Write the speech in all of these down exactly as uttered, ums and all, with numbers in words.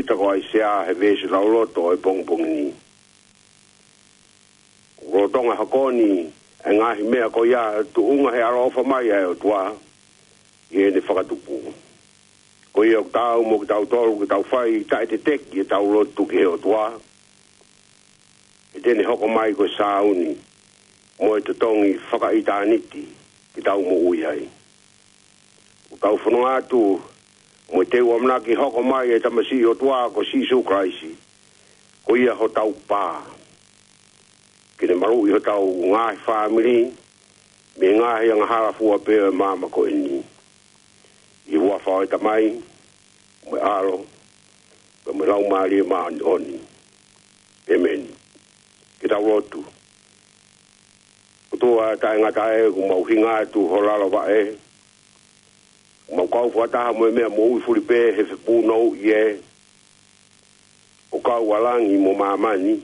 Pita ko ʻAisea he veesi lauloto ʻo e pongipongi ni. Lolotonga hoko ni ʻa e ngaahi meʻa ko ia, tuʻunga he ʻaloʻofa mai ʻa e ʻOtua ʻi heʻene fakatupu. Ko ia ʻoku taau mo kitautolu ke tau fai taʻeteteki ʻetau lotu ki he ʻOtua, he te ne hoko mai ko e sāuni mo e totongi fakaʻitāniti ke tau moʻui ai. ʻOku tau fononga atu mo e teu ʻamanaki hoko mai e Tamasiʻi ʻOtua ko Sīsū Kalaisi, ko ia hotau pā, ke ne maluʻi hotau ngaahi fāmili mei he ngaahi angahala fua pē ʻo e māmani ko eni. ʻI he huafa ʻo e Tamai, mo e ʻAlo, mo e Laumālie Māʻoniʻoni. ʻĒmeni. Ke tau lotu. ʻOtua taʻengata ē, ʻoku mau hinga atu ho lalo vaʻe, ʻoku mau kau fakataha mo e meʻa moʻui fuli pē he fepūnouʻi ē, ʻo kau ʻa langi mo māmani,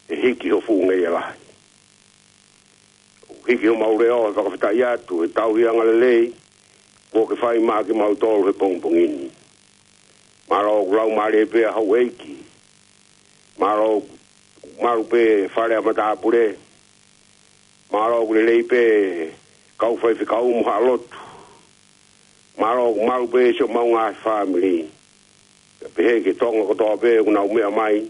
ʻe hiki ho fuʻu ngeia lahi. ʻO hiki homau leʻo he fakafetaʻi atu he tauhi angalelei kuo ke fai maʻa kimautolu he pongipongi ni. Mālō ʻoku laumālie pē ʻa houʻeiki. Mālō ʻoku malu pē fale ʻa matāpule. Mālō ʻoku lelei pē kau faifekau mo haʻa lotu. Mālō ʻoku malu pē siʻomau ngaahi fāmili. Pea pehē ki he Tonga kotoa pē ʻoku nau meʻa mai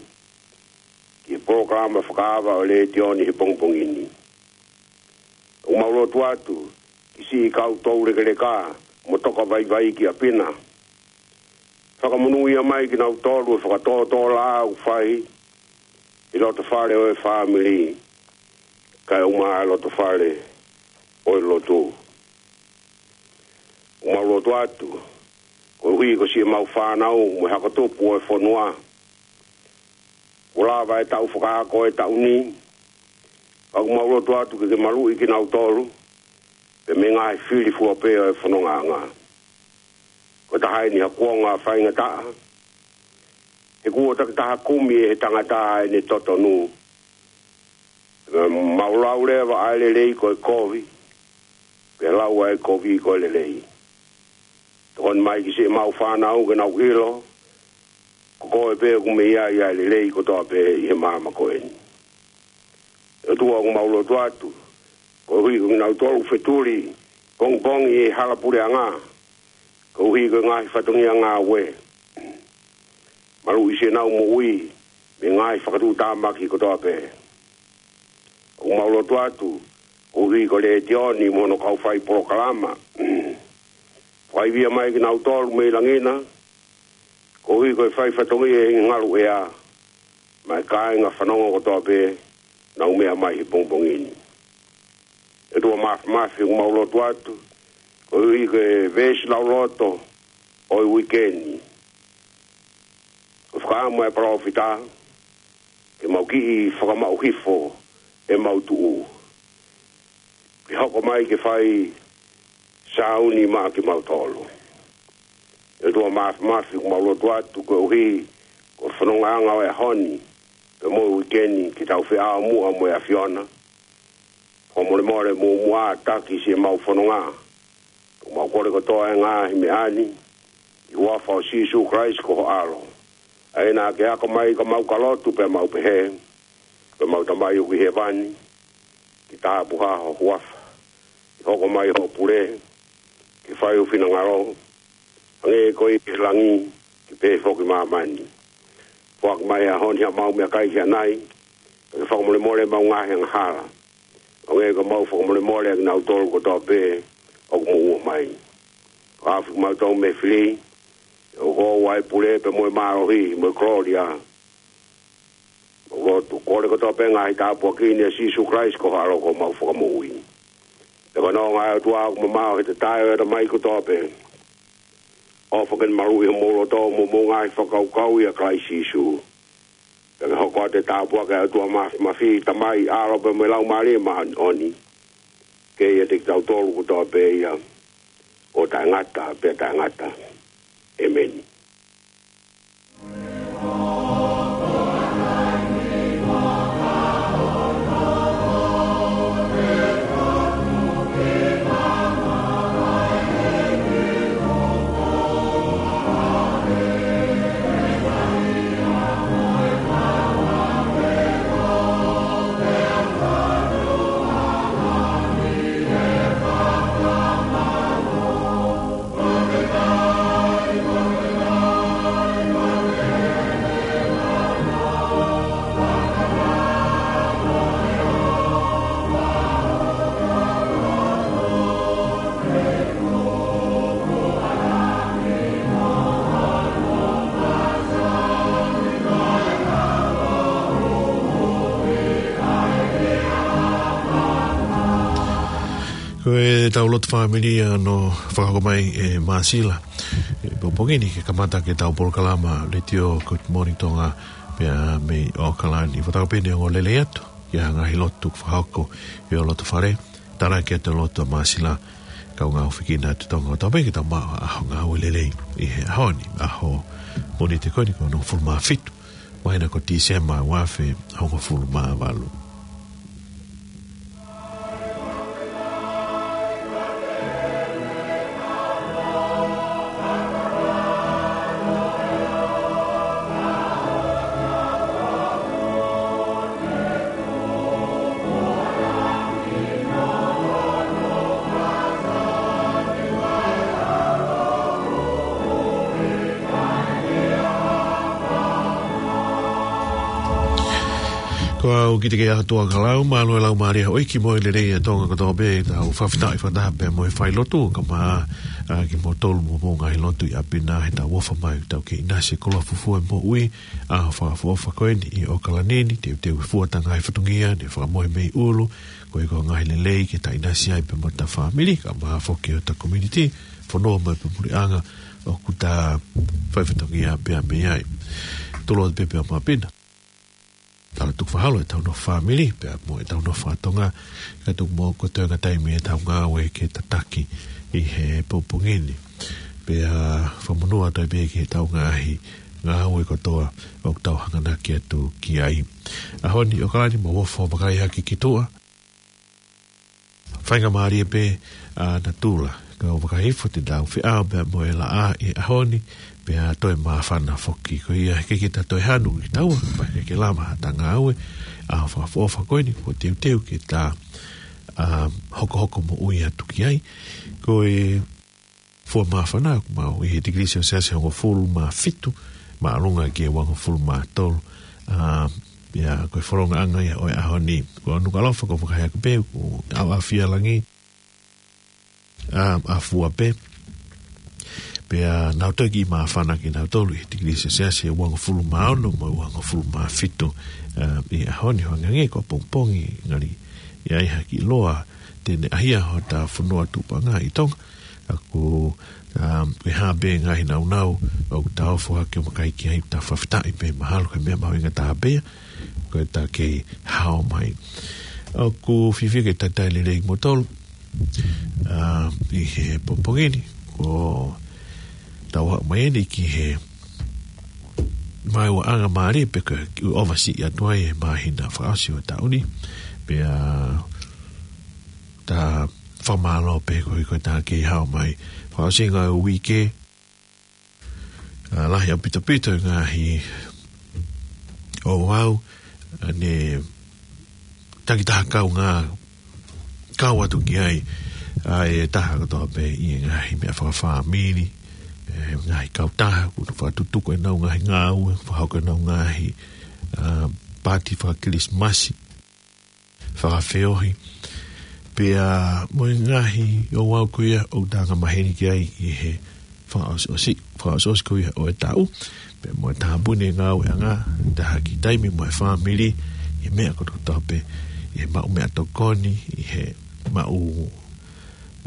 ki he polokalama fakaava ʻo e letiō ni he pongipongi ni. ʻOku mau lotu atu ki siʻi kau toulekeleka mo toka vaivai ki ʻapi na. Fakamonūʻia mai kinautolu he fakatōtōlaʻā ʻoku fai ʻi loto fale ʻo e fāmili, kae ʻumaʻā e loto fale ʻo e lotu. ʻOku mau lotu atu koeʻuhi ko siʻemau fānau mo e hako tupu ʻo e fonua. Kuo lava e taʻu fakaako e taʻu ni, ka ʻoku mau lotu atu ke ke maluʻi kinautolu pea mei he ngaahi fili fua pē ʻo e fonongaʻanga. Ko e taha eni ha kuonga faingataʻa, he kuo takitaha kumi ʻe he tangata ʻene totonu. Mau lau leva ʻa e lelei ko e kovi, pea lau ʻa e kovi ko e lelei. Tokoni mai ki siʻemau fānau ke nau ʻilo ko koe pē ʻoku mei ai ʻa e lelei kotoa pē ʻi he māmani ko eni. ʻOtua, ʻoku mau lotu atu koeʻuhi ko kinautolu fetuli pongipongi ʻi he hala puleʻanga, koeʻuhi ko e ngaahi fatongia ngāue. Maluʻi siʻenau moʻui mei he ngaahi fakatuʻutāmaki kotoa pē. ʻOku mau lotu atu koeʻuhi ko e letiō ni mo hono kau fai polokalama. Fakaivia mai kinautolu mei langi na, koeʻuhi ko e fai fatongia ʻi he ngaluʻea, mo e kāinga fanongo kotoa pē ʻoku nau meʻa mai he pongipongi ni. ʻOtua Māfimafi, ʻoku mau lotu atu koeʻuhi ko e veesi lauloto ʻo e uike ni. ʻOku fakaʻamu ʻa e palōfita ke mau kiʻi fakamaʻu hifo ʻemau tuʻu, ke hoko mai ke fai sāuni maʻa kimautolu. ʻOtua Māfimafi, ʻoku mau lotu atu koeʻuhi ko e fonongaʻanga ʻo e ʻaho ni pea mo e uike ni, ke tau feʻao muʻa mo e ʻAfiona. Fakamolemole muʻomuʻa, taki siʻemau fononga. ʻOku mau kole kotoa e ngaahi meʻa ni ʻi he huafa ʻo Sīsū Kalaisi ko ho ʻAlo, ʻa ia naʻa ke ako mai ka mau ka lotu pea mau pehē: Ko ʻemau Tamai ʻoku ʻi hēvani, ke tāpuhā ho huafa, ke hoko mai hoʻo pule, ke fai ho finangalo, hangē ko ia ʻi langi, ke pehē foki ʻi māmani. Foaki mai he ʻaho ni haʻamau meʻakai ki ʻanai, pea ke fakamolemole ʻemau ngaahi angahala, hangē ko ʻemau fakamolemole ʻa kinautolu kotoa pē ʻoku moʻua mai. Fakahaofi kimautolu mei he fili, ʻoku ʻoʻou ʻa e pule pea mo e mālohi mo e kolōlia. Mau lotu, kole kotoa pē ngaahi tāpuaki ni ʻia Sīsū Kalaisi ko ho ʻAlo ko homau Fakamoʻui. Pea ko e nonga ʻa e ʻOtua ʻoku mamaʻo he tatae ʻo e ʻatamai kotoa pē, ʻofa ke ne maluʻi homou loto mo hoʻomou ngaahi fakakaukau ʻia Kalaisi Sīsū. Pea ke hoko atu e tāpuaki ʻa e ʻOtua Māfimafi, Tamai, ʻAlo pea mo e Laumālie Māʻoniʻoni, ke ʻiate kitautolu kotoa pē ia, ʻo taʻengata pea taʻengata. ʻĒmeni. ʻEtau lotu fāmili ʻa hono fakahoko mai ʻe Māsila ʻi he pongipongi ni ke kamata ʻetau polokalama Letiō Good Morning Tonga pea mei ʻAokalani. Fakatapu pē ʻeni ʻo lelei atu ki he ngaahi lotu fakahoko ʻi ho loto fale. Tānaki atu e lotu ʻa Māsila, kau ngāue fekina atu Tonga ʻo tau pē ke tau maʻu ha ʻaho ngāue lelei ʻi he ʻaho ni, ʻaho Mōnite ko eni ko hono hongofulu mā fitu māhina ko Tīsema ua afe hongofulu mā valu. Ko au Kitekeiʻahotua Kalau, mālō e laumālie ʻo e ʻEiki mo e lelei ʻa Tonga kotoa pē, tau fakafetaʻi fakataha pē mo e failotu, kae ʻumaʻā kimoutolu mo hoʻomou ngaahi lotu ʻi ʻapi na, heʻetau ʻofa mai, tau kei ʻinasi e koloa fufū e moʻui, ʻaho fakaʻofoʻofa ko eni ʻi ʻAokalani ni, teuteu e fua ʻeta ngaahi fatongia, ne fakamohe mei ʻulu, koeʻuhi ko e ngaahi lelei ke ta ʻinasi ai pea mo ʻeta fāmili, kae ʻumaʻā foki ʻeta community, fonua mo e puleʻanga, ʻoku ta fai fatongia pea mei ai. Tuʻu atu pē pea mo ʻapi na. Tala tuku fakaholo ʻetau nofo fāmili, pea mo ʻetau nofo faka-Tonga, kae tuku mo e toenga taimi ʻetau ngāue ke tataki ʻi he pongipongi ni. Pea fakamonū atu ai pē ki heʻetau ngaahi ngāue kotoa ʻoku tau hanganaki atu ki ai. ʻAho ni ʻAokalani, mou ʻofa ʻo vakai hake ki tuʻa. Faingamālie pē ʻa natula, kau vakai hifo te tau feʻao pea mo e laʻā ʻi he ʻaho ni, pea toe māfana foki. Ko ia he ʻikai ke ta toe hanu ki taua, pea ke lava haʻata ngāue, ʻaho fakaʻofoʻofa ko eni, kuo teuteu ke ta, ʻa, hokohoko moʻui atu ki ai. Ko e fua māfana ʻoku maʻu ʻi he tikilī selesiasi ʻe hongofulu mā fitu, māʻolunga ki he uangofulu mā tolu. ʻA, ia, ko e folongaʻanga ia ʻo e ʻaho ni. Ko Nukuʻalofa, ko e fakahā ʻaki pē, ko ʻAoʻafia Langi, ʻa, ʻa fua pē. Pea nau toe kiʻi māfana kinautolu ʻi he tikilī selesiasi ʻe uangofulu mā ono mo e uangofulu mā fitu, ʻa, ʻi he ʻaho ni. Hangē ko e pongipongi, ngali ʻi ai ha kiʻi loa te ne ʻahia hota fonua tupuʻanga ʻi Tonga. ʻA, ko, ʻa, ko e hā pē ngaahi nāunau ʻoku ta ʻofa hake ʻo vakai ki ai, ta fakafetaʻi pē mahalo ko e meʻa mahuʻinga taha pē ia, ko ʻeta kei hao mai. ʻOku fiefia ke talitali lelei kimoutolu, ʻa, ʻi he pongipongi ni, ko ʻetau haʻu mai eni ki he maʻuʻanga mālie pē ko e kiʻi ʻofa siʻi atu ai e māhina fakaʻosi ʻo e taʻu ni. Pea ta fakamālō pē koeʻuhi ko ʻeta kei hao mai. Fakaʻosinga e uike, ʻa, lahi ʻaupito ʻaupito e ngaahi ouau, ʻa, ne takitaha kaungā kau atu ki ai ʻa e taha kotoa pē ʻi he ngaahi meʻa fakafāmili, ʻe, ngaahi kautaha, kuo nau fakatutuku ʻenau ngaahi ngāue, fakahoko ʻenau ngaahi, ʻa, pāti faka-Kilisimasi, fakafeohi. Pea mo e ngaahi ouau ko ia ʻoku ta angamaheni ki ai ʻi he fakaʻosiʻosi, fakaʻosiʻosi ko ia ʻo e taʻu. Pea mo e tāpuni e ngāueʻanga, taha ki taimi mo e fāmili, ʻi he meʻa kotokotoa pē, ʻi he maʻu meʻatokoni, ʻi he maʻu,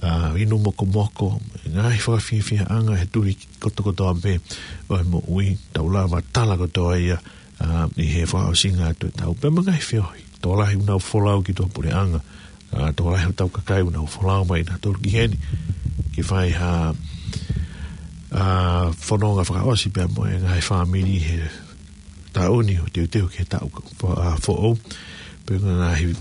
ʻa, inu mokomoko, ngaahi fakafiefiaʻanga he tui kotokotoa pē ʻo e moʻui, tau lava tala kotoa ia, ʻa, ʻi he fakaʻosinga atu e taʻu pea mo e ngaahi feohi. Tokolahi ʻoku nau folau ki tuʻapuleʻanga, ʻa, tokolahi hotau kakai ʻoku nau folau mai nautolu ki heni ke fai ha, ʻa, fononga fakaʻosi pea mo e ngaahi fāmili he taʻu ni ʻo teuteu ki he taʻu, ʻa, foʻou. Pea ngaahi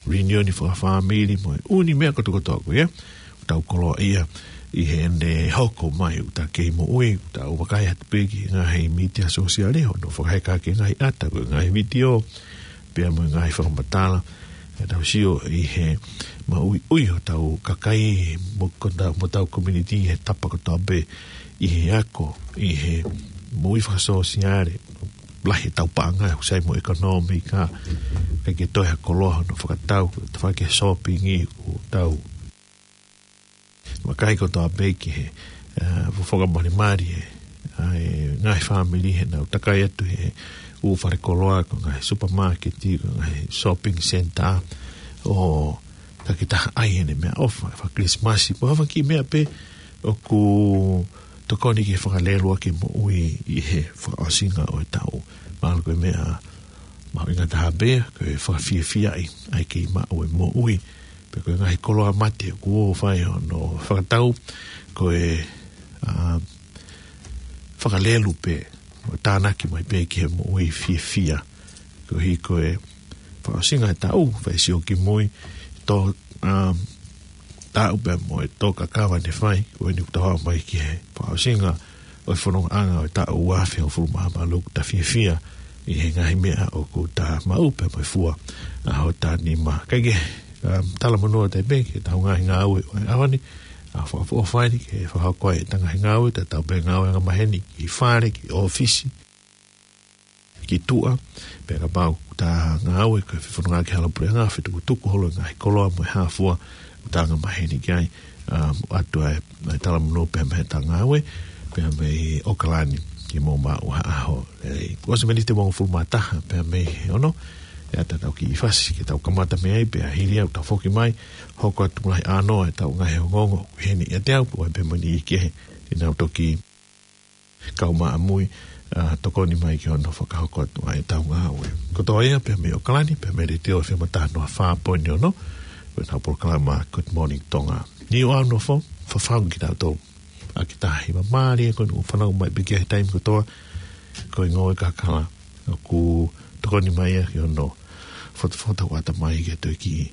reunion fakafāmili mo e ʻū meʻa kotokotoa ko ia ʻoku tau koloaʻia ʻi heʻene hoko mai ʻoku ta kei moʻui, ʻoku tau vakai atu pē ki he ngaahi mītia sōsiale hono fakaheka ʻaki e ngaahi ʻata, ko e ngaahi vitiō, pea mo e ngaahi fakamatala, ʻa, tau sio ʻi he maʻuiʻui hotau kakai mo ko ta-, mo hotau community he tapa kotoa pē, ʻi he ako, ʻi he moʻui fakasōsiale, lahi ʻetau paʻanga, ʻoku sai mo e ʻekonōmika, ʻikai ke toe ha koloa hono fakatau, tafaʻaki e shopping ʻoku tau vakai kotoa pē ki he, ʻa, fofonga molimali ē, ʻa e ngaahi fāmili heʻenau takai atu he ʻū fale koloa, ko e ngaahi supermarket, ko e ngaahi shopping center, ʻo takitaha ai ʻene meʻaʻofa, ʻa e faka-Kilisimasi, mo ha fanga kiʻi meʻa pē ʻoku tokoni ke fakalelu ʻaki e moʻui ʻi he fakaʻosinga ʻo e taʻu. Mahalo ko e meʻa mahuʻinga taha pē, ko e fakafiefiaʻi ʻa e kei maʻu e moʻui, pe ko e ngaahi koloa mate ʻoku ō ʻo fai hono fakatau, ko e, ā, fakalelu pē, ʻo tānaki mai pē ki he moʻui fiefia. Koeʻuhi ko e fakaʻosinga e taʻu, fai sio ki mui, tō, ā, taʻu pea mo e tō kakava ne fai, ko eni kuo tau aʻu mai ki he fakaʻosinga ʻo e fonongaʻanga ʻo e taʻu ua afe hongofulu mā valu, kuo ta fiefia ʻi he ngaahi meʻa ʻoku ta maʻu pea mo e fua ʻa hota nima. Kae kehe, ā, talamonū atu pē ki heʻetau ngaahi ngāue ʻo e ʻaho ni, ʻa e fakaʻofoʻofa eni ke fakahoko ai ʻeta ngaahi ngāue, tatau pē ngāue angamaheni ki fale, ki ʻōfisi, ki tuʻa, pea kapau ʻoku ta ngāue ko e fefononga ki he hala puleʻanga, fetukutuku holo e ngaahi koloa mo e hā fua ʻoku ta angamaheni ki ai, ā, ʻoatu ai ʻa e talamonū pea mei heʻeta ngāue, pea mei ʻOkalani, ke mou maʻu ha ʻaho lelei. Kuo ʻosi e miniti ʻe uofulu mā taha pea mei he ono, ʻe ʻatā ʻetau kiʻi fasi ke tau kamata mei ai, pea hili ia ʻoku tau foki mai, hoko atu lahi ʻānoa ʻetau ngaahi ongoongo, ʻoku ʻi heni ʻiate au, pea mo e niʻihi kehe, te nau toki kau maʻamui, ā, tokoni mai ki hono fakahoko atu ʻa ʻetau ngāue. Kotoa ia pea mei ʻOkalani, pea mei he Letiō ʻEfemo taha noa fā poini ono, ko ʻenau polokalama Good Morning Tonga. Niʻihi ʻoku nofo, fafau kitautolu ʻaki e taha hiva, mālie ko eni ʻoku fanongo mai pē ki ai he taimi kotoa, ko e ngāue kakala ʻoku tokoni mai ia ki hono fotofota ʻo ʻatamai ke toe kiʻi,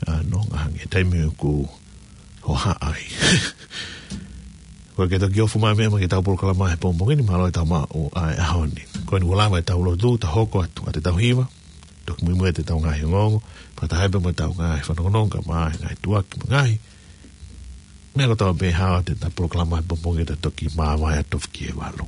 ā, nonga ange he taimi ʻoku hohaʻa ai. Ko e ke toki ofu mai meʻa mai ki heʻetau polokalama he pongipongi ni, mālō e tau maʻu ʻa e ʻaho ni. Ko eni kuo lava ʻetau lotu, ta hoko atu ʻa ʻetau hiva, toki muimui atu ʻetau ngaahi ongoongo, pea ta ʻai pē mo ʻetau ngaahi fanongonongo, kae ʻumaʻā e ngaahi tuʻaki mo e ngaahi meʻa kotoa pē ʻe hao atu ʻetau polokalama he pongipongi, ta toki māvae atu ki he valu.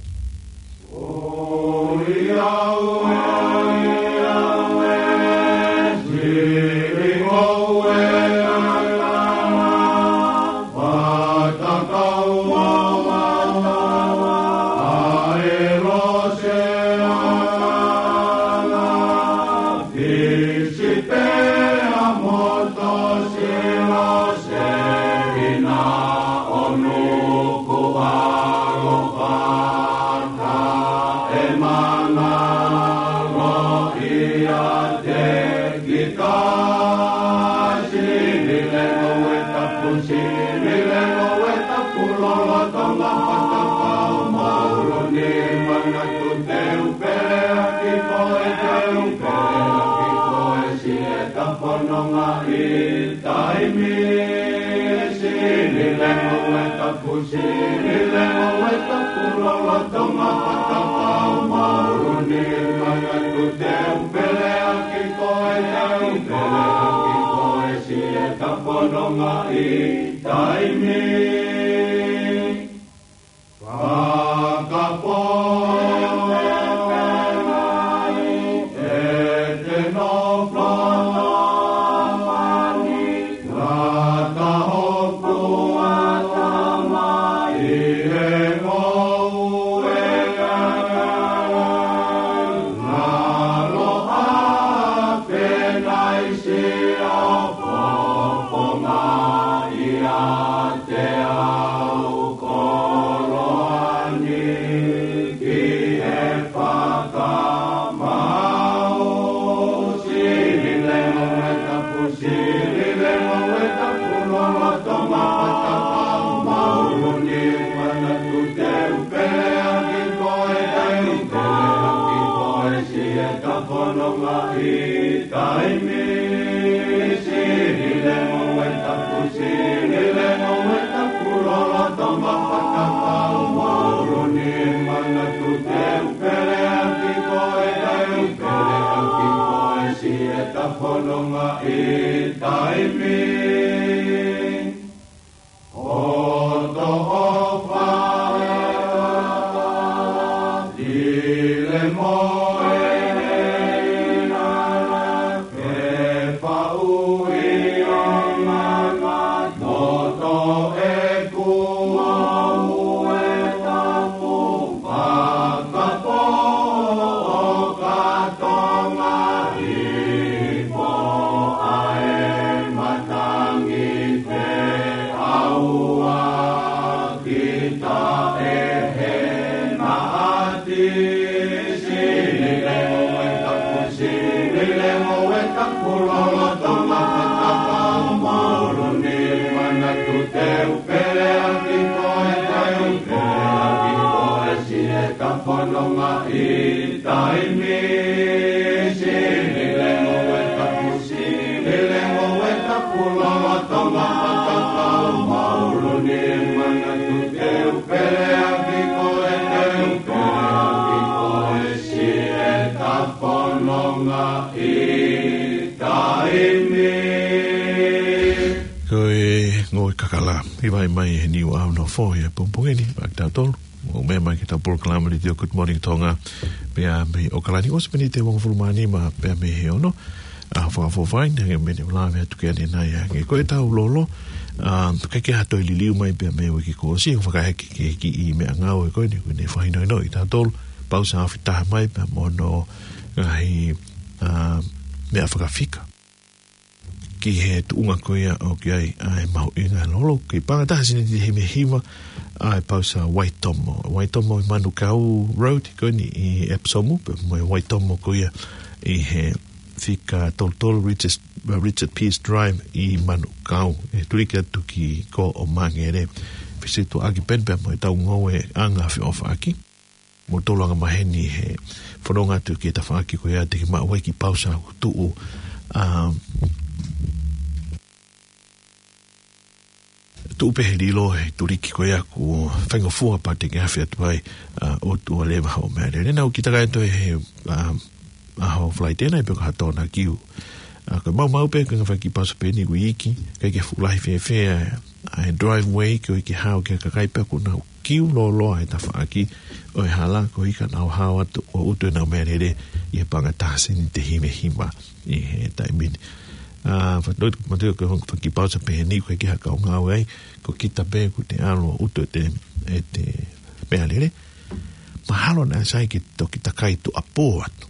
Sili lengo e tapu, sili lengo e tapu, lolotonga patapau maʻuluni, manatu te u peleʻaki koe, te u peleʻaki koe, siʻeta fononga ʻi taimi. Fakapō, e te nofo ngata hoku ʻatamai he ngoue, ngalo a penai sio fofonga ʻiate au koloa ni ki he fakamau. Sili lengo e tapu, sili lengo e tapu, lolotonga patapau maʻuluni, manatu te u peleʻaki koe, te u peleʻaki koe, siʻeta fononga ʻi taimi. Sili lengo e tapu, sili lengo e tapu, lolotonga patapau maʻuluni, manatu te u peleʻaki koe, te u peleʻaki koe, siʻeta fononga ʻi taimi. Hoto ʻofa, ʻile mo e ʻinala, ke faʻu ʻi ʻolunga, moto ʻeku ngoue tapu, fakapō ʻo ka Tonga, ipo ʻa e mata Ko e ngoue kakala, ʻi vai mai he Niu ʻAho Nofo he pongipongi ni, maʻa kitautolu. ʻOku meʻa mai ki heʻetau polokalama Letiō Good Morning Tonga, pea mei ʻAokalani, ʻosi miniti ʻe uofulu mā nima pea mei he ono ʻa e fakafofonga, hangē ko e meʻa ne u lave atu ki ai ʻanenai, hangē ko ʻetau lolo, ʻa, ʻikai ke ha toe liliu mai pea mei he uike kuo ʻosi, ʻoku fakaheke ki he kiʻi meʻangāue ko eni, ʻoku ne fakahinohinoʻi kitautolu, pausa afi taha mai pea mo hono ngaahi, ʻa, meʻa fakafika ki he tuʻunga ko ia ʻoku ʻi ai ʻa e mahuʻinga lolo. Ko e paʻanga ʻe taha sēniti himi hiva ʻa e pausa Waitomo. Waitomo ʻi Manukau Road, ko eni ʻi Epsom, pea mo e Waitomo ko ia ʻi he fika tolu tolu Richard, Richard Pearse Drive ʻi Manukau. ʻE tuliki atu ki Kōʻomangele. Fesiliuaki pē eni pea mo ʻetau ngoueʻanga feʻofaʻaki. Mo tolonga maheni he fononga atu ki he tafaʻaki ko ia te ke maʻu ai e kiʻi pausa ʻoku tuʻu, ʻa, tuʻu pē he lilo he tuliki ko ia ʻoku faingofua pea te ke afe atu ai, ʻa, ʻotua leva hoʻo meʻalele. Naʻa ku kiʻi takai atu he, ʻa, ʻaho Falaite nai pe ko ha Tohono Kiu. ʻA, ko e maumau pē ko e ngaahi kiʻi pausa pē eni ʻoku iiki, ʻikai ke fuʻu lahi fēfē ʻa e driveway, ko e ke hao ki he kakai pea ʻoku nau kiu lōloa he tafaʻaki ʻo e hala, koeʻuhi ka nau hao atu ʻo ʻutu ʻenau meʻalele ʻi he paʻanga ʻe taha sēniti himi hiva ʻi he taimi ni. ʻA, fatongia, fatongia ko e ongo kiʻi pausa pē eni ʻoku ʻikai ke ha kau ngāue ai, ko kita pē ʻoku te ʻalu ʻo ʻutu ʻete, ʻete meʻalele. Mahalo naʻe sai ke toki takai tuʻuapō atu.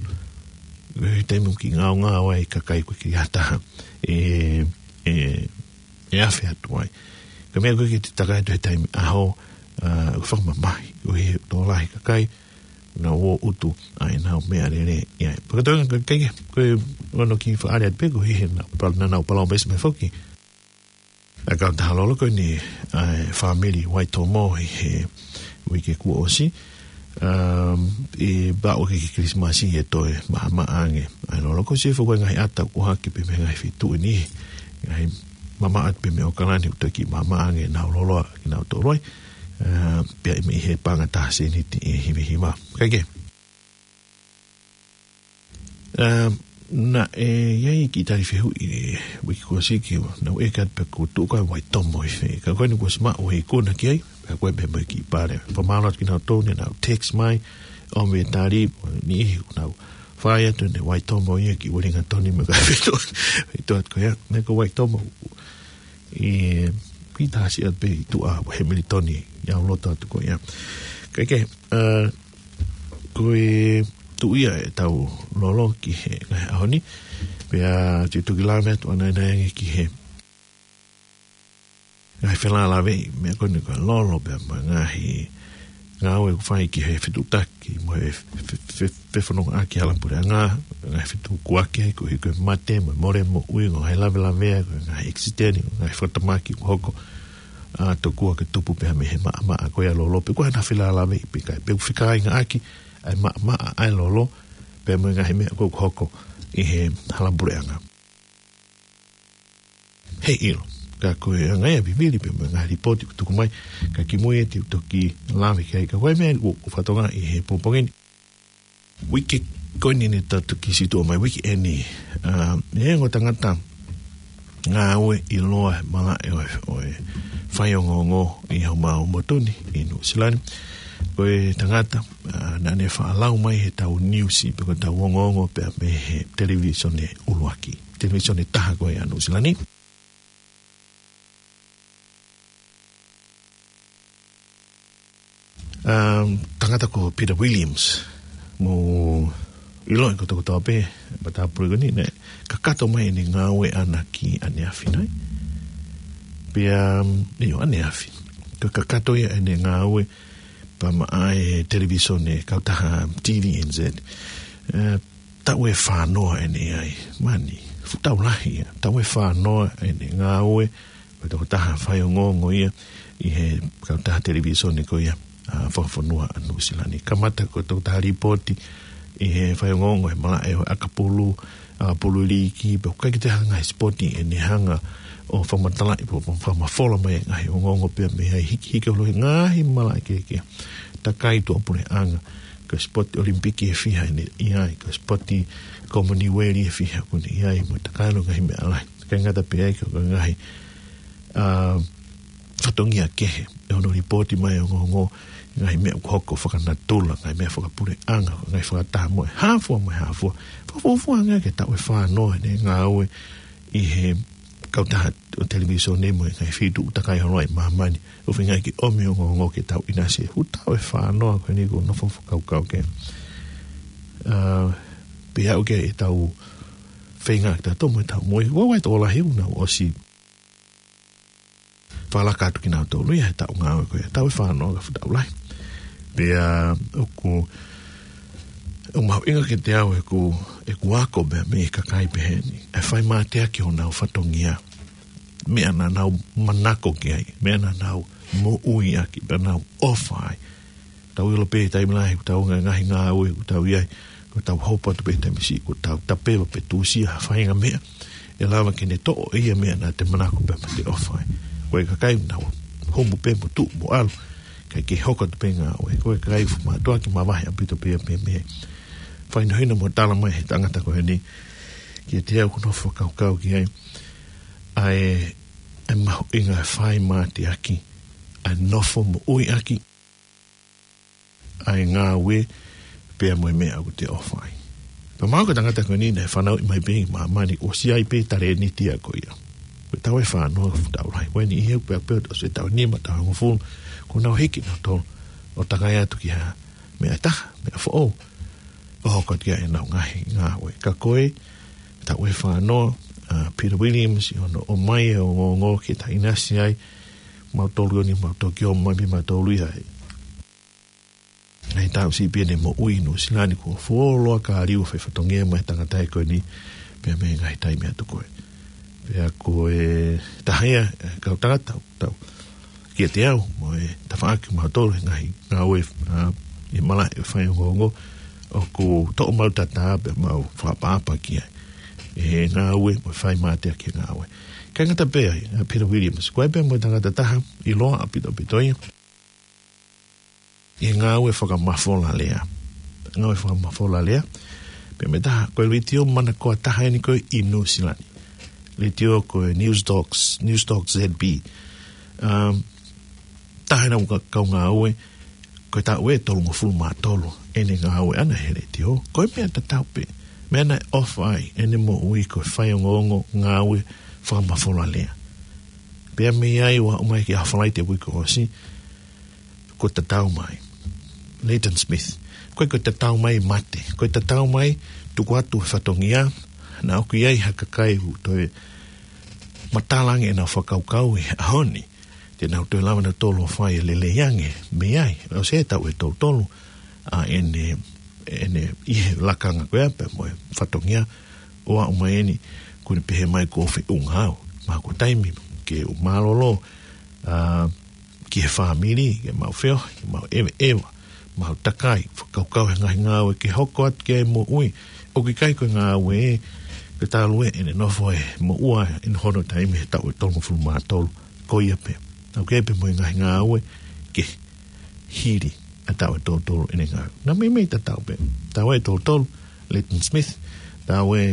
He taimi ʻoku kiʻi ngaungaue ai e kakai ʻoku ʻikai ke ha taha ʻe, ʻe, ʻe afe atu ai. Ko e meʻa ko ē ke te takai atu he taimi ʻaho, ʻa, ʻoku fakamamahi, ʻoku ʻi ai e tokolahi e kakai, nau ō ʻo ʻutu ʻa ʻenau meʻalele ʻi ai. Pea ko e toenga ko e, ko e, ko e ono kiʻi fakaʻaliʻali pē, koeʻuhi he naʻa, naʻa nau palōmesi mai foki ʻa e kautaha lolo ko eni, ʻa e fāmili Waitomo ʻi he uike kuo ʻosi. Um, ʻe pau ke ki Kilisimasi ʻe toe maʻamaʻa ange ʻa e lolo, ko e sio foki ko e ngaahi ʻata ʻoku hake pē mei he ngaahi feituʻu ni, ngaahi mamaʻo atu pē mei ʻAokalani ʻoku toe kiʻi maʻamaʻa ange ʻenau lolo ʻa kinautolu ai. Uh, pea ʻi he paʻanga ʻe taha sēniti ʻe himi hiva. Kae kehe. Um, naʻe ʻi ai e kiʻi tali fehuʻi he uike kuo ʻosi ki, naʻa ku ʻeke atu pe ʻoku tuʻu ʻa Waitomo ʻi fē. Ka ko eni kuo ʻosi maʻu e ikuna ki ai, pea ko e pehē mai e kiʻi pale. Fakamālō atu kinautolu ne nau text mai, ʻo me tali, ʻo e niʻihi ʻoku nau fai atu ʻene Waitomo ia ki Uelingatoni mo e ngaahi feituʻu, feituʻu atu ko ia, ne ko Waitomo ʻi, ʻi Tasi atu pē ʻi tuʻa ʻo Hemilitoni, ʻi ʻAuloto atu ko ia. Kae kehe, uh, ko e tuʻu ia ʻetau lolo ki he ngaahi ʻaho ni, pea te u toki lave atu ʻanenai ange ki he ngaahi felālāveʻi, meʻa ko eni ko e lolo pea mo e ngaahi ngāue ʻoku fai ki he fetuʻutaki mo e fe-, fe-, fe-, fefonongaʻaki halapuleʻanga, ngaahi fetukuaki ai koeʻuhi ko e mate mo e mole moʻui, ngaahi lavelavea, ko e ngaahi ʻekisiteni, ngaahi fakatamaki ʻoku hoko, ʻa, tokua ke tupu pē mei he maʻamaʻa ko ia e lolo, pe ko e hā ha felālāveʻi pe ʻikai, pe ʻoku fekāingaʻaki ʻa e maʻamaʻa ʻa e lolo pea mo e ngaahi meʻa ʻoku hoko ʻi he halapuleʻanga. Heiʻilo, ka ko e anga ia e vivili pea mo e ngaahi lipooti ʻoku tuku mai, ka kimui ē te u toki lave ki ai, ka ko e meʻa ʻoku, ʻoku fakatokangaʻi he pongipongi ni. Uike ko eni ne tau toki situʻa mai, uike eni, ʻa, ʻe ongo tangata ngāue ʻiloa he malaʻe ʻo e, ʻo e faiongoongo ʻi homau motu ni ʻi Nuʻusila ni. Ko e tangata, ʻa, naʻa ne faʻa lau mai heʻetau niusi, pe ko ʻetau ongoongo pea mei he televīsone ʻuluaki. Televīsone ʻe taha ko ia ʻa Nuʻusila ni. Um, tangata ko Peter Williams, mou ʻiloʻi kotoa kotoa pē, matāpule ko eni, naʻe kakato mai ʻene ngāue ʻaʻana ki ʻaneafi nai. Pea, um, ʻio, ʻaneafi. Ka kakato ia ʻene ngāue Pea maʻa e televīsone, kautaha T V N Z. E, taʻu ʻe fānoa ʻene ʻi ai. Mani, fuʻu taʻu lahi ia. Taʻu ʻe fānoa ʻene ngāue, ko e tokotaha faiongoongo ia ʻi he kautaha televīsone ko ia, a, fakafonua ʻa Nuʻusila ni. Kamata ko e tokotaha lipooti ʻi he faiongoongo he malaʻe ʻo ʻAkapulu, ʻAkapulu Liiki, pea ʻoku ʻikai ke toe hanga he sipoti ʻene hanga ʻo fakamatalaʻi, ʻo fakamafola mai e ngaahi ongoongo pea mei ai hiki, hiki holo he ngaahi malaʻe kehekehe. Takai tuʻapuleʻanga, ko e sipoti ʻOlimipiki ʻe fiha ʻene ʻi ai, ko e sipoti Komoniueli ʻe fiha ʻoku ne ʻi ai, mo e takai holo ngaahi meʻa lahi. ʻIkai ngata pē ai, ko e ngaahi, a, fatongia kehe, ʻe ono lipooti mai e ongoongo, ngaahi meʻa ʻoku hoko fakanatula, ngaahi meʻa fakapuleʻanga, ngaahi fakataha mo e hā fua mo e hā fua. Fakafuofua ange ki he taʻu ʻe fānoa ʻene ngāue ʻi he kautaha ʻo e televīsone mo e ngaahi feituʻu takai holo ʻi māmani. ʻOku feinga ke ʻomi e ongoongo ke tau ʻinasi he fuʻu taʻu ʻe fānoa ko eni kuo nofo fakakaukau ki ai. A, pea ʻoku ʻi ai ʻetau feinga ke tau tomo ʻetau moʻui. Ua wai tō lahi ʻoku nau ʻosi fakalaka atu kinautolu ia he taʻu ngāue ko ia, taʻu ʻe fānoa ka fuʻu taʻu lahi. Pea ʻoku, ʻoku mahuʻinga kiate au ʻeku, ʻeku ako pea mei he kakai pehē ni. ʻE fai mateaki honau fatongia. Meʻa naʻa nau manako ki ai, meʻa naʻa nau moʻui ʻaki, pea nau ʻofa ai. Tau ʻilo pē taimi lahi, ʻoku tau ngaahi, ngaahi ngāue, ʻoku tau ʻi ai, ʻoku tau hopo atu pē taimi siʻi, ʻoku tau tapeva pe tusia ha faʻahinga meʻa. ʻE lava ke ne toʻo ʻe ia meʻa naʻa te manako pea mo te ʻofa ai. Ko e kakai naʻa nau humu pē mo tuʻu mo ʻalu, ʻikai ke hoko atu pē ngāue. Ko e kakai fuʻu mātuʻaki mavahe ʻaupito pē ia pea mei ai. Fakahinohino mo tala mai he tangata ko eni, kiate au ʻoku ou nofo fakakaukau ki ai, ʻa e, ʻa e mahuʻinga e fai mateaki, ʻa e nofo moʻui ʻaki ʻa e ngāue pea mo e meʻa ʻoku te ʻofa ai. Pea mahalo ko e tangata ko eni naʻe fanauʻi mai pē ʻi māmani, ʻosi ʻi ai pē talēniti ia ko ia. Ko e taʻu ʻe fānoa fuʻu taʻu lahi. Ko eni ʻi he ʻoku pea pea ʻosi e taʻu ʻe nima, taʻu ʻe hongofulu, kuo nau hiki nautolu ʻo takai atu ki ha meʻa ʻe taha, meʻa foʻou. ʻO hoko atu ki ai ʻenau ngaahi ngāue. Ka ko e taʻu ʻe fānoa, a, Peter Williams, ʻi hono ʻomai e ongoongo ke ta ʻinasi ai, mautolu ʻi ʻIo ni, mau toki ō mai pē mautolu ia he ngaahi taʻu siʻi pē ʻene moʻui ʻi Nuʻusila ni, kuo fuoloa ka liu fai fatongia mai e tangata ko eni, pea mei he ngaahi taimi atu ko ē. Pea ko e taha ia, e, kau tangata, tau, kiate au, mo e tafaʻaki mautolu he ngaahi ngāue, a, ʻi he malaʻe faiongoongo, ʻoku toʻo mautolu tatā pea mau fakaʻapaʻapa ki ai. ʻI he ngāue, mo e fai mateaki he ngāue. ʻIkai ngata pē ai, a, Peter Williams, ko e pē mo e tangata taha, ʻiloa ʻaupito ʻaupito ia ʻi he ngāue fakamafola lea. Ngāue fakamafola lea. Pea mei he taha, ko e letiō manakoa taha eni ko ē ʻi Nuʻusila ni. Letiō ko e News Talks, News Talks Z B. Um, taha ʻenau ka-, kau ngāue, ko e taʻu ʻe tolungofulu mā tolu ʻene ngāue ʻana he letiō. Ko e meʻa tatau pē. Meʻa naʻe ʻofa ai ʻene moʻui ko e faiongoongo ngāue fakamafola lea. Pea mei ai ʻo aʻu mai ki he Falaite uike kuo ʻosi, ko e tatau mai. Leighton Smith. Ko e, ko e tatau mai mate. Ko e tatau mai tuku atu e fatongia, naʻa ʻoku ʻi ai ha kakai ʻoku toe matala ange ʻenau fakakaukau he ʻaho ni. Te nau toe lava nautolu ʻo fai e lelei ange mei ai. ʻOsi e taʻu ʻe tolu tolu, a, ʻene, ʻene ʻi he lakanga ko ia pea mo e fatongia ʻo aʻu mai eni, kuo ne pehē mai kuo feʻunga au. Mahalo ko e taimi ke u mālōlō, a, ki he fāmili, ke mau feohi, ke mau ʻeveʻeva, mau takai, fakakaukau he ngaahi ngāue ke hoko atu ki ai e moʻui. ʻOku ʻikai ko e ngāue ē, ke talu ē ʻene nofo ʻi he moʻua ʻi hono taimi he taʻu ʻe tolungofulu mā tolu, ko ia pē. ʻOku ʻi ai pē mo e ngaahi ngāue ke hili ʻa e taʻu ʻe tolu tolu ʻene ngāue. Naʻe meimei tatau pē. Taʻu ʻe tolu tolu, Leighton Smith, taʻu ʻe,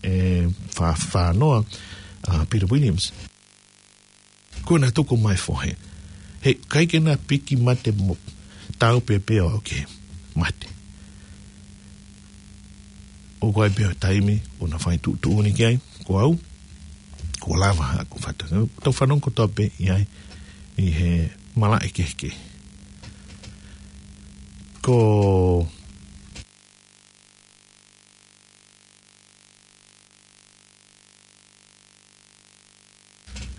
ʻe fā, fānoa, a, Peter Williams. Kuo na tuku mai fohe. He ʻikai ke na piki mate mo tau pē pea ʻo ke mate. ʻOku ʻi ai pē ʻa e taimi ʻoku na fai tuʻutuʻuni ki ai, ko au, kuo lava haʻaku fatongia. Tau fanongo kotoa pē ʻi ai ʻi he malaʻe kehekehe. Ko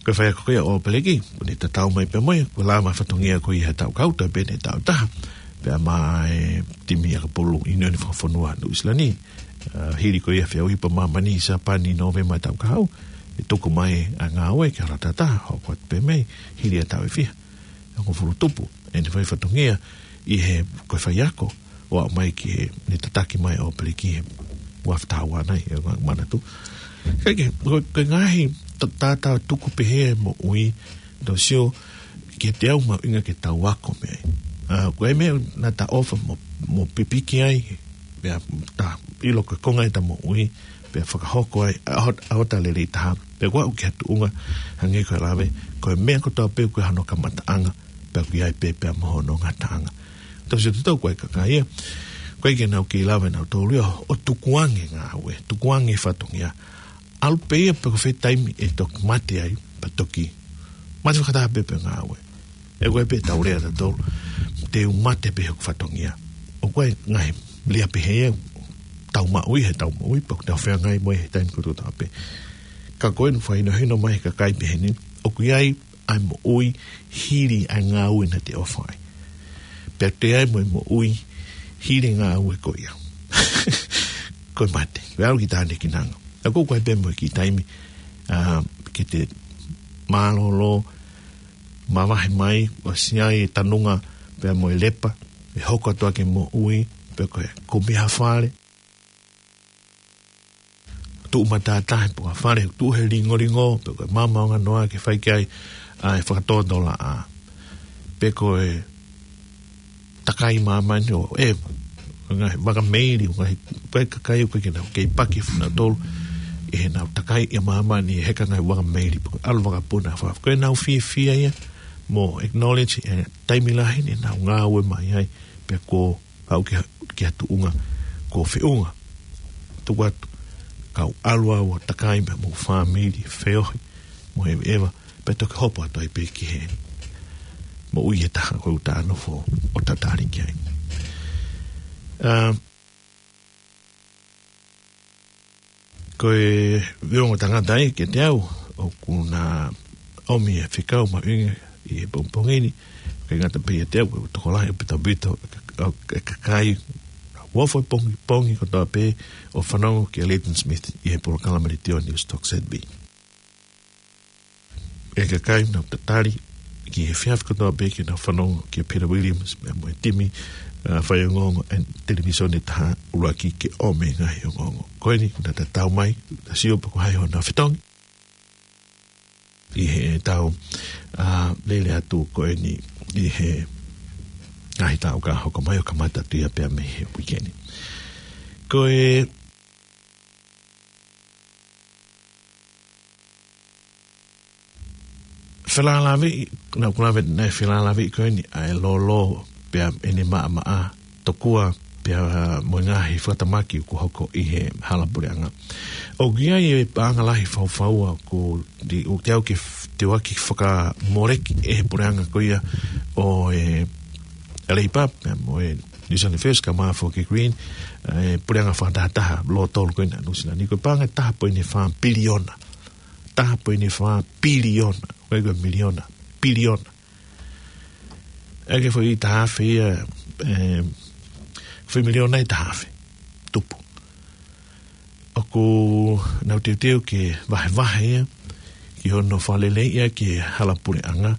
Ko e faiako ko ia ʻo ʻApeliki, ʻoku ne tatau mai pē mo ia, ko e lava e fatongia ko ia he taʻu kahaʻu, toe pē ʻene taʻu ʻe taha, pea maʻa e timi ʻakapulu ʻIunioni Fakafonua Nuʻu Sila ni, ʻa, hili ko ia e feʻauhi pa māmani ʻi Sāpani ʻi Nōvema taʻu kahaʻu, ʻe tuku mai ʻa e ngāue ki he ʻaho taha taha, hoko atu pē mei, hili ʻa e taʻu ʻe fiha, ʻe hongofulu tupu ʻene fai fatongia ʻi he, ko e faiako, ʻo aʻu mai ki he, ne tataki mai ʻa ʻApeliki he ua afe taha ua nai, ʻe ʻikai ke u manatu. Kae kehe, ko, ko e ngaahi ta-, tātā tuku pehē e moʻui, tau sio, kiate au mahuʻinga ke tau ako mei ai. ʻA, ko e meʻa naʻa ta ʻofa mo, mo pipiki ai, pea ta ʻilo ko e konga ʻeta moʻui, pea fakahoko ai, ʻa hot-, ʻa hota lelei taha, pea kuo aʻu ki ha tuʻunga, hangē ko e lave, ko e meʻa kotoa pē ʻoku ʻi ai hano kamataʻanga, pea ʻoku ʻi ai pē pea mo hono ngataʻanga. Tau sio tautolu ko e kakai ia, ʻoku ʻikai ke nau kei lava ʻe nautolu ia, ʻo tukuange ngāue, tukuange fatongia. ʻAlu pē ia pe ko fē taimi ʻe toki mate ai, pea toki mate fakataha pē pea ngāue. ʻE ko e pē tau lea tautolu, te u mate pē hoku fatongia. ʻOku ʻi ai e ngaahi lea pehē ia, tau maʻu ia he tau moʻui, pea ʻoku tau feangai mo ia he taimi kotoa pē. Ka ko eni fakahinohino mai he kakai pehē ni, ʻoku ʻi ai ʻa e moʻui hili ʻa e ngāue naʻa te ʻofa ai. Pea ʻoku ʻi ai mo e moʻui hili e ngāue ko ia. Ko e mate, ʻoku ʻalu ki tānekinanga. ʻA ko e ʻoku ʻi ai pē mo e kiʻi taimi, ʻa, ke te mālōlō, mavahe mai, ʻosi ai e tanunga, pea mo e lepa, ʻe hoko atu ʻa e moʻui, pea ko e kumi ha fale, tuʻu matātahi pe ko ha fale, tuʻu he lingolingo, pe ko e maama onganoa ke fai ki ai, ʻa e fakatōtōlaʻā. Pe ko e takai māmani ʻo e, ngaahi vaka meili, ngaahi, pe kakai ʻoku ʻikai ke nau kei paki funa tolu, ʻi heʻenau takai ʻi māmani, he ka ngaahi vaka meili, pe ko e ʻalu vakapuna, fa-, ko ʻenau fiefia ia, mo acknowledge, e taimi lahi ni, ʻenau ngāue mai ai, pe ko aʻu ki ha, ki ha tuʻunga, ko feʻunga. Tuku atu, kau ʻalu au ʻo takai pea mo e fāmili, feohi, mo e ʻeva, pea toki hopo atu ai pē ki he moʻui ʻe taha ko ʻeta nofo ʻo tatali ki ai. ʻA, ko e viongo tangata ia kiate au, ʻoku na ʻomi e fekau mahuʻinga ʻi he pongipongi ni, ʻikai ngata pē ʻiate au, ko e tokolahi ʻo Pita Vito, ʻa e kakai, ʻoku ʻi ai e pongipongi kotoa pē ʻo fanongo kia Leighton Smith ʻi he polokalama letiō Newstalk Z B. ʻE kakai nau tatali ki he efiafi kotoa pē ke nau fanongo kia Peter Williams, pea mo e timi, ʻa, faiongoongo ʻa e televīsone ʻe taha ʻuluaki ke ʻomi e ngaahi ongoongo. Ko eni, naʻa ta tau mai, ta sio pe ko hai hona fetongi. ʻI heʻetau, ʻa, lele atu ko eni, ʻi he ngaahi taʻu ka hoko mai ʻo kamata atu ia pea mei he uike ni. Ko e felālāveʻi, naʻa ku lave naʻe felālāveʻi ko eni ʻa e lōlō pea ʻene maʻamaʻa tokua pea mo e ngaahi fakatamaki ʻoku hoko ʻi he hala puleʻanga. ʻOku ʻi ai e paʻanga lahi faufaua ʻoku te, ʻoku te au ke f-, te u ʻai ke fakamoleki ʻe he puleʻanga ko ia ʻo e Leipa pea mo e New Zealand First kae ʻumaʻā foki e Green, e puleʻanga fakatahataha lōtolu ko ena Nuʻu Sila ni, ko e paʻanga ʻe taha poini fā piliona. Taha poini fā piliona. ʻIkai ko e miliona. Piliona. ʻIkai ke foʻi taha afe ia, e, foʻi miliona ʻe taha afe. Tupu. ʻOku nau teuteu ke vahevahe ia, ki hono fakaleleiʻi ia ki he hala puleʻanga,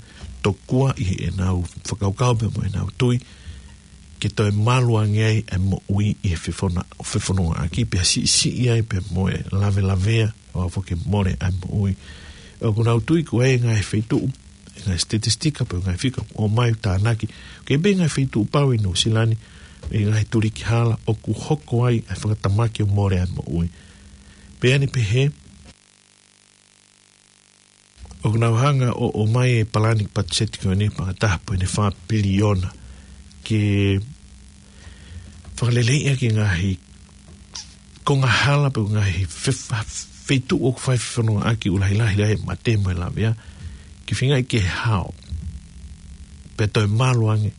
tokua ʻi heʻenau fakakaukau pea mo ʻenau tui, ke toe malu ange ai e moʻui ʻi he fefona-, fefonongaʻaki, pea siʻisiʻi ai pea mo e lavelavea, ʻo aʻu foki ke mole ʻa e moʻui. ʻOku nau tui ko e ngaahi feituʻu, ngaahi statistika, pe ngaahi fika, ʻomai ʻo tānaki. Ke pē ngaahi feituʻu pau ʻi Nuʻu Sila ni, ʻi he ngaahi tuliki hala, ʻoku hoko ai e fakatamaki ʻo mole ʻa e moʻui. Pea ʻi ai pē he, ʻoku nau hanga ʻo, ʻomai e palani patiseti ko eni paʻanga ʻe taha poini fā piliona. Ke fakaleleiʻi ʻaki e ngaahi konga hala pe ngaahi fe-, fa-, feituʻu ʻoku fai fefonongaʻaki ʻoku lahilahi ai e mate mo e lavea, ke feinga ke hao. Pea toe malu ange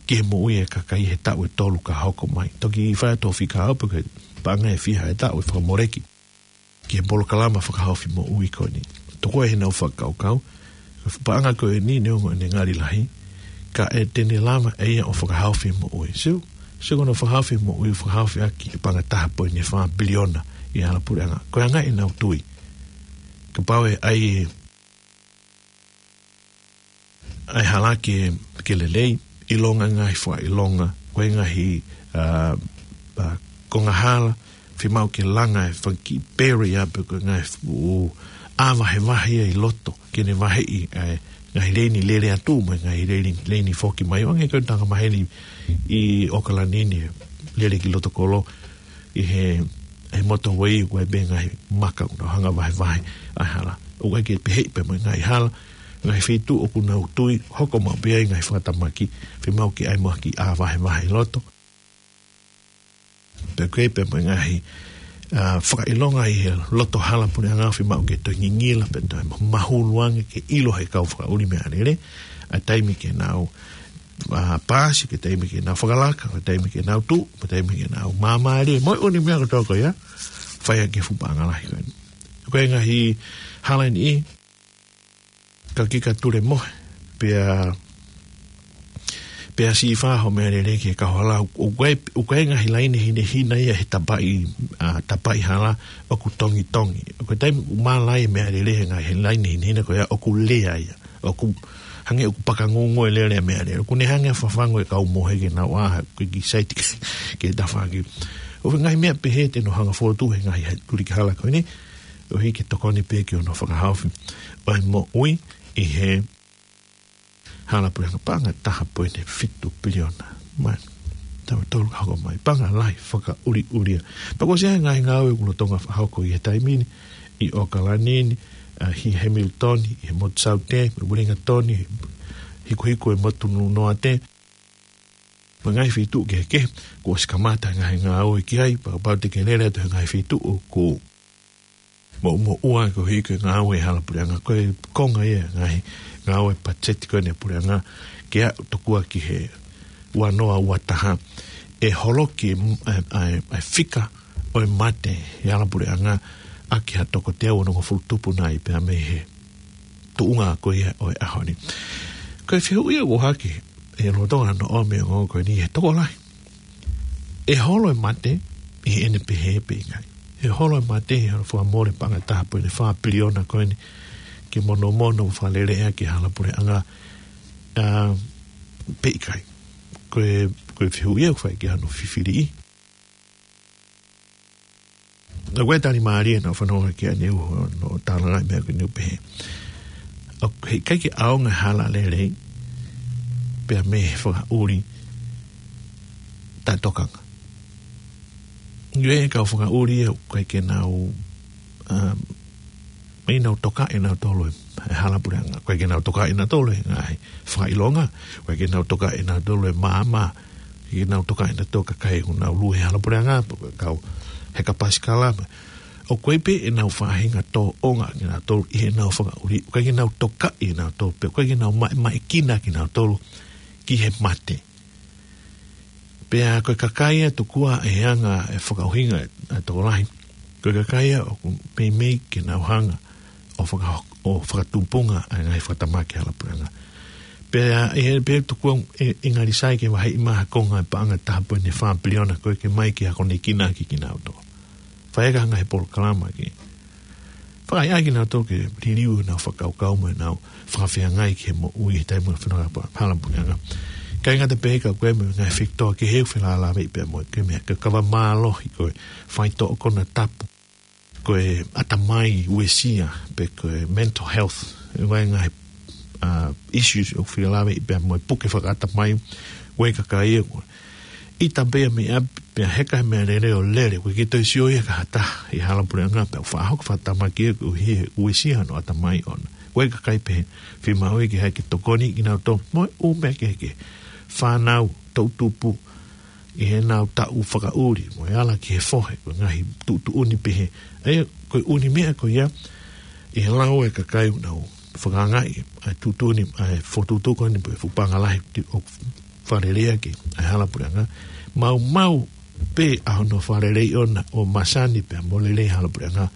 ki he moʻui e kakai he taʻu ʻe tolu ka hoko mai. Toki fai atu e fika ʻo aʻu pē ki he paʻanga ʻe fiha e taʻu ʻe fakamoleki ki he polokalama fakahaofi moʻui ko eni. Tokua ʻi heʻenau fakakaukau, ko e fuʻu paʻanga ko eni neongo ʻene ngali lahi, ka ʻe te ne lava ʻe ia ʻo fakahaofi e moʻui. Sio, sio ko hono fakahaofi e moʻui, fakahaofi ʻaki e paʻanga taha poini fā piliona ʻi he hala puleʻanga. Ko e anga ʻenau tui. Kapau ʻe ʻai ʻa e hala ke, ke lelei, ʻilonga e ngaahi fakaʻilonga, ko e ngaahi, ā, ā, konga hala, fiemaʻu ke langa e fanga kiʻi pere ia pe ko e ngaahi fuʻu ʻā vahevahe ia ʻi loto, ke ne vaheʻi ʻa e ngaahi leini lele atu mo e ngaahi leini, leini foki mai, ʻo hangē ko e tanga maheni ʻi ʻOkalani ni, lele ki loto kolo, ʻi he, he motorway ʻoku ʻi ai pē ngaahi maka ʻoku nau hanga vahevahe ʻa e hala. ʻOku ʻai ke peheʻi pē mo e ngaahi hala, ngaahi feituʻu ʻoku nau tui, hoko maʻu pē ai ngaahi fakatamaki, fiemaʻu ke ʻai mo ha kiʻi ʻā vahevahe ʻi loto. Pea ʻoku ʻi ai pē mo e ngaahi, ā, fakaʻilonga ʻi he loto hala puleʻanga fiemaʻu ke toe ngingila, pea toe mahulu ange ke ʻilo ʻe he kau fakaʻuli meʻalele, ʻa e taimi ke nau, ā, paasi, ko e taimi ke nau fakalaka, ko e taimi ke nau tuʻu, ko e taimi ke nau māmālie, mo e ʻū meʻa kotoa ko ia, fai ʻaki e fuʻu paʻanga lahi ko eni. Ko e ngaahi hala ni, ka kika tule mohe, pea, pea sīfā hoʻo meʻalele ki he kau hala, ʻoku ʻi ai, ʻoku ʻi ai e ngaahi laine hinehina ia he tapaʻi, ā, tapaʻi hala, ʻoku tongitongi. Ko e taimi ʻoku mālai e meʻalele he ngaahi laine hinehina ko ia ʻoku lea ia. ʻOku hangē ʻoku pakangungu e lele e meʻalele. ʻOku ne hanga ʻo fafangu e kau mohe ke nau ʻā, ko e kiʻi saiti ke tafaʻaki. ʻOku ʻi ai e ngaahi meʻa pehē te nau hanga ʻo fokotuʻu he ngaahi tuliki hala ko eni, ʻo hiki tokoni pē ki hono fakahaofi ʻo e moʻui ʻi he hala puleʻanga, paʻanga taha poini fitu piliona. Mai, taha tolu ka hoko mai. Paʻanga lahi fakaʻuliʻulia. Pea kuo ʻosi ʻi ai e ngaahi ngāue ʻoku lolotonga fakahoko ʻi he taimi ni, ʻi ʻOkalani ni, ā, ʻi Hamilton, ʻi he motu Saute, ʻi Wellington, ʻi he hikuhiku e motu Nunaʻa, mo e ngaahi feituʻu kehekehe, kuo ʻosi kamata e ngaahi ngāue ki ai, pea kapau te ke lele atu he ngaahi feituʻu ʻoku moʻumoʻua koeʻuhi ko e ngāue hala puleʻanga, ko e konga ia e ngaahi ngāue patiseti ko eni ʻa e puleʻanga, ke aʻu tokua ki he ua noa ua taha, ʻe holoki e, e, e, e fika ʻo e mate ʻi he hala puleʻanga ʻaki ha toko teau onongofulu tupu nai pea mei he tuʻunga ko ia ʻo e ʻaho ni. Ko e fehuʻi ia ʻoku ʻohake, ʻe lolotonga hono ʻomi e ongo ko eni he tokolahi. ʻE holo e mate ʻi heʻene pehē pe ʻikai? ʻE holo e mate ʻi hono fakamole paʻanga taha poini fā piliona ko eni ke monomono mo fakalele ʻaki e hala puleʻanga, ā, pe ʻikai? Ko e, ko e fehuʻi ia ʻoku fai ki ai hono fifiliʻi. ʻOku ʻi ai e tali mālie naʻa ku fanongo ki ai ʻaneuhu ʻo tālangaʻi e meʻa ko eni ʻo pehē, ʻoku ʻikai ke ʻaonga e hala lelei pea mei he fakaʻuli taʻetokanga. ʻOku ʻi ai e kau fakaʻuli ia ʻoku ʻikai ke nau, um, ʻikai ke nau tokaʻi ʻe nautolu e hala puleʻanga. ʻOku ʻikai ke nau tokaʻi ʻe nautolu e ngaahi fakaʻilonga. ʻOku ʻikai ke nau tokaʻi ʻe nautolu e maama. ʻIkai ke nau tokaʻi ʻe nautolu e kakai ʻoku nau lue he hala puleʻanga, pe ko e kau heka pasikala. ʻOku ʻi ai pē ʻenau faʻahinga tōʻonga ʻaki kinautolu ʻi heʻenau fakaʻuli. ʻOku ʻikai ke nau tokaʻi ʻe nautolu, pe ʻoku ʻikai ke nau maʻemaʻekina kinautolu ki he mate. Pea ko e kakai ia tokua ʻe anga e fakaʻuhinga ʻa e tokolahi, ko e kakai ia ʻoku meimei ke nau hanga ʻo faka-, ʻo fakatupunga ʻa e ngaahi fakatamaki hala puleʻanga. Pea ʻi he pē tokua ʻe, ʻe ngali sai ke vaheʻi mai ha konga e paʻanga taha poini fā piliona ko ē ke mai ke akonekina ʻaki kinautolu. Fai ʻaki ha ngaahi polokalama ke fakaʻaiʻai kinautolu ke liliu ʻenau fakakaukau mo ʻenau fakafeangai ki he moʻui he taimi ʻoku fanongo ai e hala puleʻanga. ʻIkai ngata pē ka ʻoku ʻi ai mo e ngaahi fekitoa kehe ʻoku felālāveʻi pea mo e, ko e meʻa ko e kava mālohi, ko e faitoʻo konatapu, ko e ʻatamai uesia, pe ko e mental health, ʻi ai e ngaahi, ā, issues ʻoku felālāveʻi pea mo e puke fakaʻatamai, ʻoku ʻi ai e kakai ia ʻoku ʻita pē ia mei ʻapi, pea heka he meʻalele ʻo lele, ʻoku ʻikai ke toe sio ia ki ha taha ʻi he hala puleʻanga, pea ʻoku faʻa hoko e fakatamaki ia koeʻuhi he uesia hono ʻatamai ʻoʻona. ʻOku ʻi ai e kakai pehē, fiemaʻu ia ke ʻai ke tokoniʻi kinautolu mo e ʻū meʻa kehekehe. Fānau, toʻutupu, ʻi heʻenau taʻu fakaʻuli, mo e ala ki he fohe, ko e ngaahi tuʻutuʻuni pehē. ʻA ia, ko e ʻū meʻa ko ia, ʻi he lau ʻa e kakai ʻoku nau fakaangaʻi ʻa e tuʻutuʻuni, ʻa e fokotuʻutuʻu ko eni pe fuʻu paʻanga lahi ʻoku fakalele ʻaki ʻa e hala puleʻanga. Maumau pē ʻa hono fakaleleiʻi ʻoʻona ʻo masani pea mo e lelei e hala puleʻanga.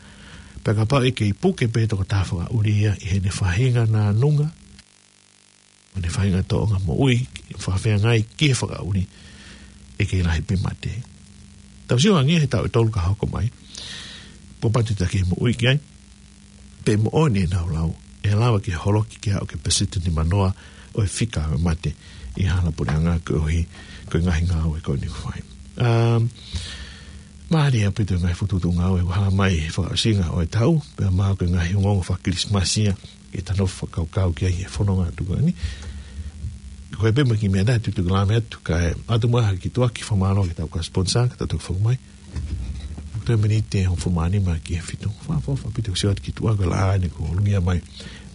Pea kapau ʻe kei puke pē tokotaha fakaʻuli ia ʻi heʻene faʻahinga nānunga, ʻo ne faʻahinga tōʻonga moʻui, fakafeangai ki he fakaʻuli, ʻe kei lahi pē mate. Tau sio ange he taʻu ʻe tolu ka hoko mai, kuo pau ke taki moʻui ki ai, pe moʻoni ʻenau lau, ʻe lava ke holoki ke aʻu ki he peseti nimanoa ʻo e fika ʻo e mate ʻi he hala puleʻanga koeʻuhi ko e ngaahi ngāue ko eni ʻoku fai. Um, mālie ʻaupito e ngaahi fokotuʻutuʻu ngāue ʻoku hā mai he fakaʻosinga ʻo e taʻu, pea mahalo ko e ngaahi ongoongo faka-Kilisimasi ia ke tau nofo fakakaukau ki ai he fononga atu ko eni. Ko e pē mo e kiʻi meʻa naʻe tutuki lame atu, kae ʻoatu muʻa ha kiʻi tuʻuaki fakamālō ki heʻetau kau sponsor, ka tau toki foki mai. Toe miniti ʻe hongofulu mā nima ki he fitu. Fakaʻofoʻofa ʻaupito sio atu ki tuʻa ko e laʻā ni kuo lungia mai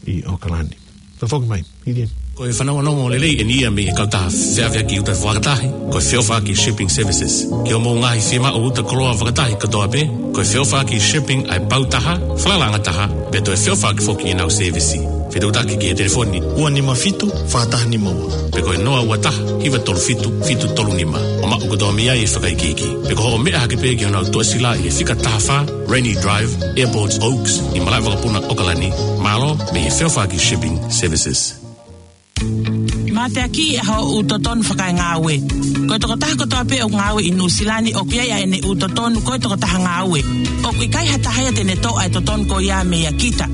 ʻi ʻAokalani. Tau foki mai, Lilian. Ko e fanongonongo lelei eni ia mei he kautaha feʻaveʻaki uta fakatahi, ko e Feʻofaʻaki Shipping Services. Ki hoʻomou ngaahi fiemaʻu uta koloa fakatahi kotoa pē, ko e Feʻofaʻaki Shipping ʻa e pau taha, falalaʻanga taha, pea toe feʻofaʻaki foki ʻenau sēvisi. Fetuʻutaki ki he telefoni ua nima fitu, fā taha nima ua. Pe ko e noa ua taha, hiva tolu fitu, fitu tolu nima. ʻO maʻu kotoa mei ai e fakaikiiki. Pe ko hoʻo meʻa hake pē ki honau tuʻasila ʻi he fika taha fā, Rainy Drive, Airport Oaks, ʻi Malaʻevakapuna, ʻAokalani. Mālō, mei he Feʻofaʻaki Shipping Services. Mateakiʻi ʻa hoʻo ʻū totonu fakaengāue. Ko e tokotaha kotoa pē ʻoku ngāue ʻi Nuʻusila ni ʻoku ʻi ai ʻa ʻene ʻū totonu ko e tokotaha ngāue. ʻOku ʻikai ha taha ia te ne toʻo ʻa e totonu ko ia meia kita.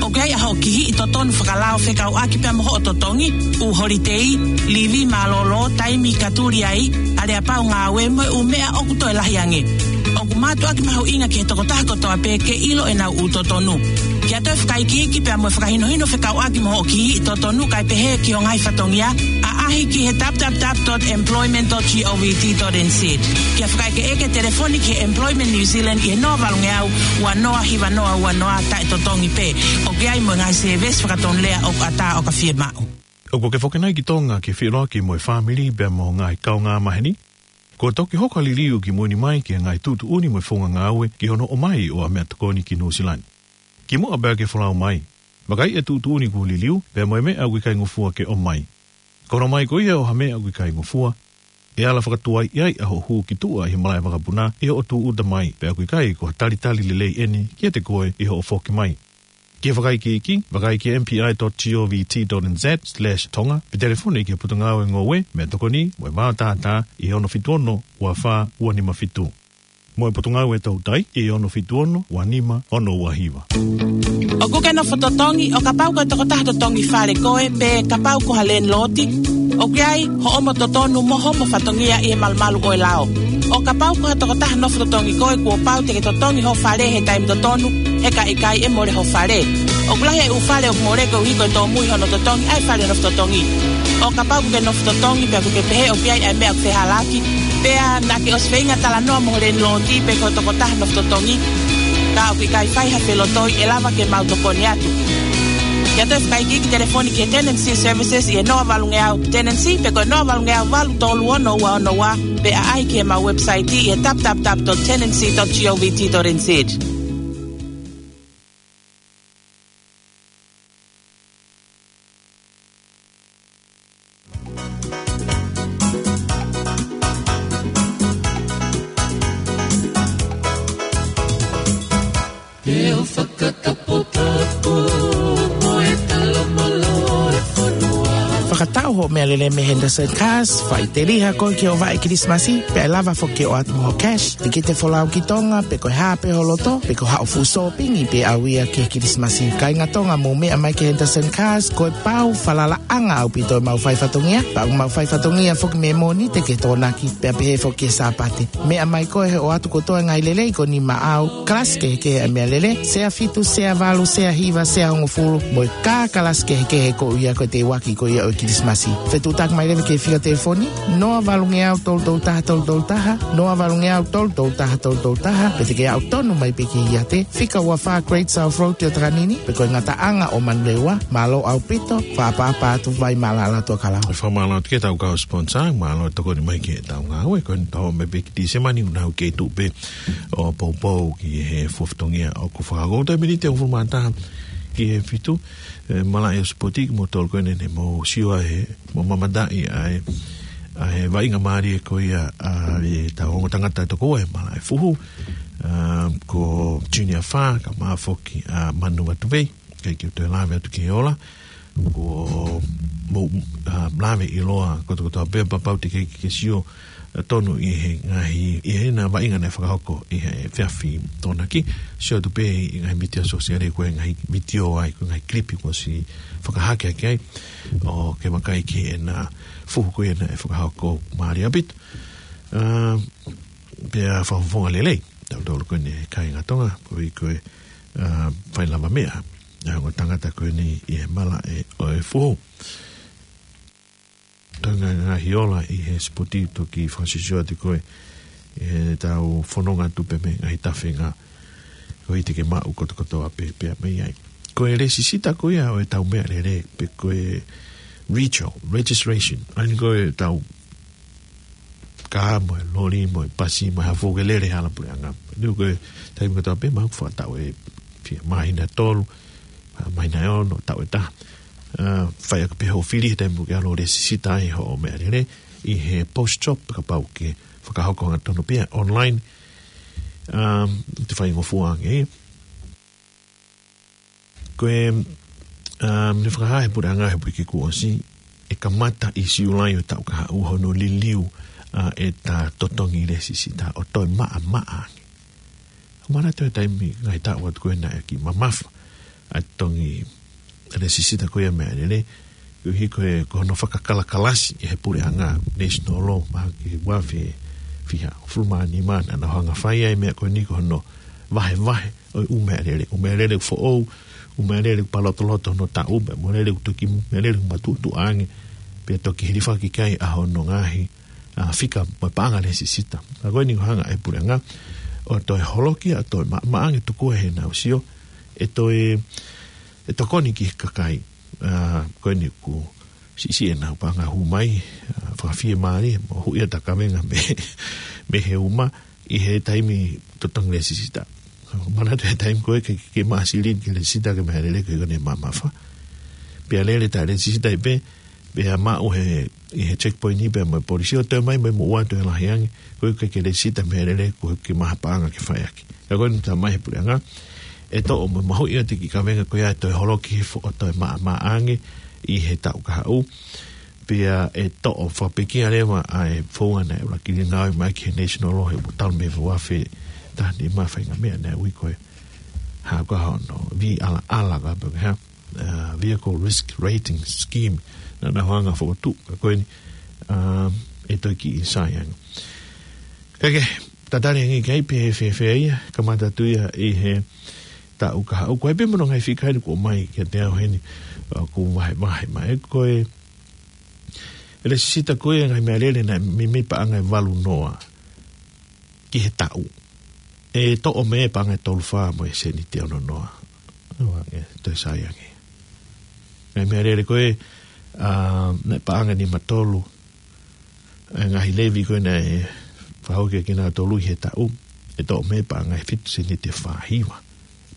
ʻOku ʻi ai ʻa hoʻo kihiʻi totonu fakalao fekauʻaki pea mo hoʻo totongi, ʻū holitei, livi mālōlō, taimi ka tuli ai, aleapau ngāue mo e ʻū meʻa ʻoku toe lahi ange. ʻOku mātuʻaki mahuʻinga ki he tokotaha kotoa pē ke ʻilo ʻenau ʻū totonu. Ke ʻoatu e fakaikiiki pea mo e fakahinohino fekauʻaki mo hoʻo kihiʻi totonu kae pehē ki ho ngaahi fatongia, ʻaʻahi ki he www dot employment dot govt dot nz. Ke fakaʻekeʻeke, telefoni ki he Employment New Zealand ʻi he noa valungeau ua noa hiva noa ua noa, taʻetotongi pē. ʻOku ʻi ai mo e ngaahi sēvesi fakatonulea ʻoku ʻatā ʻo ka fiemaʻu. ʻOku ke foki nai ki Tonga ke feʻiloaki mo e fāmili pea mo e ngaahi kaungāmaheni? Kuo toki hoko ha liliu kimui ni mai ki he ngaahi tuʻutuʻuni mo e founga ngāue ki hono ʻomai ʻo ha meʻatokoni ki Nuʻusila ni. Kimuʻa pea ke folau mai, vakai e tuʻutuʻuni kuo liliu, pea mo e meʻa ʻoku ʻikai ngofua ke ʻomai. Ko hono ʻomai ko ia ʻo ha meʻa ʻoku ʻikai ngofua, ʻe ala fakatuai ai ʻa hoʻo hū ki tuʻa ʻi he malaʻevakapuna ʻi hoʻo tūʻuta mai, pea ʻoku ʻikai ko ha talitali lelei eni kiate koe ʻi hoʻo foki mai. Ke fakaikiiki, vakai ki he M P I dot govt dot N Z slash Tonga, pe telefoni ki he Potungāue Ngoue, Meʻatokoni mo e Vao Tātā ʻi he ono fitu ono, ua fā, ua nima fitu. Mo e Potungāue Toutai ʻi he ono fitu ono, ua nima, ono ua hiva. ʻOku ke nofo totongi, ʻo kapau ko e tokotaha totongi fale koe, pe kapau ko ha landlord, ʻoku ʻi ai hoʻomo totonu mo homo fatongia ʻi he malumalu ʻo e lao. ʻO kapau ko ha tokotaha nofo totongi koe, kuo pau te ke totongi ho fale he taimi totonu, he ka ʻikai ʻe mole ho fale. ʻOku lahi e ʻū fale ʻoku mole koeʻuhi ko e tōmui hono totongi ʻa e fale nofo totongi. ʻO kapau ʻoku ke nofo totongi pea ʻoku ke pehē ʻoku ʻi ai ʻa e meʻa ʻoku fehālaaki, pea naʻa ke ʻosi feinga talanoa mo ho landlord pe ko e tokotaha nofo totongi, ka ʻoku ʻikai fai ha felotoi, ʻe lava ke mau tokoni atu. Ke ʻoatu e fakaikiiki, telefoni ki he Tenancy Services ʻi he noa valungeau tenancy, pe ko e noa valungeau valu tolu ono ua ono ua, pe ʻaʻahi ki heʻemau website ʻi he www dot tenancy dot govt dot nz. Ke u fakataputapu mo e talomalo e fonua. Fakatau hoʻo meʻalele mei Henderson Cars, faʻiteliha koe ki hoʻo vaʻe Kilisimasi, pea ʻe lava foki ke ʻoatu mo ho cash. Te ke folau ki Tonga, pe ko e hā pē ho loto, pe ko haʻo fuʻu sōpingi pē ʻau ia ki he Kilisimasi. Kāinga Tonga, mou meʻa mai ki Henderson Cars, ko e pau falalaʻanga ʻaupito ʻemau fai fatongia, pea ʻoku mau fai fatongia foki mei Mōnite ki he Tokonaki, pea pehē foki ki he Sāpate. Meʻa mai koe he ʻoatu kotoa e ngaahi lelei ko eni maʻau, kalasi kehekehe ʻa e meʻalele, sea fitu, sea valu, sea hiva, sea hongofulu, mo e kā kalasi kehekehe ko ia ko e teuaki ko ia ʻo e Kilisimasi. Fetuʻutaki mai leva ki he fika telefoni, noa valungeau tolu tolu taha tolu tolu taha, noa valungeau tolu tolu taha tolu tolu taha, pe te ke aʻu tonu mai pē ki he iate, fika ua fā Great South Road ʻi ʻOtakanini, pe ko e ngataʻanga ʻo Manurewa. Mālō ʻaupito, fakaʻapaʻapa atu, vai mālala atu ʻa Kalau. Fakamālō atu ki heʻetau kau sponsor, mālō e tokoni mai ki heʻetau ngāue, ko eni tau ō mai pē ki Tīsema ni, ʻoku nau kei tuʻu pē ʻo poupou ki he fuofua fatongia ʻoku fakahoko. Toe miniti ʻe hongofulu mā taha ki he fitu, e, malaʻe ʻo e sipoti kimoutolu ko eni ne mou sio ai, mou mamataʻi ai, ʻa e vaʻinga mālie ko ia ʻa ʻetau ongo tangata ʻe toko ua he malaʻe fuhu, ā, ko Junior Fā, kae ʻumaʻā foki ʻa Manu Vatuvei, ʻikai ke u toe lave atu ki he ola, ko mo, ā, lave ʻiloa kotokotoa pē, pea kapau te ke, ke sio, ā, tonu ʻi he ngaahi, ʻi heʻena vaʻinga naʻe fakahoko ʻi he efiafi Tokonaki, sio atu pē ʻi he ngaahi mītia sōsiale ko e ngaahi vitiō ai, ko e ngaahi kilipi kuo ʻosi fakahake ʻaki ai, ʻo ke vakai ki heʻena fuhu ko ia naʻe fakahoko mālie ʻaupito. Ā, pea fakafofonga lelei tautolu ko eni kāinga Tonga, koeʻuhi ko e, ā, fai lavameʻa ʻa e ongo tangata ko eni ʻi he malaʻe ʻo e fuhu. Tau ngā, ngaahi ola ʻi he sipoti, toki fakasisio atu ko e, ʻetau fononga atu pē mei he ngaahi tafenga ko ia te ke maʻu kotokotoa pē, pea mei ai. Ko e lēsisita ko ia ʻo ʻetau meʻalele, pe ko e retail, registration, ʻa eni ko ʻetau kā mo e loli mo e pasi mo e hā fua ke lele he hala puleʻanga. Pea ko e taimi kotoa pē maʻu fakataʻu ʻe fiha, māhina ʻe tolu, māhina ʻe ono, taʻu ʻe taha. Ā, fai ʻaki pē hoʻo fili he taimi ʻoku ke ʻalu ʻo lēsisita ai hoʻo meʻalele ʻi he post shop, kapau ʻoku ke fakahoko hangatonu pē ia online. Ā, te faingofua ange ia. Ko e, ā, ne fakahā ʻe he puleʻanga he uike kuo ʻosi, ʻe kamata ʻi Siulai ʻo e taʻu kahaʻu hono liliu ʻa ʻeta totongi lēsisita ʻo toe maʻamaʻa ange. ʻOku manatu he taimi, ngaahi taʻu atu ko ē naʻe kiʻi mamafa ʻa e totongi lēsisita ko ia meʻalele, koeʻuhi ko e, ko hono fakakalakalasi ʻe he puleʻanga, national law, mahalo ko e ua afe fiha, hongofulu mā nima, naʻa nau hanga ʻo fai ai e meʻa ko eni, ko hono vahevahe ʻo e ʻū meʻalele, ʻū meʻalele foʻou, ʻū meʻalele palotoloto hono taʻu, pea meʻalele toki, meʻalele matuʻotuʻa ange, pea toki hilifaki ki ai ʻa hono ngaahi, ā, fika mo e paʻanga lēsisita. Ka ko eni ʻoku hanga ʻe he puleʻanga ʻo toe holoki ʻo toe maʻamaʻa ange, tokua ʻe heʻenau sio ʻe toe, ʻe tokoni ki he kakai, ā, ko eni ʻoku siʻisiʻi ʻenau paʻanga hū mai, ā, fakafiemālie, moʻui ʻa e kavenga mei, mei he uma ʻi he taimi totongi lēsisita. Manatu he taimi ko ē ke, ke maʻu silini ki he lēsisita ki he meʻalele ko ē ʻoku ne mamafa. Pea lele ʻeta lēsisita ai pē, pea maʻu he, ʻi he checkpoint ʻi pea mo e polisi ʻo toe mai, mai mo ua toe lahi ange, ko e ke, ke lēsisita meʻalele ko e ke maʻu ha paʻanga ke fai ʻaki. Ka ko eni ʻoku talamai ʻe he puleʻanga ʻe toʻo mo mahuʻi ʻa e kiʻi kavenga ko ia ʻe toe holoki hifo ʻo toe maʻamaʻa ange ʻi he taʻu kahaʻu. Pea ʻe toʻo fakapekia leva ʻa e founga naʻe ʻuluaki liliu ai mai ki he national law he ʻoku talu mei he ua afe taha nima, faʻahinga meʻa naʻe ui ko e, hā ko hono, vīalaala ka pe ko e hā, ā, Vehicle Risk Rating Scheme, naʻa nau hanga ʻo fokotuʻu, ka ko eni, ā, ʻe toe kiʻi sai ange. Ka ke tatali ange ki ai pe ʻe fēfē ia, kamata atu ia ʻi he taʻu kahaʻu. Ko e pē mo hono ngaahi fika eni kuo ʻomai kiate au heni, ā, ʻoku vahevahe mai ko e, e lēsisita ko ē ngaahi meʻalele naʻe meimei paʻanga ʻe valu noa ki he taʻu, ʻe toʻo mei ai paʻanga ʻe tolu fā mo e sēniti ʻe ono noa. ʻOua, ʻe toe sai ange. Ngaahi meʻalele ko ē, ā, naʻe paʻanga ʻe nima tolu, ʻa e ngaahi levy ko ē naʻe fakahoko kiate kinautolu ʻi he taʻu, ʻe toʻo mei ai paʻanga ʻe fitu sēniti ʻe fā hiva.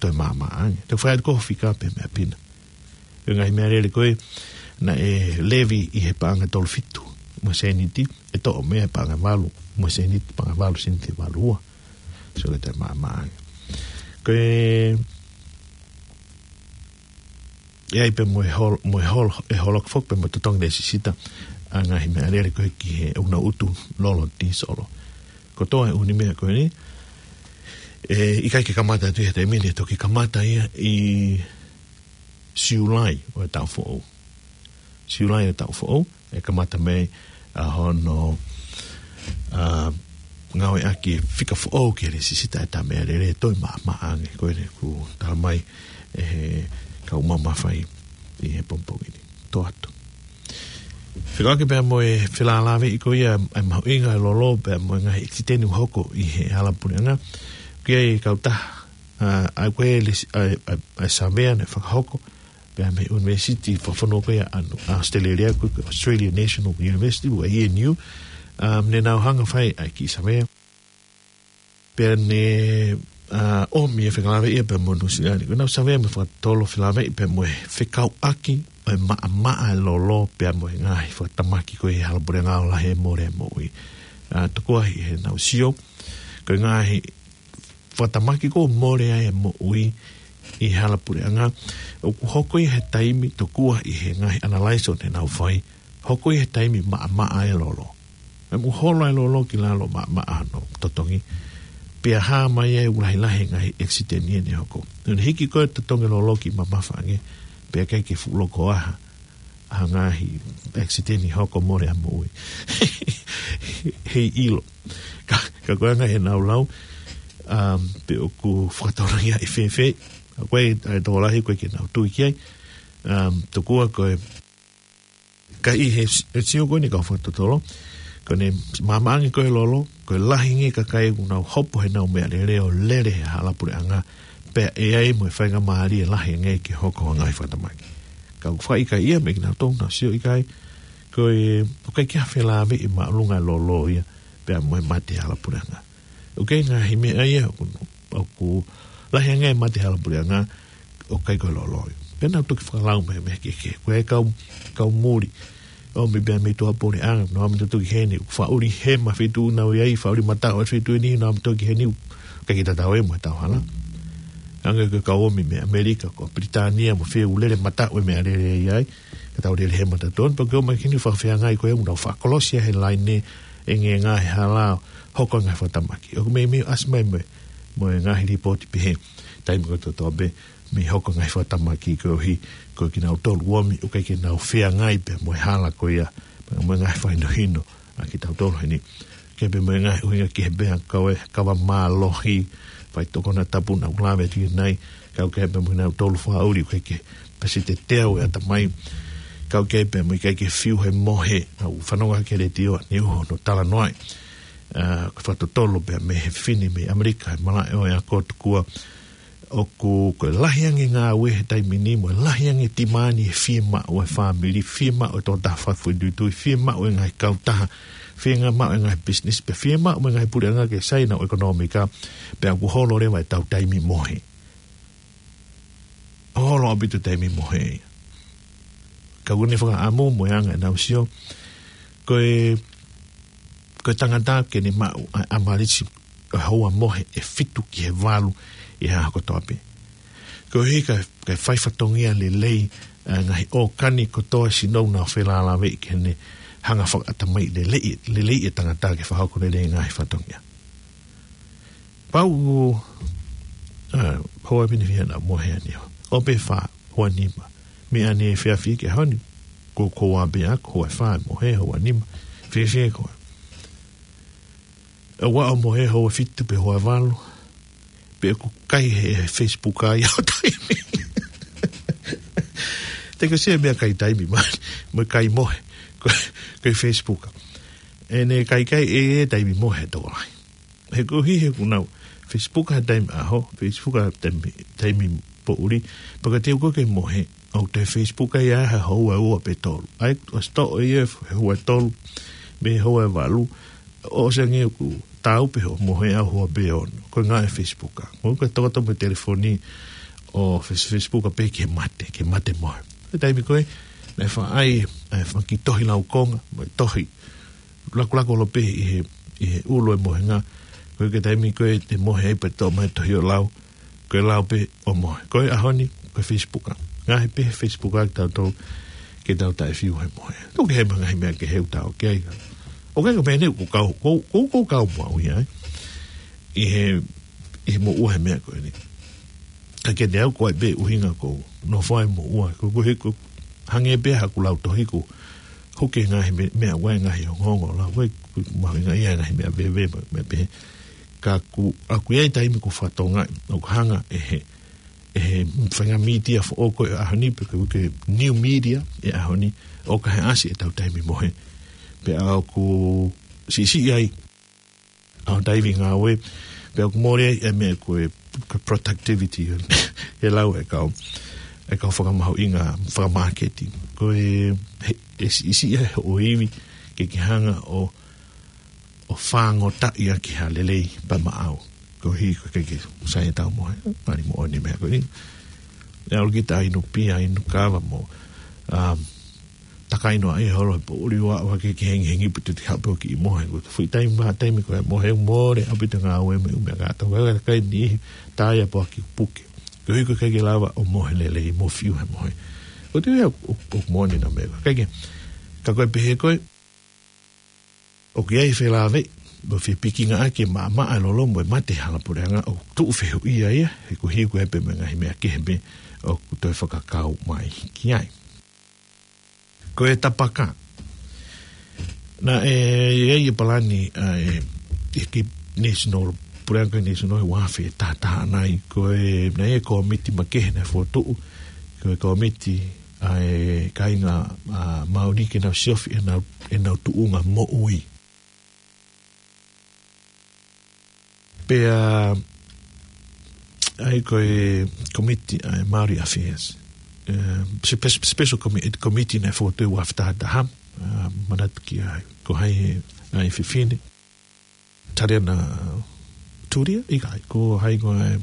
Toe maʻamaʻa ange. Toe fai atu ko e fika pē meʻa pina. Ko e ngaahi meʻalele ko ē naʻe levy ʻi he paʻanga ʻe tolu fitu mo e sēniti, ʻe toʻo mei ai paʻanga ʻe valu mo e sēniti, paʻanga ʻe valu sēniti ʻe valu ua. So ʻe toe maʻamaʻa ange. Ko e, ʻe ʻi ai pē mo e hol-, mo e hol-, ʻe holoki foki pē mo e totongi lēsisita ʻa e ngaahi meʻalele ko ē ki he ʻū nauʻutu lolo tīsolo. Kotoa e ʻū meʻa ko eni, ʻe ʻikai ke kamata atu ia he taimi ni, ʻe toki kamata ia ʻi Siulai ʻo e taʻu foʻou. Siulai ʻo e taʻu foʻou, ʻe kamata mei ai ʻa hono, ā, ngāueʻaki e fika foʻou ki he lēsisita ʻeta meʻalele ʻe toe maʻamaʻa ange, ko eni ʻoku talamai ʻe he kau mamafa ʻi he pongipongi ni. Toʻa atu. Fekauʻaki pea mo e felālāveʻi ko ia ʻa e mahuʻinga ʻo e lolo pea mo e ngaahi ʻekisiteni ʻoku hoko ʻi he hala puleʻanga. Ko e kautaha, ā, ʻa ia ko e lēsi-, ʻa e, ʻa e, ʻa e savea naʻe fakahoko pea mei he ʻunivēsiti fakafonua ko ia ʻa ʻAositelēlia ko e Australian National University, pe ko e A N U, ā, ne nau hanga ʻo fai ʻa e kiʻi savea. Pea ne, ā, ʻomi e fekalāveʻi ia pea mo Nuʻusila ni. Ko ʻenau savea mo e fakatotolo felāveʻi pea mo e fekauʻaki ʻo e maʻamaʻa e lolo pea mo e ngaahi fakatamaki ko ē ʻi he hala puleʻanga ʻo lahi e mole e moʻui. Ā, tokua ʻe heʻenau sio, ko e ngaahi fakatamaki ko e mole ai e moʻui ʻi he hala puleʻanga, ʻoku hoko ia he taimi tokua ʻi he ngaahi analysis ʻoku nau fai, hoko ia he taimi maʻamaʻa e lolo. ʻE mo holo e lolo ki lalo maʻamaʻa hono totongi. Pea hā mai ai ʻoku lahilahi e ngaahi accident ia ne hoko. Naʻe hiki ko e totongi lolo ki mamafa ange, pea ʻikai ke fuʻu loko ʻa ha, ha ngaahi accident ʻi hoko mole ʻa moʻui. Hei ʻilo. Ka, ka ko e anga he nau lau, um, pe ʻoku fakatoloia ʻi fēfē. Ka ko e, ʻa e tokolahi ko e ke nau tui ki ai. Um, tokua ko e, ka ʻi he, he sio ko eni kau fakatotolo, ko ʻene maʻamaʻa ange ko e lolo, ko e lahi ange kakai ʻoku nau hopo he nau meʻalele ʻo lele he hala puleʻanga, pea ʻe ai mo e faingamālie lahi ange ke hoko ha ngaahi fakatamaki. Ka ʻoku fakaʻikaiʻi ia mei kinautolu ʻoku nau sio ʻikai, ko e, ʻoku ʻikai ke ha felāveʻi māʻolunga e lolo ia, pea mo e mate he hala puleʻanga. ʻOku ʻi ai e ngaahi meʻa ia, ʻoku, ʻoku lahi ange e mate he hala puleʻanga, ʻoku ʻikai ko e lolo ia. Pea nau toki fakalau mai mei he kehekehe. Ko e kau, kau muli. ʻOmi pea mei tuʻapuleʻanga, nau ʻomi toki heni, faʻuli hema feituʻu nau ʻi ai, faʻuli mataʻu ʻa feituʻu ni, nau ʻomi toki heni, ʻikai ke tatau ia mo e tau hala. Hangē ko e kau ʻomi mei ʻAmelika, ko Pilitānia, mo fē ʻoku lele mataʻu e meʻalele ʻi ai, ka tau lele hema tatau, pea ke ʻomai heni fakafeangai ko e ʻoku nau fakakolosi ia he laine, ʻengenga he hala, hoko e ngaahi fakatamaki. ʻOku meimei ʻasi mai mo e, mo e ngaahi lipooti pehē, taimi kotoa pē, mei hoko e ngaahi fakatamaki koeʻuhi, ko kinautolu ʻomi, ʻoku ʻikai ke nau feangai pea mo e hala ko ia, mo e ngaahi fakahinohino, ʻa kitautolu heni. Ke pea mo e ngaahi ʻuhinga kehe pea kau e kava mālohi, faitokoni tapu naʻa ku lave atu ki ai, kau ke pea mo kinautolu faʻuli, ʻoku ʻikai ke pasi te teu e ʻatamai, kau ke pea mo ʻikai ke fiu he mohe, ʻa e fanongo ki he letiō, ʻa e niu hono talanoa ai. ʻA, ko e fakatotolo pea mei he fefine mei ʻAmelika, he malaʻe ʻo e ako tokua, ʻoku, ko e lahi ange ngāue he taimi ni, mo e lahi ange timani he fiemaʻu e fāmili, fiemaʻu e tokotaha fakafoʻituitui, fiemaʻu e ngaahi kautaha, fiemaʻu e ngaahi business, pea fiemaʻu e ngaahi puleʻanga ke sai ʻenau ʻekonōmika, pea ʻoku holo leva e tau taimi mohe. Holo ʻaupito taimi mohe. Ka ʻoku ne fakaʻamu mo e anga ʻenau sio, ko e, ko e tangata ke ne maʻu ʻa e ʻamalisi ʻo e houa mohe ʻe fitu ki he valu ʻi he ʻaho kotoa pē. Koeʻuhi ka, ka fai fatongia lelei, ʻa e ngaahi ʻōkani kotoa sinou nau felālāveʻi ke ne hanga fakaʻatamai lelei, lelei e tangata ke fakahoko lelei e ngaahi fatongia. Pau, ʻa, houa pini fia na mohe ani ho. ʻO pē fā, houa nima. Mei ʻaneefiafi ki he ʻaho ni. Ko, ko ua pē ʻaku, houa fā mohe, houa nima. Fēfē koe. ʻOua ʻo mohe houa fitu pe houa valu. Pe ʻoku kai he, he Facebook ai ʻo taimi. Te ke se meʻa kai taimi mai. Mo kai mohe. Ko, ko e Facebook. ʻEne kai kai ʻe, ʻe taimi mohe tokolahi. He koeʻuhi he ʻoku nau Facebook ha taimi ʻaho, Facebook ha taimi, taimi poʻuli, pea ka te u ko ke mohe, ʻoku te Facebook ai ʻa e houa ua pe tolu. ʻAi, ʻosi toʻo ia he houa tolu, mei he houa valu, ʻosi ange ʻoku tau pē hoʻo mohe ʻa e houa pe ono, ko e ngaahi Facebook. Mo ko e tokoto mo e telefoni ʻo Face-, Facebook pē ke mate, ke mate mohe. He taimi ko ē, naʻe faʻa ʻai, ʻa e fanga kiʻi tohi laukonga, mo e tohi, lakulaku ʻolo pē ʻi he, ʻi he ʻulu e mohenga. Ko e ke taimi ko ē te mohe ai pea toʻo mai tohi ʻo lau. Ko e lau pē ʻo mohe. Ko e ʻaho ni, ko e Facebook. Ngaahi pē he Facebook ki tautolu ke tau taʻefiu he mohe. Tuku ke he ngaahi meʻa kehe ʻoku tau ki ai. ʻOku ʻikai ko e meʻa ni ʻoku kau, ʻoku, ʻoku, ʻoku kau mo au ia, ē. ʻI he, ʻi he moʻua he meʻa ko eni. Ka ke ne au ko ai pē ʻuhinga ko, nofo ai moʻua. Ko, ko he, ko, hangē pē haku lau tohi ko, hoke ngaahi me-, meʻa ʻoku ʻi ai ngaahi ongoongo lau, ko e, ko e mahuʻinga ia ngaahi meʻa veve, meʻa, meʻa pehē. Ka ʻoku, ʻoku ʻi ai taimi ʻoku fatongia, ʻoku hanga ʻe he, ʻe he faʻahinga mītia foʻou ko e ʻaho ni pe ko e new media e ʻaho ni, ʻoku ʻikai ʻasi e tau taimi mohe. Pea ʻoku siʻisiʻi ai, ʻa e taimi ngāue, pea ʻoku mole ai e meʻa ko e, ko e productivity, he lau e kau, e kau fakamahuʻinga, fakamāketi. Ko e, he, ʻe siʻisiʻi ai hoʻo ivi, ke ke hanga ʻo, ʻo fāngotaʻi ʻaki ha lelei pea maʻau. Koeʻuhi ko e ke, ke sai e tau mohe, mali moʻoni meʻa ko eni. ʻE ʻalu kita inu pia, inu kava mo, um, ʻAkainoa ia holo he poʻuli ua ua ke ke hengihengi pē te te hape ʻo kiʻi mohe. Ko e fuʻu taimi, mā taimi ko e mohe mole ʻaupito ngāue mo e ʻū meʻa kātoa. Ko e kakai ni tā ia poaki puke. Ko e ʻikai ke lava ʻo mohe lelei mo fiu he mohe. ʻOku te ia ʻo, ʻo, ʻo moʻoni ʻena meʻa. Kae kehe, ka ko e pehē ko ē, ʻoku ʻi ai e felāveʻi, ʻo fie pikinga ʻaki e maʻamaʻa, lolo mo e mate hala puleʻanga ʻo tuʻu fehuʻia ia, he ko e hiko ē pē mo e ngaahi meʻa kehe pē ʻoku toe fakakau mai ki ai. Ko e tapaka. Naʻe ʻi ai e palani ʻa e, ʻi he national, puleʻanga national ʻi he ua afe taha taha nai, ko e, naʻe ʻi ai e kōmiti makehe naʻe fokotuʻu, ko e kōmiti ʻa e kāinga, ʻa, Māori ke nau siofi ʻenau, ʻenau tuʻunga moʻui. Pea, ʻa ia ko e kōmiti ʻa e Māori Affairs. Eh, spe-, special commi-, committee naʻe fokotuʻu ʻi he ua afe taha taha, ah, manatu ki ai, ko hai ʻa e fefine. Tariana Turia, ʻikai, ko hai ko e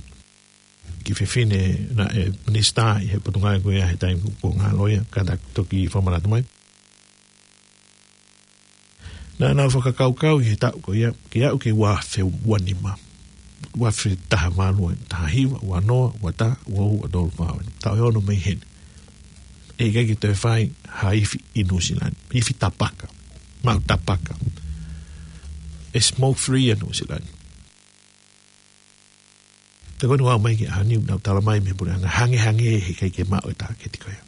kiʻi fefine naʻe minisitā ʻi he Potungāue ko ia he taimi ko ē ngalo ia, ka ta toki fakamanatu mai. Naʻa nau fakakaukau ʻi he taʻu ko ia, ke aʻu ki he ua afe ua nima. Ua afe taha valu, taha hiva, ua noa, ua taha, ua ua, ua tolu, fā, taʻu ʻe ono mei heni. ʻE ʻikai ke toe fai ha ifi ʻi Nuʻusila ni, ifi tapaka, maʻu tapaka. ʻE smoke free ʻa Nuʻusila ni. Te koni wau mai ki ʻaho ni, nau tala mai mei he puleʻanga, hangehangē he ʻikai ke maʻu e tāketi ko ia.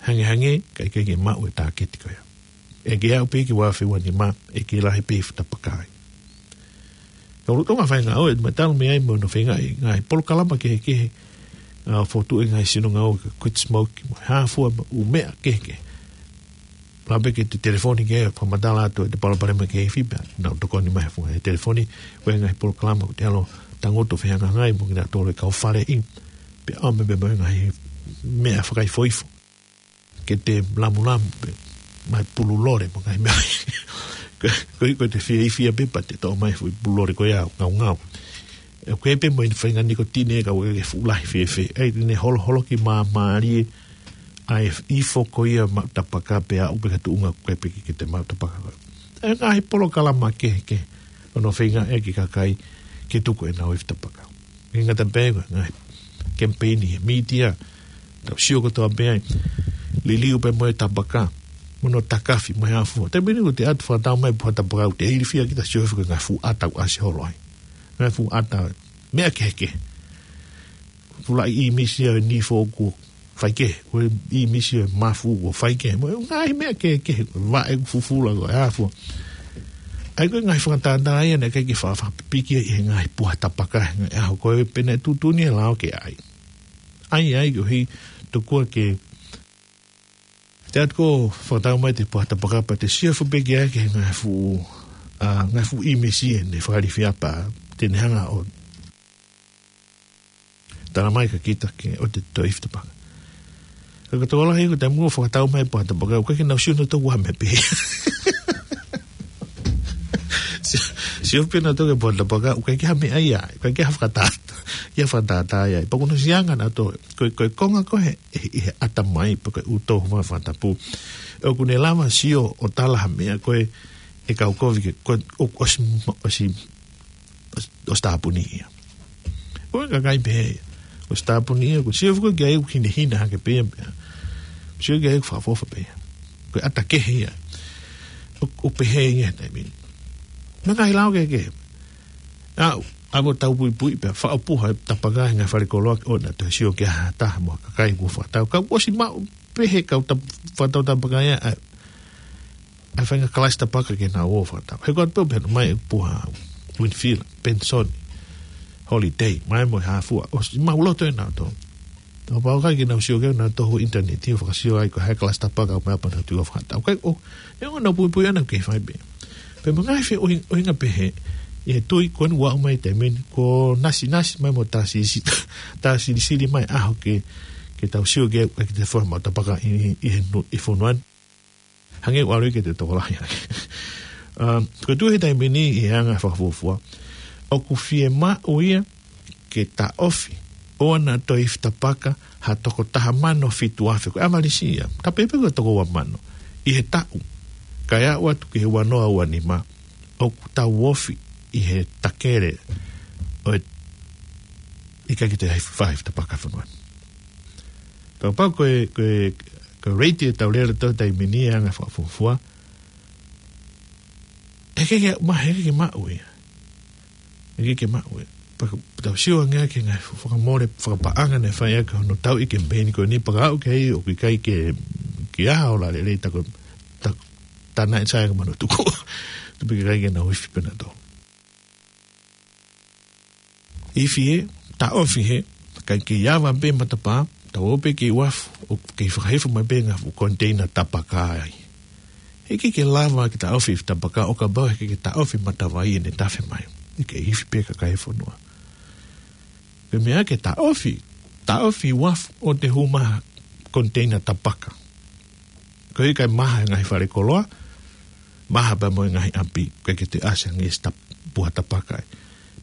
Hangehangē, ka ʻikai ke maʻu e tāketi ko ia. ʻE ke aʻu pē ki he ua afe ua nima, ʻe ke lahi pē ifi tapaka ai. Ka ʻoku tō ngā fai ngāue, ma talu mei ai mo hono feinga ʻi he ngaahi polokalama kehekehe, ʻa, fokotuʻu e ngaahi sino ngāue, ka quit smoke, mo e hā fua, mo e ʻū meʻa kehekehe. Lava pē ke te telefoni ke fakamatala atu e palopalema ki he ifi pea nau tokoni mai he funga he telefoni, ko e ngaahi polokalama ʻoku te ʻalu ʻo tangutu ʻo fehangahangai mo kinautolu e kau faleʻi, pea ʻomi pē mo e ngaahi meʻa fakaifoifo ke te lamulamu pē, mai pulu lole mo e ngaahi meʻa. Ko, ko, ko e te fie ifi ia pē pea te toʻo mai e fuʻu pulu lole ko ia ʻo ngaungau. ʻE, ko e pē mo e faʻahinga nikotine ka ʻoku ʻikai ke fuʻu lahi fēfē. ʻAi, te ne holoholoki māmālie ʻa e ifo ko ia maʻu tapaka pea aʻu pē ki he tuʻunga ʻoku ʻikai pē ke te maʻu tapaka ko ē. ʻE ngaahi polokalama kehekehe ʻoku nau feinga ʻaki e kakai ke tuku ʻenau ifi tapaka. ʻIkai ngata pē ko e ngaahi kemipeini he mītia, tau sio kotoa pē ai, liliu pē mo e tapaka, mo hono takafi, mo e hā fua. Taimi ni ʻoku te ʻatu fakatau mai e puha tapaka, ʻoku te ilifia kita sio hifo ki he ngaahi fuʻu ʻata ʻoku ʻasi holo ai. Ngaahi fuʻu ʻata, meʻa kehekehe. Fuʻu laʻi ʻīmisi ʻa e nifo kuo faikehe, ko e ʻīmisi ʻa e mafu kuo faikehe. Mo e ngaahi meʻa kehekehe, vaʻe kuo fufula, ko e hā fua. ʻAi, ko e ngaahi fakatātā ia naʻe ʻikai ke fa-, fakapipiki ʻi he ngaahi puha tapaka he ngaahi ʻaho ko ē, pea naʻe tuʻutuʻuni e lao ke ʻai. ʻAi, ʻai, koeʻuhi tokua ke te ʻatu ʻo fakatau mai e puha tapaka pea te sio hifo pē ki ai ki he ngaahi fuʻu, ʻa, ngaahi fuʻu ʻīmisi ʻe ne fakalifia pea te ne hanga ʻo tala mai kia kita ke ʻoua te tau ifi tapaka. Ka ko e tokolahi ko e taimi ʻoku fakatau mai e puha tapaka, ʻoku ʻikai ke nau sio nautolu ha meʻa pē. Sio, sio pē nautolu ki he puha tapaka, ʻoku ʻikai ke ha meʻa ia, ʻoku ʻikai ke ha fakatātā, ke ha fakatātā ia. Pea ʻoku nau sio ange nautolu, ko e, ko e konga ko ē he, he, he ʻatamai, pe ko e ʻū tō homa fakatapu. ʻOku ne lava sio ʻo tala ha meʻa ko ē, ʻe kau kovi ke, ko e, ʻo, ʻosi, ʻosi, ʻosi, ʻosi tāpuni ia. Ko e kakai pehē ia. ʻOsi tāpuni ia, ʻoku sio foki ki ai ʻoku hinehina hake pē ia. Sio ki ai ʻoku fakaʻofoʻofa pē ia. Ko e ʻata kehe ia. ʻO, ʻo pehē ia he taimi ni. Mo e ngaahi lao kehekehe. ʻA, ʻa mo tau puipui pē, faʻo puha e tapaka he ngaahi fale koloa ke ʻoua naʻa toe sio ki ha taha mo ha kakai kuo fakatau. Ka ʻosi maʻu pē he kau tap-, fakatau tapaka ia, ʻa, ʻa e faʻahinga kalasi tapaka ke nau ō ʻo fakatau. He ko atu pē ʻo pehē mai e puha Winfield, Benson, Holiday, mai mo e hā fua. ʻOsi maʻuloto ʻenautolu. Tau pau kai ke nau sio ki ai, nau tohu ʻinitaneti ʻo fakasio ai ko e hā e kalasi tapaka ʻoku meʻa pea nau tuʻu ʻo fakatau. Kai ʻo, ʻe ʻoua naʻa puipui ʻana ke fai pē. Pea mo e ngaahi feʻuhi-, ʻuhinga pehē, ʻi he tui ko eni ʻoku aʻu mai he taimi ni, ko Nasinasi mai mo Tasisi, Tasilisili mai ʻaho ke, ke tau sio ki ai, ke te fua maʻu tapaka ʻi, ʻi, ʻi he nu-, ʻi fonua ni. Hangē ʻoku ʻalu ia ke te tokolahi ange. Um, ko e tuʻu he taimi ni ʻi he anga fakafuofua, ʻoku fiemaʻu ia ke taʻofi, ʻOua naʻa toe ifi tapaka ha toko taha mano fitu afe, ko e ʻavalisi ia. Tapu pē ko e toko ua mano ʻi he taʻu. Kae aʻu atu ki he ua noa ua nima, ʻoku tau ofi ʻi he takele ʻo e ʻikai ke toe ifi, ifi tapaka fonua. Kapau ko e, ko e, ko e rate ʻetau lele ʻi he taimi ni ʻa e anga fakafuofua, ʻe ʻikai ke ma-, ʻe ʻikai ke maʻu ia. ʻE ʻikai ke maʻu ia. Pea ka tau sio ange ki he ngaahi fakamole, fakapaʻanga naʻe fai ʻaki hono tauʻi e kemipeini ko eni, pea ka aʻu ki ai ʻoku ʻikai ke, ke ʻi ai ha ola lelei, tā ko e, tā, tā naʻe sai ange mano tuku. Tupu ke ʻikai ke nau ifi pē nautolu. Ifi hē, taʻofi hē, kae kei ava pē matapā, tau ō pē ki uafu, ʻo kei fakahifo mai pē ngaahi fuʻu koniteina tapaka ai. ʻE ʻikai ke lava ke taʻofi ifi tapaka, ʻo kapau ʻe ʻikai ke taʻofi matavai ʻene tafe mai. ʻE kei ifi pē kakai e fonua. Ko e meʻa ke taʻofi, taʻofi uafu ʻo te hū mai ha koniteina tapaka. Ko e ʻikai maha e ngaahi fale koloa, maha pea mo e ngaahi ʻapi, ʻikai ke te ʻasi ange e tap-, puha tapaka ai.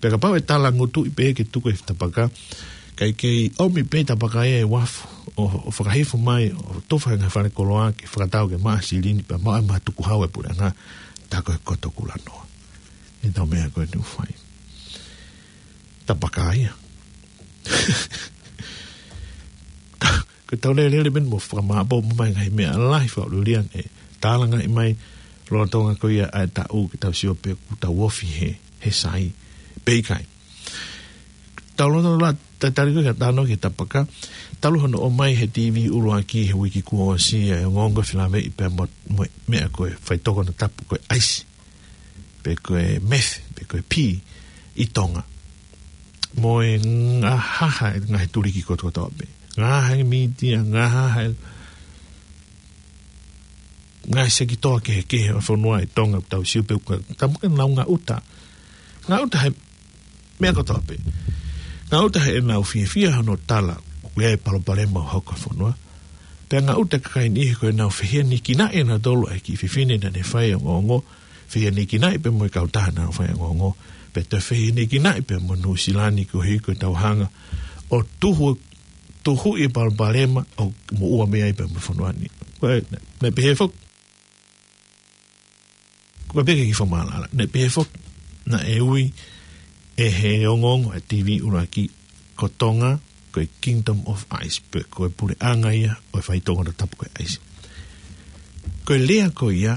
Pea kapau ʻe tala ngutuʻi pē ke tuku e tapaka, kae kei ʻomi pē tapaka ia ʻe uafu, ʻo, ʻo fakahifo mai, ʻo tufa e ngaahi fale koloa, ke fakatau ke maʻa silini, pea maʻa e maha tukuhau e puleʻanga, tā ko e koto kulanoa. ʻE tau meʻa ko eni ʻoku fai. Tapaka ia. Ko e tau lele lele pē mo fakamāʻopoʻopo mai ngaahi meʻa lahi fakaʻuliʻulia ʻe tālangaʻi mai lolotonga ko ia ʻa e taʻu ke tau sio pē ʻoku tau ofi he, he sai. Pe ʻikai. Tau loto la, ta-, tali ko e ka tano ki he tapaka. Talu hono ʻomai he T V ʻuluaki he uike kuo ʻosi ʻa e ongoongo fie laveʻi pea mo, mo e meʻa ko e faitokonia tapu ko e ʻaisi. Pe ko e meth, pe ko e pī ʻi Tonga. Mo e ngahaha e ngaahi tuliki kotokotoa pē. Ngahaha e mītia, ngahaha e ngaahi sekitoa kehekehe ʻo e fonua ʻi Tonga, tau sio pē ʻoku, tau ka nau ngaʻuta. Ngaʻuta he meʻa kotoa pē. Ngaʻuta heʻenau fiefia hono tala ʻoku ʻi ai e palopalema ʻoku hoko he fonua. Pea ngaʻuta e kakai niʻihi ko ʻenau fehiʻanekinaʻi ʻe nautolu ʻa e kiʻi fefine naʻa ne fai e ongoongo, fehiʻanekinaʻi pē mo e kautaha naʻa nau fai e ongoongo, pea toe fehiʻanekinaʻi pē mo Nuʻusila ni koeʻuhi ko ʻetau hanga ʻo tuhu, tuhuʻi e palopalema ʻoku moʻua mei ai pē mo e fonua ni. Ko e, naʻe, naʻe pehē foki. Ko e pehē ki he fakamaʻalaʻala. Naʻe pehē foki, naʻe ui ʻe he ongoongo ʻa e T V ʻuluaki ko Tonga, ko e Kingdom of Ice, pe ko e puleʻanga ia ʻo e faitokonia tapu ko e ʻaisi. Ko e lea ko ia,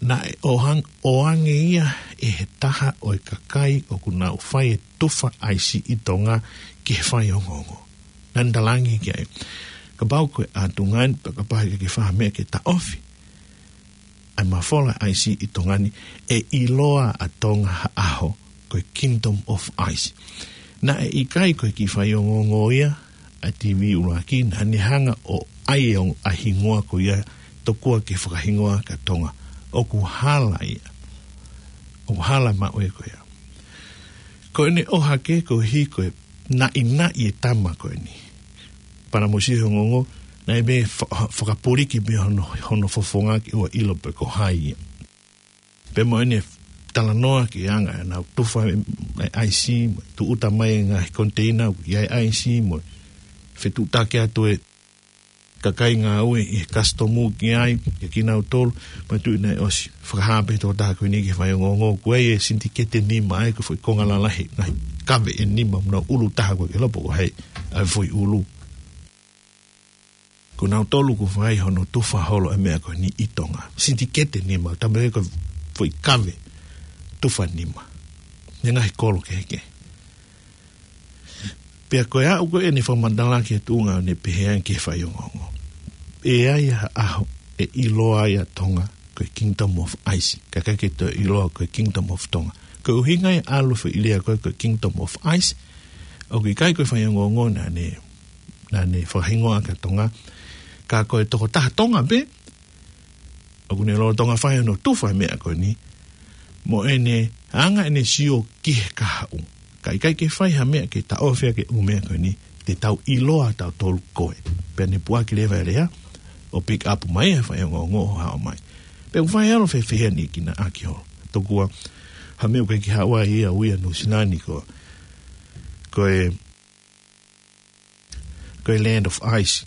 naʻe ʻohang-, ʻoange ia ʻe he taha ʻo e kakai ʻoku nau fai e tufa ʻaisi ʻi Tonga ki he faiongoongo. Naʻa ne talaange ki ai, kapau ko e ʻatunga ni, pea kapau ʻe ʻikai ke fai ha meʻa ke taʻofi ʻa e mafola ʻaisi ʻi Tonga ni, ʻe ʻiloa ʻa Tonga ha ʻaho ko e Kingdom of Ice. Naʻe ʻikai ko e kiʻi faiongoongo ia ʻa e T V ʻuluaki, naʻa ne hanga ʻo ʻai e ongo-, ʻa e hingoa ko ia tokua ke fakahingoa ʻaki ʻa Tonga. ʻOku hala ia. ʻOku hala maʻu ia ko ia. Ko ʻene ʻohake koeʻuhi ko e naʻinaʻi e tama ko eni. Pea naʻa mo sio he ongoongo, naʻe mei fa-, fakapuliki mei hono, hono fofonga ke ʻoua ʻilo pe ko hai ia. Pea mo ʻene talanoa ki he anga ʻenau tufa e, e ʻaisi, mo e tūʻuta mai e ngaahi koniteina ʻoku ʻi ai e ʻaisi, mo e fetuʻutaki atu e kakai ngāue ʻi he kasitomu ki ai, ʻia kinautolu, pea tuʻu naʻe ʻosi fakahā pē tokotaha ko eni ki he faiongoongo, ko e sintiketi nima ai, ko e foʻi konga lalahi, ngaahi kave ʻe nima, mo nau ʻulu taha ko e ke lopo ko hai, ʻa e foʻi ʻulu. Ko nautolu kuo fai hono tufa holo e meʻa ko eni ʻi Tonga. Sintiketi nima, tama ko e foʻi kave, tufa nima. Ngaahi kolo kehekehe. Pea ko e aʻu ko eni fakamatala ki he tuʻunga ʻo ne pehē ange ki he faiongoongo. ʻE ʻi ai ha ʻaho ʻe ʻiloa ai ʻa Tonga ko e Kingdom of Ice. Ka ʻikai ke toe ʻiloa ko e Kingdom of Tonga. Ko e ʻuhinga ia ʻalu foʻi lea ko e, ko e Kingdom of Ice. ʻOku ʻikai ko e faiongoongo naʻa ne, naʻa ne fakahingoa ʻaki ʻa Tonga. Ka ko e tokotaha Tonga pē, ʻoku ne lolotonga fai hono tufa e meʻa ko eni, mo ʻene anga ʻene sio ki he kahaʻu. Ka ʻikai ke fai ha meʻa ke taʻofi ʻaki e ʻū meʻa ko eni, te tau ʻiloa tautolu koe. Pea ne puʻaki leva e lea, ʻo pick up mai e faiongoongo ʻo haʻu mai. Pea ʻoku fai ʻalu fefeheni ki na aki holo. Tokua, ha meʻa ʻoku ʻikai ke haʻu ai ia ʻo ui ʻa Nuʻusila ni ko, ko e ko e Land of Ice.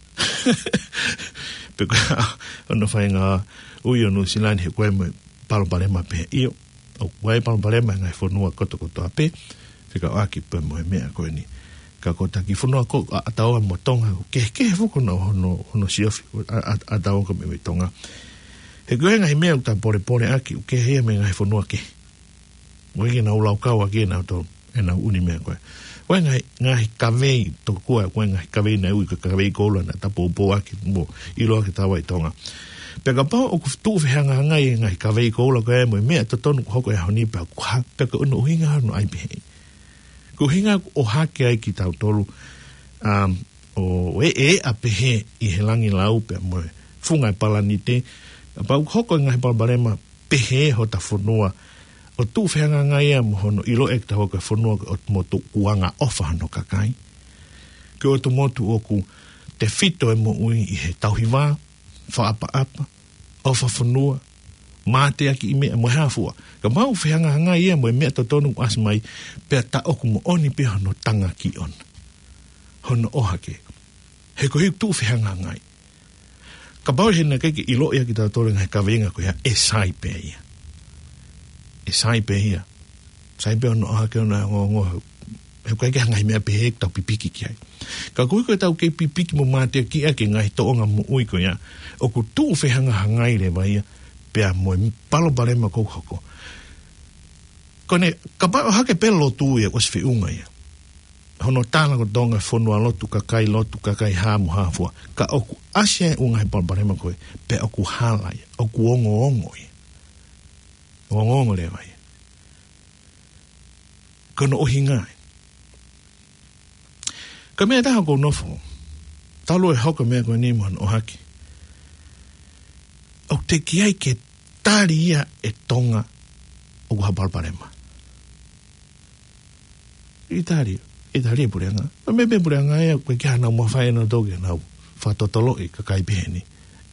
Pea ko e hā hono faʻahinga ui ʻo Nuʻusila ni he ko e meʻa palopalema pē ia. ʻOku ʻi ai palopalema he ngaahi fonua kotokotoa pē. Fekauʻaki pē mo e meʻa ko eni. Ka ko e taki fonua ko ʻa, ʻa Taua mo Tonga, kehekehe foki hono, hono, hono siofi, ʻa, ʻa, ʻa Taua ko e meʻa mei Tonga. He ko e ngaahi meʻa ʻoku ta polepole ʻaki, ʻoku kehe ia mei he ngaahi fonua kehe. ʻOku ʻikai ke nau laukau ʻaki ʻenau tō, ʻenau ʻuni meʻa ko ē. Ko e ngaahi, ngaahi kavei tokua, ko e ngaahi kavei naʻe ui ko e kavei koula naʻa ta poupou ʻaki mo ʻilo ʻaki ʻa Taua ʻi Tonga. Pea kapau ʻoku tuʻu fehangahangai e ngaahi kavei koula ko ē mo e meʻa totonu ʻoku hoko he ʻaho ni pea ʻoku hā, pea ko hono ʻuhinga hono ʻai pehē. Ko e ʻuhinga ʻoku ʻohake ai kitautolu, um, ʻo e, e ʻa pehē ʻi he langilau pea mo e funga e palanite, kapau ʻoku hoko e ngaahi palopalema pehē hota fonua, ʻo tuʻu fehangahangai ia mo hono ʻiloʻi ʻe kitaua ko e fonua ko e ʻotu motu ʻoku angaʻofa hono kakai. Ko e ʻotu motu ʻoku tefito e moʻui ʻi he tauhi vā, fakaʻapaʻapa, ʻofa fonua, mateakiʻi meʻa mo e hā fua. Kapau ʻoku fehangahangai ia mo e meʻa totonu ʻoku ʻasi mai, pea ta ʻoku moʻoni pē hono tangaki ʻona. Hono ʻohake. He ko e ʻuhi ʻoku tuʻu fehangahangai. Kapau he naʻe ʻikai ke ʻiloʻi ʻaki kitautolu e ngaahi kaveinga ko ia, ʻe sai pē ia. ʻE sai pē ia. Sai pē hono ʻohake ʻona e ongoongo. He ʻoku ʻikai ke ʻi ai ha ngaahi meʻa pehē ke tau pipiki ki ai. Ka koeʻuhi ko ʻetau kei pipiki mo mateakiʻi ʻaki e ngaahi tōʻonga moʻui ko ia, ʻoku tuʻu fehangahangai leva ia, pea mo e palopalema ʻoku hoko. Ko ʻene, kapau ʻohake pē lotu ia, ʻosi feʻunga ia. Hono tala ko Tonga fonualotu, kakai lotu, kakai hā mo hā fua. Ka ʻoku ʻasi ai e ʻū ngaahi palopalema ko ē, pea ʻoku hala ia, ʻoku ongoongo ia. Ongoongo leva ia. Ko hono ʻuhinga ia. Ko e meʻa ʻe taha ʻoku ou nofo. Talu e hoko e meʻa ko eni mo hono ʻohake. ʻOku teʻeki ai ke tali ia ʻe Tonga ʻoku ʻi ai ha palopalema. ʻIkai tali, ʻikai tali e puleʻanga. Ko e meʻa pē puleʻanga ia, ʻoku ʻikai ke ʻi ai haʻanau mafai ʻe nautolu ke nau fakatotoloʻi e kakai pehē ni.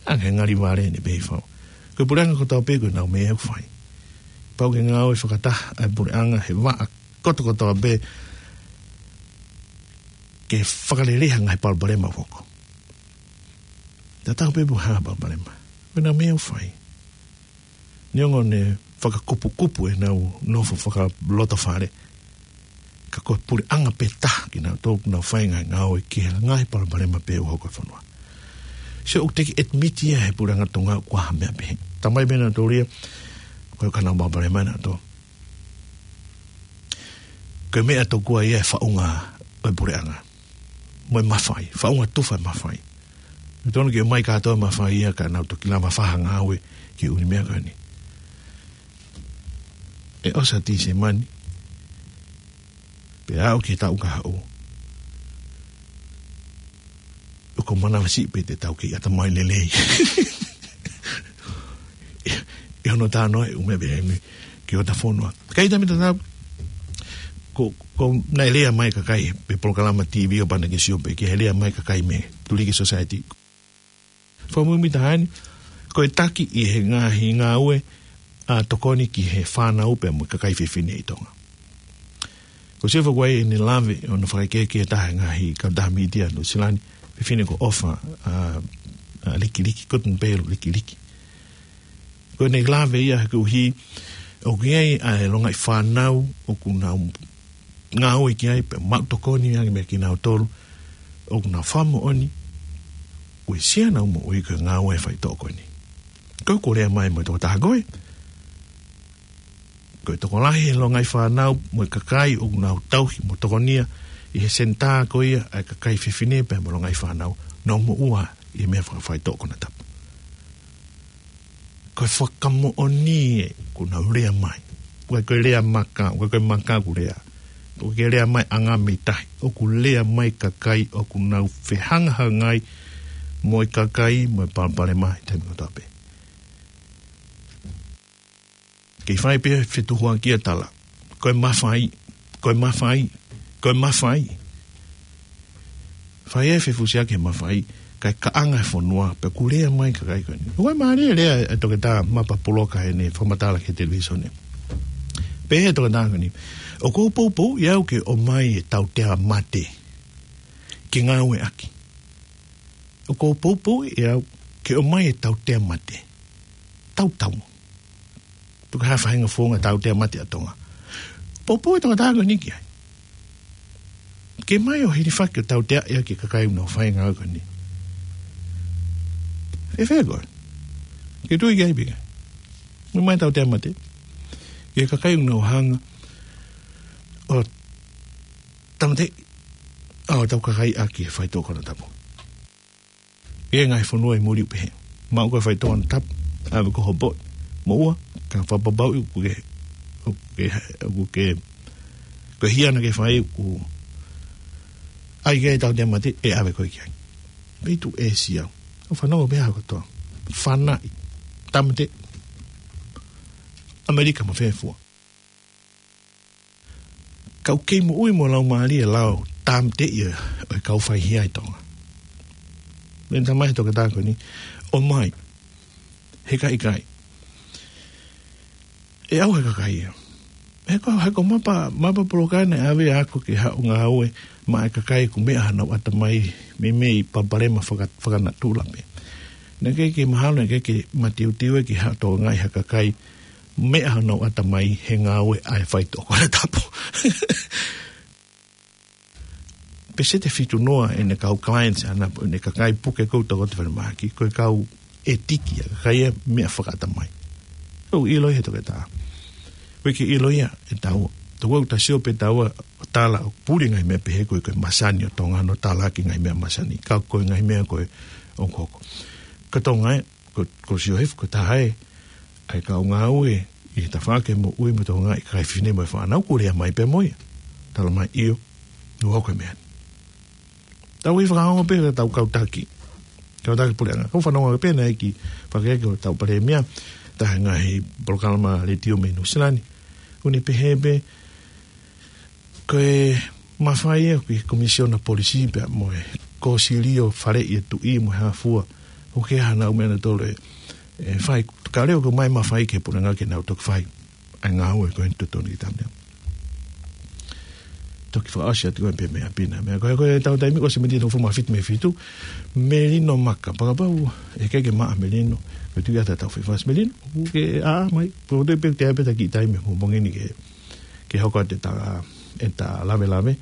ʻA e ngali vale ni pē ʻi fau. Ko e puleʻanga kotoa pē ko ʻenau meʻa ʻoku fai. Pau ke ngāue fakataha ʻa e puleʻanga he vaʻa kotokotoa pē ke fakalelei ha ngaahi palopalema ʻoku hoko. Tatau pē pe ko e hā e palopalema. Ko ʻenau meʻa ʻoku fai. Neongo ʻene fakakupukupu ʻenau nofo fakalotofale. Ka ko e puleʻanga pē taha kinautolu ʻoku nau fai e ngaahi ngāue ki he ngaahi palopalema pē ʻoku hoko he fonua. So ʻoku teʻeki admit ia he puleʻanga Tonga ʻoku ʻi ai ha meʻa pehē. Talamai pē ʻe nautolu ia, ko e ʻikai ke ʻi ai haʻanau palopalema ʻe nautolu. Ko e meʻa tokua ia e faʻunga ʻo e puleʻanga. Mo e mafai, faʻunga tufa e mafai. Tonu ke ʻomai kātoa e mafai ia ka nau toki lava fai ha ngāue ki he ʻū meʻa ko eni. ʻE ʻosi ʻa Tīsema ni. Pea aʻu ki he taʻu ka haʻu. ʻOku ou manavasiʻi pē te tau kei ʻatamai lelei. ʻI hono talanoa e ʻū meʻa pehē ni ki hota fonua. Kae ʻikai te mita tau, ko, ko naʻe lea mai e kakai, pe polokalama T V ʻo pana ke sio pē, ki he lea mai e kakai mei he Tuliki Society. Fakamuimui taha eni, ko e taki ʻi he ngaahi ngāue ʻa e tokoni ki he fānau pea mo e kakai fefine ʻi Tonga. Ko Silva ko ē ʻene lave ʻo ne fakakehekehe taha e ngaahi kautaha mītia Nuʻusila ni, fefine ko ʻOfa, ʻa, ʻa Likiliki, Guttenbeil Likiliki. Ko ʻene lave ia he koeʻuhi, ʻoku ʻi ai ʻa e longaʻi fānau, ʻoku nau ngāue ki ai, pea maʻu tokoni ange meia kinautolu, ʻoku nau fakamoʻoni, uesia ʻenau moʻui ko e ngāue e faitoʻo ko eni. Ko e ko e lea mai mo e tokotaha ko ē. Ko e tokolahi e longaʻi fānau mo e kakai ʻoku nau tauhi mo tokonia ʻi he senitā ko ia ʻa e kakai fefine pea mo e longaʻi fānau. Nau moʻua ʻi he meʻa fakafaitoʻo konatapu. Ko e fakamoʻoni ē ʻoku nau lea mai. ʻOku ʻikai ko e lea maka, ʻoku ʻikai ko e maka ʻoku lea. ʻOku ʻikai lea mai ʻanga mei tahi. ʻOku lea mai kakai ʻoku nau fehangahangai mo e kakai mo e palopalema he taimi kotoa pē. Kei fai pē fetuhuakiʻi e tala. Ko e mafai, ko e mafai, ko e mafai. Fai e fefusiaki he mafai, kae kaʻanga e fonua, pea ʻoku lea mai e kakai ko eni. ʻOku mālie e lea e toketā Mapa Puloka heʻene fakamatala ki he televīsone. Pehē ʻe he toketā ko eni. ʻOku ou poupouʻi au ke ʻomai e tautea mate ke ngāueʻaki. ʻOku ou poupou ʻe au ke ʻomai e tautea mate. Tautau. Tuku ha faʻahinga founga tautea mate ʻa Tonga. Poupou e tangata ko eni ki ai. Ke ʻomai ʻo hilifaki ʻo tautea ia ki he kakai ʻoku nau fai e ngāue ko eni. ʻE fēfē koe? Ke tui ki ai pē. ʻOmai e tautea mate. Ki he kakai ʻoku nau hanga ʻo tāmateʻi ʻa hotau kakai ʻaki e faitoʻo konatapu. ʻI he ngaahi fonua ʻi muli ʻoku pehē. Maʻu ko e faitoʻo konatapu, ʻave ki ho poʻi. Moʻua, ka fakapapauʻi ʻoku ke, ʻoku ke, ʻoku ke, ko e hia naʻa ke fai ʻoku ʻai ke tautea mate, ʻe ʻave koe ki ai. Pea tuʻu ʻEsia. ʻOku fanongo pē ha kotoa. Fanaʻi. Tāmateʻi. ʻAmelika mo fē fua. Ka ʻoku kei moʻui mo laumālie e lao tāmateʻi ʻo e kau faihia ʻi Tonga. Meʻa naʻe talamai he toketā ko eni, ʻomai. He ka ʻikai. ʻE ʻauha e kakai ia. He ko, he ko mapa, mapa polokalama naʻe ʻave ʻa e ako ke haʻu ʻo ngāue maʻa e kakai ʻoku meʻa honau ʻatamai meimei palopalema faka-, fakanatula pē. Naʻe ʻikai ke mahalo, naʻe ʻikai ke mateuteu ia ke haʻu ʻo tokangaʻi ha kakai meʻa honau ʻatamai he ngāue ʻa e faitoʻo konatapu. Peseti ʻe fitu noa ʻene kau clients ʻana, ʻene kakai puke ʻoku tau ʻoatu falemahaki, ko e kau ʻetiki ia, kakai ia meʻa fakaʻatamai. ʻOku ʻiloʻi he toketā. ʻOku ʻikai ke ʻilo ia ʻe taua. Tau au ta sio pē taua ʻo tala ʻo puli ngaahi meʻa pehē ko e, ko e masani ʻo Tonga ʻo tala ki he ngaahi meʻa masani. Ka ko e ngaahi meʻa ko ē ʻoku hoko. Ka Tonga ē, ko, ko Siosefa ko e taha ē, ʻa e kau ngāue ʻi he tafaʻaki moʻui mo e tokangaʻi e kakai fefine mo e fānau, kuo lea mai pē mo ia. Talamai ʻio, ʻoku hoko e meʻa ni. Tau ʻi fakaongo pē ʻetau kau taki. Kau taki puleʻanga. ʻOku fanongo pē naʻe ʻi he fakahoko ʻo hotau palēmia, taha e ngaahi polokalama letiō mei Nuʻusila ni. ʻOku ne pehē pē, ko e mafai ē ki he Komisiona Polisi pea mo e Kōsilio Faleʻi e Tuʻi mo e hā fua. ʻOku ʻikai ha meʻa naʻa tolu ʻe, ʻe fai, ka leo ko e ʻomai mafai ki he puleʻanga ke nau toki fai ʻa e ngāue ko eni totonu ki tamneo. Toki fakaʻosi atu ko e pē meʻa pina. Meʻa ko e, ko e tau taimi ko e sēniti hongofulu mā fitu mei he fitu. Melino Maka. Fakapapau ʻe ʻikai ke maʻa Melino. Ko e tuʻu ʻa e tau fefasi Melino. ʻOku ke ʻā mai. Ko e toe pē te ʻai pē ta kiʻi taimi mo mongini ke ke hoko atu ʻeta, ʻeta lavelave,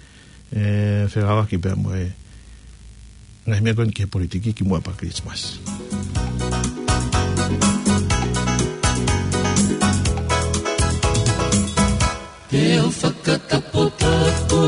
ē, fekauʻaki pea mo e ngaahi meʻa ko eni ki he politiki kimuʻa pea Kilisimasi. Te u fakataputapu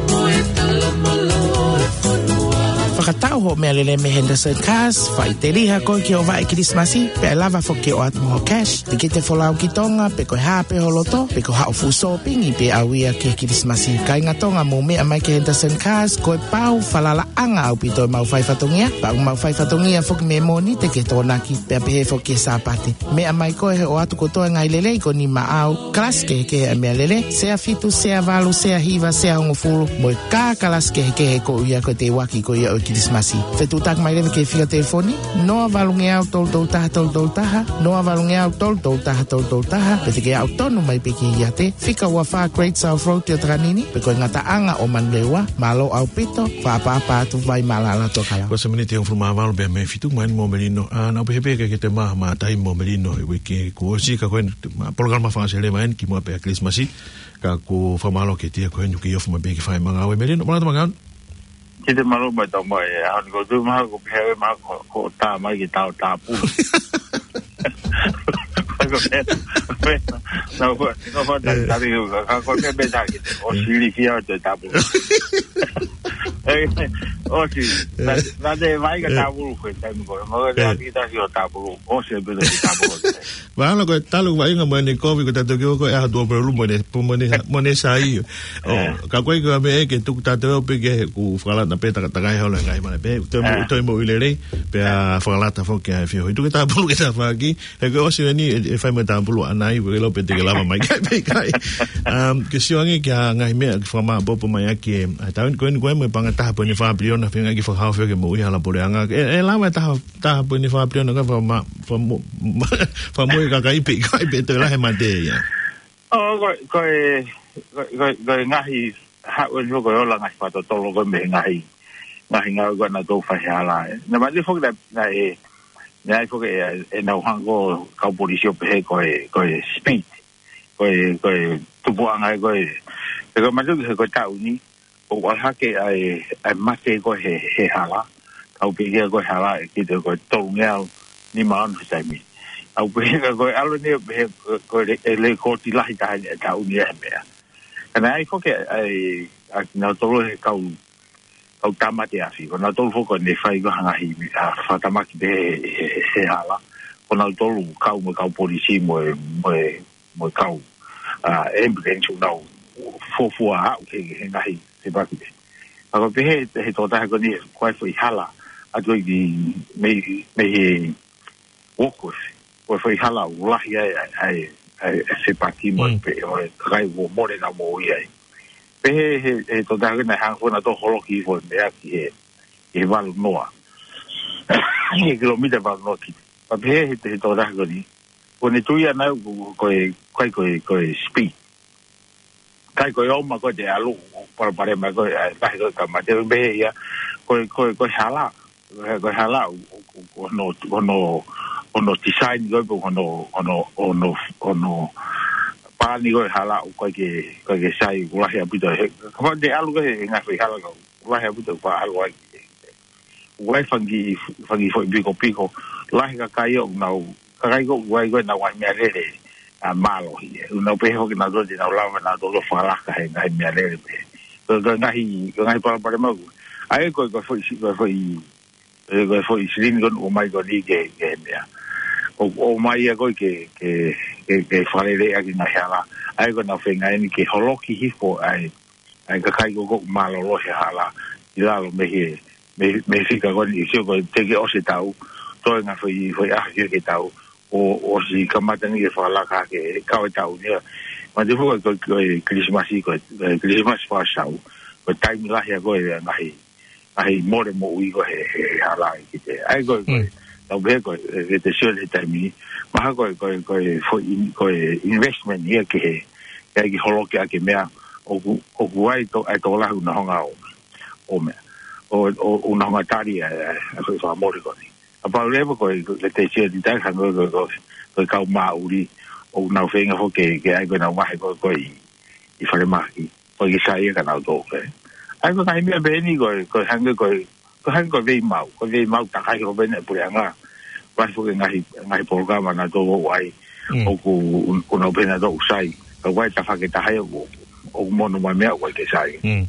mo e talamalō e fonua. Fakatau hoʻo meʻalele mei Henderson Cars, faʻiteliha koe ki hoʻo vaʻe Kilisimasi, pea ʻe lava foki ke ʻoatu hoʻo cash, tikite folau ki Tonga, pe ko e hā pē ho loto, pe ko haʻo fuʻu sōpingi pē ʻaʻau ia ki he Kilisimasi. Kāinga Tonga, mou meʻa mai ki Henderson Cars, ko e pau falalaʻanga ʻaupito ʻemau fai fatongia, pea ʻoku mau fai fatongia foki mei Mōnite ki he Tokonaki, pea pehē foki ki he Sāpate. Meʻa mai koe he ʻoatu kotoa e ngaahi lelei ko eni maʻau, kalasi kehekehe ʻa e meʻalele, sea fitu, sea valu, sea hiva, sea hongofulu, mo e kā kalasi kehekehe ko ia ko e teuaki ko ia ʻo e Kilisimasi. Fetuʻutaki mai leva ki he fika telefoni, noa valungeau tolu tolu taha tolu tolu taha, noa valungeau tolu tolu taha tolu tolu taha, pe te ke aʻu tonu mai pē ki he iate, fika ua fā Great South Road ʻi ʻOtakanini, pe ko e ngataʻanga ʻo Manurewa, mālō ʻaupito, fakaʻapaʻapa atu Vaimālala Tokelau. Ko e sēniti hongofulu mā valu pea mei he fitu, mai mo Melino, ʻa, naʻa ku pehē pē ke, ke te maʻu ha taimi mo Melino he uike kuo ʻosi ka ko e, ma, polokalama fakaʻosi leva eni kimuʻa pea Kilisimasi, ka ʻoku ou fakamālō atu kiate koe he ʻoku ke ofi mai pē ke fai ʻemau ngāue Melino, mālō ʻemau ngāue. Kiate mālō mai tau mai, ʻa, ʻoku ou tui mahalo ko e pehē mai ko, ko e tā mai ke tau tāpulu. Ko e, ko e, nau ko, nau ko tā, ē, tā, ka ko e meʻa pē tā ke, ʻo sili kia ʻo te tāpulu. Ē, ʻosi, ē, nā, nā te vai ka, ē, tāpulu ko e taimi ko, mo e, ē, tā ki tā ki ʻo tāpulu, ʻosi pē tā ki tāpulu. Mahalo ko e talu vaʻinga mo ʻene kovi ko e tatou ki ʻo ko e ʻaho tuʻo pelu mo ʻene, mo ʻene, mo ʻene sai. ʻO, ē, ka ko e ko e meʻa ke tuku tatou pē ke ku fakalata pē takatakai holo ngai mana pē. Toe mo, ē, toe moʻui lelei, pea, ē, fakalata foki ʻa e feohi. Tuku e tāpulu ki tafaʻaki, he ko e ʻosi eni, ʻe, ʻe fai mai tāpulu ʻanai, ko e lo pē te ke lava mai kai pē kai. Um, ke sio ange ki he ngaahi meʻa ke fakamāʻopoʻopo mai ʻaki ē, ʻa e taʻu ni ko eni ko e mo e paʻanga taha poini fā piliona, feinga ke fakahaofi ke moʻui hala puleʻanga. ʻE, ʻe lava e taha taha poini fā piliona ka faka ma, faka mo, fakamoʻui e kakai pē, kakai pē toe lahi e mate ia. ʻO, ko, ko e, ko, ko, ko e ngaahi, haʻu eni ko e ola ngaahi fakatotolo ko e mei he ngaahi, ngaahi ngāue ko ē naʻa nau fai he hala. Naʻe mālie foki naʻe, naʻe, naʻe ʻi ai foki ʻenau hanga ʻe he kau polisi ʻo pehē ko e, ko e speed, ko e, ko e tupuʻanga ia ko ē. He ko e mālie he ko e taʻu ni, ʻoku ʻalu hake ʻa e, ʻa e mate ko ē he, he hala. Kau pē ia ko e hala ʻe kite ko e tolungeau nima ono he taimi. Kau pē ia ko e ʻalu ni he, ko e le-, e lekooti lahi taha ʻi he taʻu ni he meʻa. Ka naʻe ʻi ai foki ʻa e, ʻa kinautolu he kau, kau tāmate afi. Ko nautolu foki ko ē naʻe fai ko ē ha ngaahi, ʻa, fakatamaki pē he, he, he hala. Ko nautolu kau mo e kau polisi mo e, mo e mo e kau, ʻa, ambulance ʻoku nau fuofua aʻu he, he ngaahi fepaki pē. Ka ko e pehē, he tokotaha ko eni, ko e foʻi hala atu ki mei, mei he Woolworths, ko e foʻi hala ʻoku lahi ai, ʻa e, ʻa e, ʻa e fepaki mo e Mm. pē, ʻo e kakai ʻoku mole ʻenau moʻui ai. Pehē he, he tokotaha ko eni naʻe hanga foki naʻa nau holoki foʻi meʻa ki he, ki he valu noa. Ki he kilomita valu noa ki. Ka pehē he, he tokotaha ko eni, ko ʻene tui ʻana ko, ko e, ko e, ko e, ko e speed. Kai ko e ʻomai ko ē te ʻalu, palopalema ko ē, ʻa e lahi ko ē ka mate, pehē ia, ko e, ko e, ko e hala, ko e hala, ʻo, ʻo, ʻo hono, hono, hono design ko ē, hono, hono, hono, hono palani ko ē hala, ʻoku ʻikai ke, ʻikai ke sai, ʻoku lahi ʻaupito, he, kapau te ʻalu ko ē, he ngaahi foʻi hala ka, ʻoku lahi ʻaupito, pea ʻalu ai. ʻOku ʻi ai e fanga kiʻi, fanga kiʻi foʻi pikopiko, lahi e kakai ʻoku nau, kakai ko ē ʻoku ʻi ai ko ē ʻenau ngaahi meʻalele, ʻa, mālohi. ʻOku nau pehē foki naʻa nau, te nau lava naʻa nau fakalaka he ngaahi meʻalele pē. Ko e, ko e ngaahi, ko e ngaahi palopalema ko ē. ʻA ia ko e, ko e foʻi si-, ko e foʻi, e, ko e foʻi silini ko ē ʻoku ʻomai ko eni ke, ke meʻa. ʻO, ʻomai ia ko ē ke, ke, ke, ke fakalele ʻaki e ngaahi hala. ʻA ia ko ʻenau feinga eni ke holoki hifo ʻa e ʻa e kakai ko ē ʻoku mālōlō he hala, ʻi lalo mei he, mei, mei he fika ko eni, sio ko ē teʻeki ʻosi e taʻu, toe ngaahi foʻi, foʻi ʻaho ki he taʻu, ʻo, ʻosi kamata ni ke fakalaka ke kau e taʻu ni ia. Mālie foki ko e, ko e Kilisimasi, ko e, ko e Kilisimasi fakasau, ko e taimi lahi ia ko ē ngaahi, ngaahi mole moʻui ko ē he, he, he hala ʻi he, ʻa ia ko e, ko e, Mm. tau pehē ko e, ʻe te sio he taimi ni, mahalo ko e, ko e, ko e foʻi in-, ko e investment ia ki he, ke ʻai ke holoki ʻaki e meʻa, ʻoku, ʻoku ʻi ai to-, ʻa e tokolahi ʻoku nau hanga ʻo, ʻo meʻa, ʻo, ʻo, ʻo nau hanga tali ʻa e, ʻa e, ʻa e foʻi fakamole ko eni. Kapau leva ko e, ko e te sio ʻi he taimi hanga ko e, ko e, ko e kau māʻuli, ʻoku nau feinga foki ke, ke ʻai ko ē ʻenau vahe ko ē, ko ē ʻi, ʻi falemahaki. Ko e ke sai ia ka nau tō ke. ʻA ia ko e ngaahi meʻa pehē ni ko e, ko e hangē ko e, ko e hangē ko e veimau. Ko e veimau takai ko ē pē ʻa e puleʻanga. Vahe foki e ngaahi, ngaahi polokalama naʻa nau ʻai. Mm. ʻOku, ʻoku nau pehē naʻa nau sai. Ka ʻoku ʻi ai e tafaʻaki ʻe taha ia ʻoku, ʻoku mono mai meʻa ʻoku ʻikai ke sai. Mm.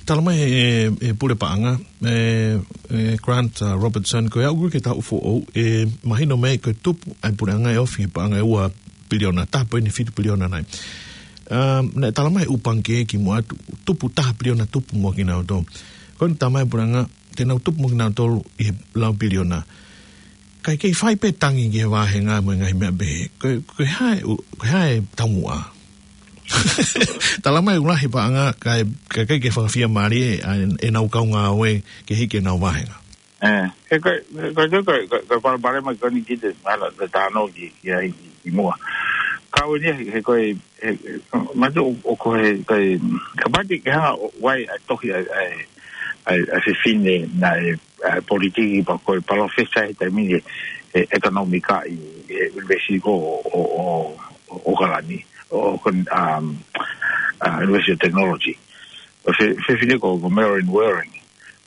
Tala mai e, e pule paʻanga, e, e Grant, uh, Robertson, ko e aʻu ko ē ki he taʻu foʻou, ʻe mahino mai ko e tupu ʻa e puleʻanga ʻe ofi he paʻanga ʻe ua piliona, taha poini fitu piliona nai. Um, naʻe tala mai ʻū pangikē kimuʻa atu, tupu taha piliona tupu mo kinautolu. Ko eni tala mai e puleʻanga, te nau tupu mo kinautolu ʻi he lau piliona. Kae kei fai pē tangi ki he vāhenga mo e ngaahi meʻa pehē. Ko, ko e hā e ʻu-, ko e hā e taumuʻa. Tala mai ʻoku lahi e paʻanga, kae, kae kei fakafiemālie ʻa e, ʻenau kau ngāue ke hiki ʻenau vāhenga. ʻE, he ko e, ko e, ko e, ko e, ko e palopalema ko eni ki te, hala, te tāno ki, ki ai, ki, ki muʻa. Kau eni, he ko e, he, he, mālie ʻo, ʻo ko e, ko e, kapau te ke hanga ʻo ʻai ʻa e tohi ʻa e, ʻa e, ʻa e, ʻa e fefine naʻe, ʻa e politiki pea ko e palōfesa he taimi ni he ʻekonōmika ʻi he ʻunivēsiti ko ē ʻo, ʻo, ʻo, ʻo ʻAokalani, ʻo, ʻo, um, uh, University of Technology. Ko e fe-, fefine ko, ko Marilyn Waring.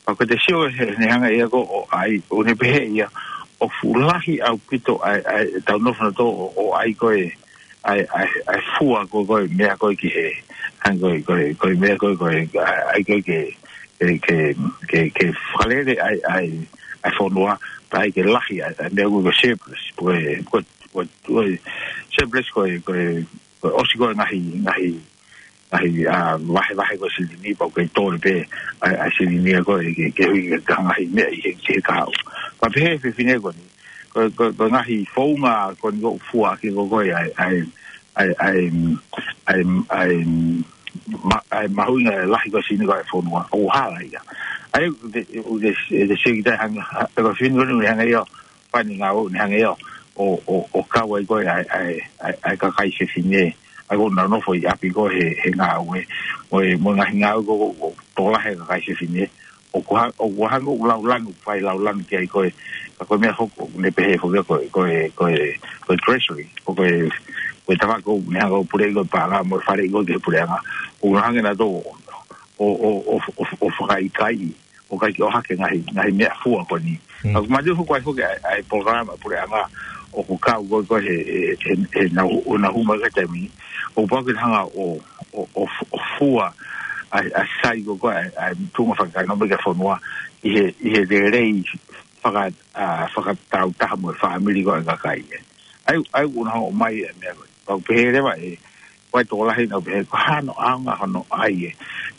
Pea ko e te sio he, ne hanga ia ko ē ʻo ʻai, ʻo ne pehē ia, ʻoku fuʻu lahi ʻaupito ʻa e, ʻa e, ʻetau nofo nautolu ʻo, ʻo ʻai ko ē, ʻa e, ʻa e, ʻa e fua ko ē, ko e meʻa ko ē ki he, hangē ko e, ko e, ko e meʻa ko ē, ko e, ʻa e, ʻai ko ē ke, ke, ke, ke, ke fakalele ʻa e, ʻa e, ʻa e fonua, pea ʻai ke lahi ʻa e, ʻa e meʻa ko ē ko e surplus, ko e, ko e, ko e, ko e surplus ko e, ko e, ko e ʻosi ko ē ngaahi, ngaahi, ngaahi, ʻa, vahevahe ko ē silini, pea ʻoku kei tō pē ʻa e, ʻa e silini ko ē ke, ke hui ki he ngaahi meʻa ʻi he, ki he kahaʻu. Pea pehē fefine ko eni, ko, ko, ko e ngaahi founga ko eni ʻoku fua ki ko ē ʻa e, ʻa e, ʻa e, ʻa e, ʻa e, ʻa e, ma-, ʻa e mahuʻinga lahi ko ē silini ko ē fonua, ʻoku hala ia. ʻA ia, te, te, te, te sio ki he taimi hanga, ʻa, ko e fefine ko eni hanga ia, pani ngāue ʻoku ne hanga ia ʻo, ʻo, ʻo kau ai ko ē ʻa e, ʻa e, ʻa e, ʻa e kakai fefine, ʻa ia ʻoku nau nofo ʻi ʻapi ko ē he, he ngāue, mo e, mo e ngaahi ngāue ko ē, ʻoku tokolahi e kakai fefine, ʻOku ha-, ʻoku hangē ʻoku laulanu, fai laulanu ki ai ko ē, ka ko e meʻa foki, ʻoku ne pehē foki ko e, ko e, ko e, ko e Treasury, ko e, ko e tafaʻaki ʻoku ne hanga ʻo puleʻi ko e paʻanga mo e faleʻi ko ē ki he puleʻanga, ʻoku ne hanga nautolu ʻo, ʻo, ʻo, ʻo, ʻo, ʻo fakaʻikaiʻi, ʻo ʻikai ke ʻohake ngaahi, ngaahi meʻa fua ko eni. Mm. ʻOku mātuʻaki foki ai, ai polokalama puleʻanga, ʻoku kau ko ē, ko ē he, he, he, he nau, ʻo nau hū mai ki he taimi ni. ʻOku pau ke hanga ʻo, ʻo, ʻo, ʻo fua ai, ai sai ko ē, ko ē, ai, ai tuʻunga fakaʻekonōmika e fonua, ʻi he, ʻi he lelei faka-, ʻa, fakatāutaha mo e fāmili ko ē ʻa e kakai ē. ʻA ia, ʻa ia ʻoku ne hanga ʻo ʻomai e meʻa ko ē. Pau pehē leva ē, ʻoku ʻi ai e tokolahi naʻa nau pehē, ko e hā hono ʻaonga hono ʻai ē,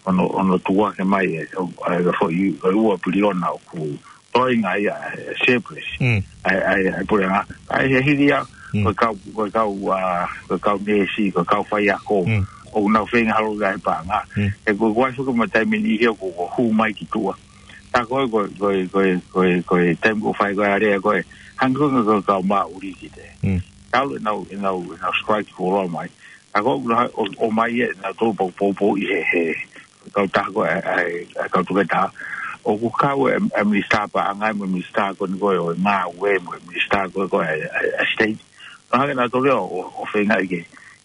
hono, hono tuku hake mai ē, ʻo, ʻa e foʻi, ko e ua piliona ʻoku toenga ia, ē, surplus. Mm. ʻA e, ʻa e, ʻa e puleʻanga. ʻA ia he hili ia, Mm. ko e kau, ko e kau, ʻa, ko e kau neesi, ko e kau faiako. Mm. ʻOku nau feinga holo ki ai e paʻanga. Mm. He ko e, ko e ʻai foki mo e taimi ni ʻi he ʻoku, ʻoku hū mai ki tuʻa. Tā ko ē, ko e, ko e, ko e, ko e, ko e taimi ʻoku fai ko ē ʻa e lea ko ē, hangē ko e kau Māʻuli ki te. Mm. Talu ʻenau, ʻenau, ʻenau strike fuoloa mai. Tā ko ē, ʻo, ʻomai ē, nautolu poupou ʻi he, he, kautaha ko ē, ʻa e, ʻa e kau toketā. ʻOku kau e, e minisitā paʻanga, mo e minisitā ko eni ko ē ʻo e ngāue, mo e minisitā ko ē, ko ē ʻa e, ʻa e, ʻa e state. Nau hanga nautolu ʻo, ʻo, ʻo feinga ai ke,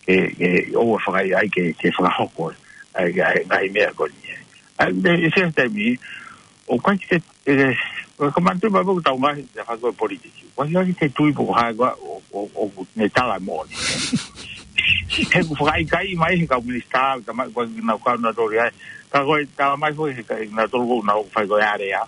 ke, ke ʻoua fakaʻai ke, ke fakahoko ʻa e, ʻa e, ʻa e ngaahi meʻa ko eni. ʻA ia, ʻi he taimi, ʻoku ʻikai ke, ē, ʻoku ou manatuʻi mai pē ʻoku tau ngaahi, ʻa e fai ko ē politiki. ʻOku ʻikai ke tui pe ko hai ko ē ʻo, ʻo, ʻoku ne tala moʻoni. He ʻoku fakaʻikaiʻi mai he kau minisitā, ka mai, ʻoku ʻikai ke nau kau nautolu ai. Ka ko e tala mai foki he kau nautolu ʻoku nau fai ko ē area.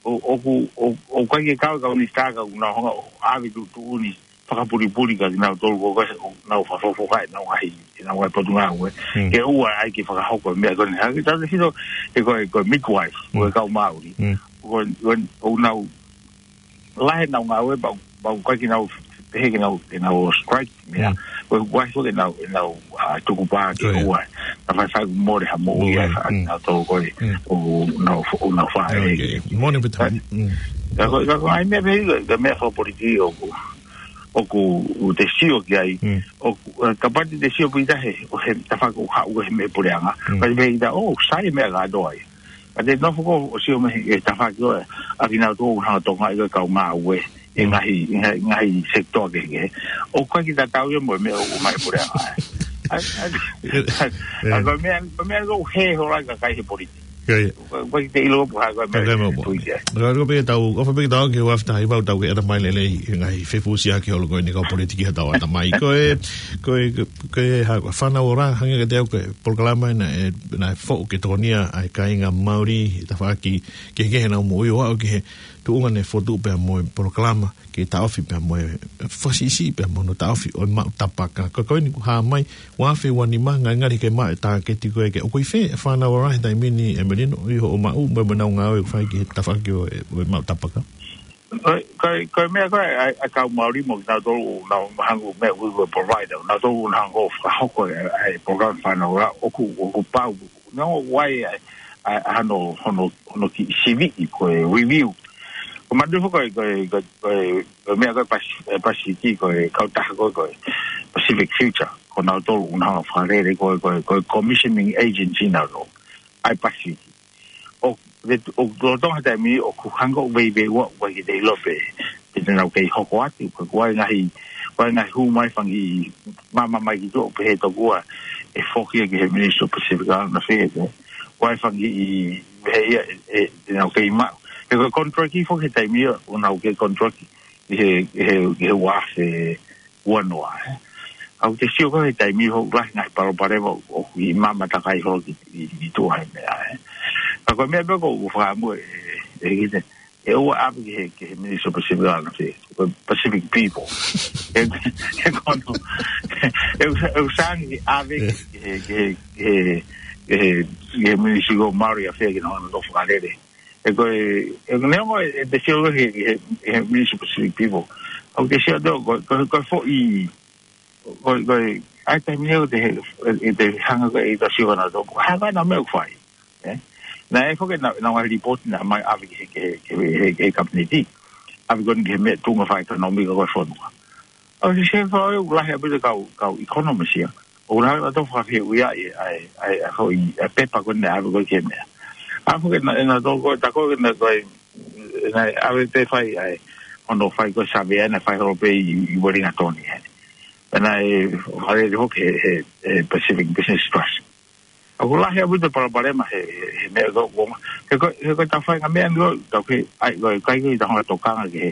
ʻO, ʻoku, ʻo, ʻoku ʻikai ke kau e kau minisitā ka ʻoku nau hanga ʻo ʻave tuʻutuʻuni fakapulipuli kia kinautolu ko ē ʻoku nau fakafofongaʻi ʻenau ngaahi, ʻenau ngaahi potungāue. Mm. Ke ʻoua ai ke fakahoko e meʻa ko eni. Hangē ko e tala ʻe Sito, ē ko e, ko e midwife, ko e Mm. kau Māʻuli. Mm. Ko e, ko e, ʻoku nau lahi ʻenau ngāue, pea, pea ʻoku ʻikai ke nau pehē ke nau, ke nau strike meʻa. Mm. Ko e ʻoku ʻai foki ʻenau, ʻenau, ʻa, tukupā ke Oh, yeah. ʻoua. Ka faifai ʻoku mole ha moʻui ʻOua, ʻa, mm. nautolu ko ē, Mm. ʻoku nau, ʻoku nau fai. Okay. Moʻoni pē tā. Ka, Mm. ka ko, ka ko e meʻa pē, ka meʻa fakapolitiki ʻoku, ʻoku te sio ki ai, Mm. ʻoku, ē, kapau te te sio pē ʻi he, ʻo he tafaʻaki ʻoku haʻu he meʻa puleʻanga. Mm. Ka te pehē ʻe kita, ʻō, sai e meʻa kātoa ia. Ka te nofo ko ē ʻo sio mei he tafaʻaki ko ē, ʻa kinautolu ʻoku hanga ʻo tokangaʻi ko ē kau ngāue, ʻi he Mm. ngaahi, ʻi he ngaahi, ngaahi sekitoa kehekehe. ʻOku ʻikai ke tatau ia mo e meʻa ʻoku ʻomai puleʻanga. ʻA, ʻa, ʻa, ʻa, ko e meʻa, ko e meʻa ʻoku hē holo ai e kakai he politiki. Ko ia. ʻOku, ʻoku ʻikai te ʻilo pe ko e hā ko e meʻa ʻOku ʻikai ke meʻa tui ki ai. Ko e, ko e pē tau, ʻofa pē ke tau ke ua fita i vau tau ke ʻata mai lelei, he ngaahi fefusiaki holo ko eni kau politiki ha tau ʻata mai. Ko e, ko e, ko e, ha, fānau ora, hangē kiate au ko e polokalama ena, ē, naʻe foʻu ke tokonia ʻa e kāinga Māʻuli, tafaʻaki kehekehe ʻenau moʻui ʻo aʻu ki he tuʻunga ne fotu pea mo e polokalama, ke taʻofi pea mo e, fakasiʻisiʻi pea mo hono taʻofi ʻo e maʻu tapaka. Ko e, ko eni kuo hā mai, ua afe ua nima, ngalingali ke maʻu e tāketi ko ē ke, ʻoku ʻi fē e fānau ora he taimi ni ʻEmelino, ʻi hoʻo maʻu, mo e, mo ʻenau ngāue ʻoku fai ki he tafaʻaki ʻo e, ʻo e maʻu tapaka. Ko e, ko e, ko e meʻa ko ē, ʻa e, ʻa e kau Māʻuli mo kinautolu, nau hanga ʻo meʻa ʻoku ui ko e provider, nautolu ʻoku hanga ʻo fakahoko e, ʻa e, ʻa e polokalama fānau ora, ʻoku, ʻoku pau, nau ʻai, ʻa e, ʻa e, ʻa hono, hono, hono kiʻi siviʻi ko e review. Ko e manatuʻi foki ko e, ko e, ko e, ko e, ko e meʻa ko e Pas-, ē, Pasifiki ko e kautaha ko e, ko e Pacific Future, ko nautolu ʻoku nau hanga ʻo fakalele ko e, ko e, ko e commissioning agency nautolu ʻa e Pasifiki. ʻO, ʻe, ʻoku lolotonga he taimi, ʻoku hanga ʻo veiveiua, ʻoku ʻikai ke te ʻilo pe, pe te nau kei hoko atu, ko e, ko e ngaahi, ko e ngaahi hū mai fanga kiʻi maama mai ki tuʻa, pehē tokua, ʻe foki ia ki he Ministry of Pacific Island Affairs, ē. Ko e fanga kiʻi, pehē ia, ʻe, ʻe, te nau kei maʻu. He ko e contract ʻi foki he taimi ia, ʻoku nau kei contract ʻi he, he, he ua afe ua noa, ē. ʻOku te sio ko ē he taimi ʻoku lahi ngaahi palopalema ʻoku ʻi maama takai holo ki, ki, ki tuʻa he meʻa, ē. Ka ko e meʻa pē ʻoku ou fakaʻamu ē, ē, ʻe kita, ʻe ʻoua ʻave ki he, ki he Ministry of Pacific Island Affairs, ko e Pacific People. ʻE, ʻe kono, ʻe, ʻe, ʻe sangi ʻave ki he, ki he, ki he, ki he, ki he Ministry ko Māʻuli Affairs ke nau hanga ʻo fakalele. ʻE ko e, ʻe neongo ʻe, ʻe te sio he, he, he Ministry of Pacific People. ʻOku te sio atu ko, ko, ko e foʻi, ko, ko e, ʻa e taimi ʻoku te, ʻe te hanga ko ē ʻo te sio nautolu. Hanga ʻenau meʻa ʻoku fai. Ē? Naʻe foki ʻenau, ʻenau ngaahi report naʻe ʻomai ʻave ki he, ki he, ki he, ki he, ki he kapineti. ʻAve ko eni ki he meʻa tuʻunga fakaʻekonōmika ko ē fonua. ʻOku te sio he fai ʻoku lahi ʻaupito kau, kau economist ia. ʻOku lahi ʻa e tau fakafehuʻia ʻa e, ʻa e, ʻa e, ʻa e foʻi, ʻa e pepa ko eni naʻe ʻave ko ē ki he meʻa. Afu ke na, na tō ko, ta ko ke na ko, na ave te fai ai, ono fai ko savea na fai holo pē ʻi, ʻi Wellington ai. Pea naʻe, fale le hoke he, he, he Pacific Business Trust. ʻOku lahi ʻaupito palopalema he, he, he meʻa ko, ko, he ko, he ko ta fai ngaahi meʻa ni ko, ta ke, ai, ko, kai ko i ta honga tokanga ke he,